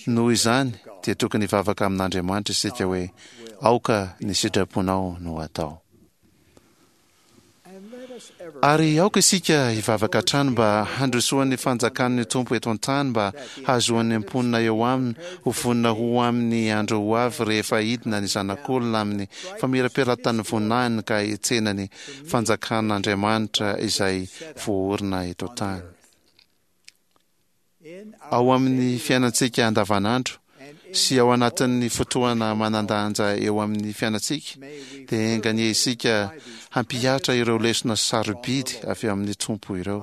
Noho izany dia tokony hivavaka amin'Andriamanitra isika hoe, Aoka ny sitraponao no atao. Ary aoka isika hivavaka hatrany mba handrosoan'ny fanjakan'ny Tompo eto an-tany mba hahazoan'ny mponina eo aminy ho vonona ho amin'ny andro ho avy rehefa hidina ny Zanak'olona amin'ny famirapiratan'ny voninahiny ka hitsena ny fanjakan'Andriamanitra izay voaorina eto an-tany. Ao amin'ny fiainantsika andavanandro sy ao anatin'ny fotoana manan-danja eo amin'ny fiainantsika, dia enga anie isika hampihatra ireo lesona sarobidy avy amin'ny Tompo ireo,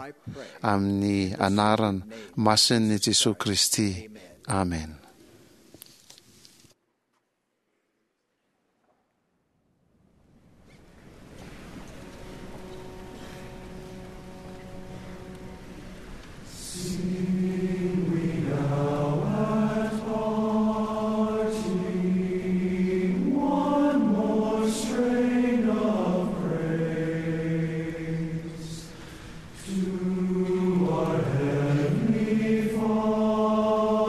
amin'ny anarana masin'i Jesoa Kristy, amena. Sing we now at parting one more strain of praise to our Heavenly Father.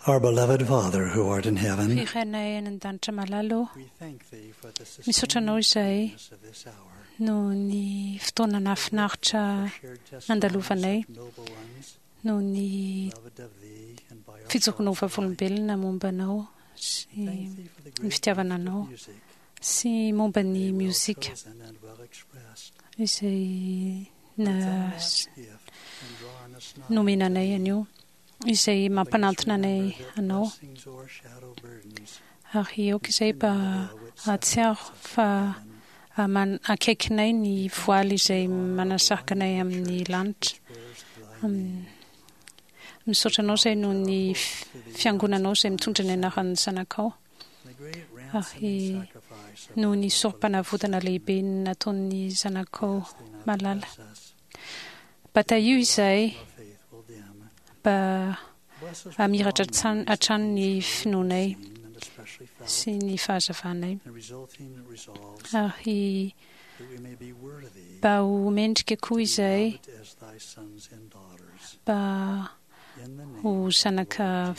Our beloved Father who art in heaven, Ry Rainay any an-danitra malala ô, misaotra anao izahay noho ny fotoana nahafinaritra nandalovanay, noho ny fijoroanao vavolombelona momba anao sy ny fitiavana anao sy momba ny miozika izay na nomena anay anio, izay mampanantona anay anao. Ary aoka izay mba hahatsiaro fa man- akaikinay ny voaly izay manasaraka anay amin'ny lanitra. Misaotra anao izay noho ny fiangonanao izay mitondra ny anaran'ny zanakao, ary noho ny sorom-panavotana lehibe nataon'ny zanakao malala. Mba tahio izahay mba hamiratra hatrany ny finoanay sy ny fahazavanay, ary mba ho mendrika koa izahay mba ho zanaka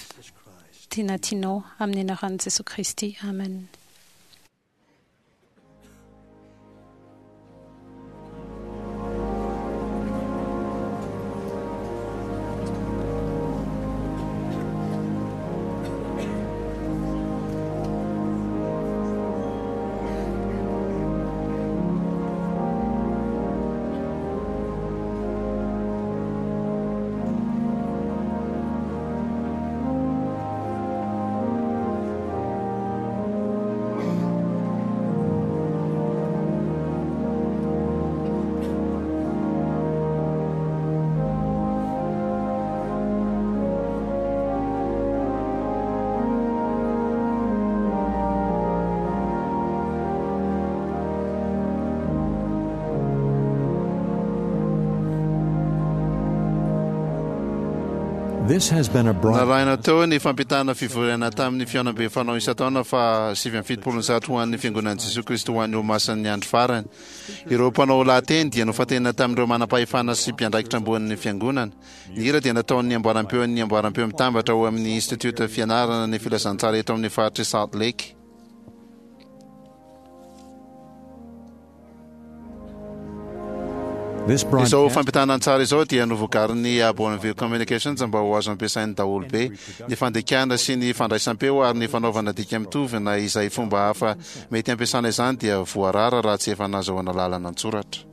tena tianao, amin'ny anaran'i Jesoa Kristy. Amen. This has been a broadcast. Narahina teo ny fampitana fivoriana tamin'ny fihaonambe fanao isan-taona faha sivy amby fitopolo sy zato ho an'ny Fiangonan'i Jesoa Kristy ho an'ny Olomasin'ny Andro Farany. Ireo mpanao lahateny dia nofantenina tamin'ireo manam-pahefana sy mpiandraikitra ambonin'ny Fiangonana. Ny hira dia nataon'ny amboarampeon'ny amboarampeo mitambatra ao amin'ny Institiota Fianarana ny Filazantsara eto amin'ny faritr'i Salt Lake. Izao fampitana an-tsary izao dia novokarin'ny Bonneville Communications mba ho azo ampiasain'ny daholobe. Ny fandikana sy ny fandraisam-peo ary ny fanaovana dika mitovy na izay fomba hafa mety hampiasana izany dia voarara raha tsy efa nahazoana lalana an-tsoratra.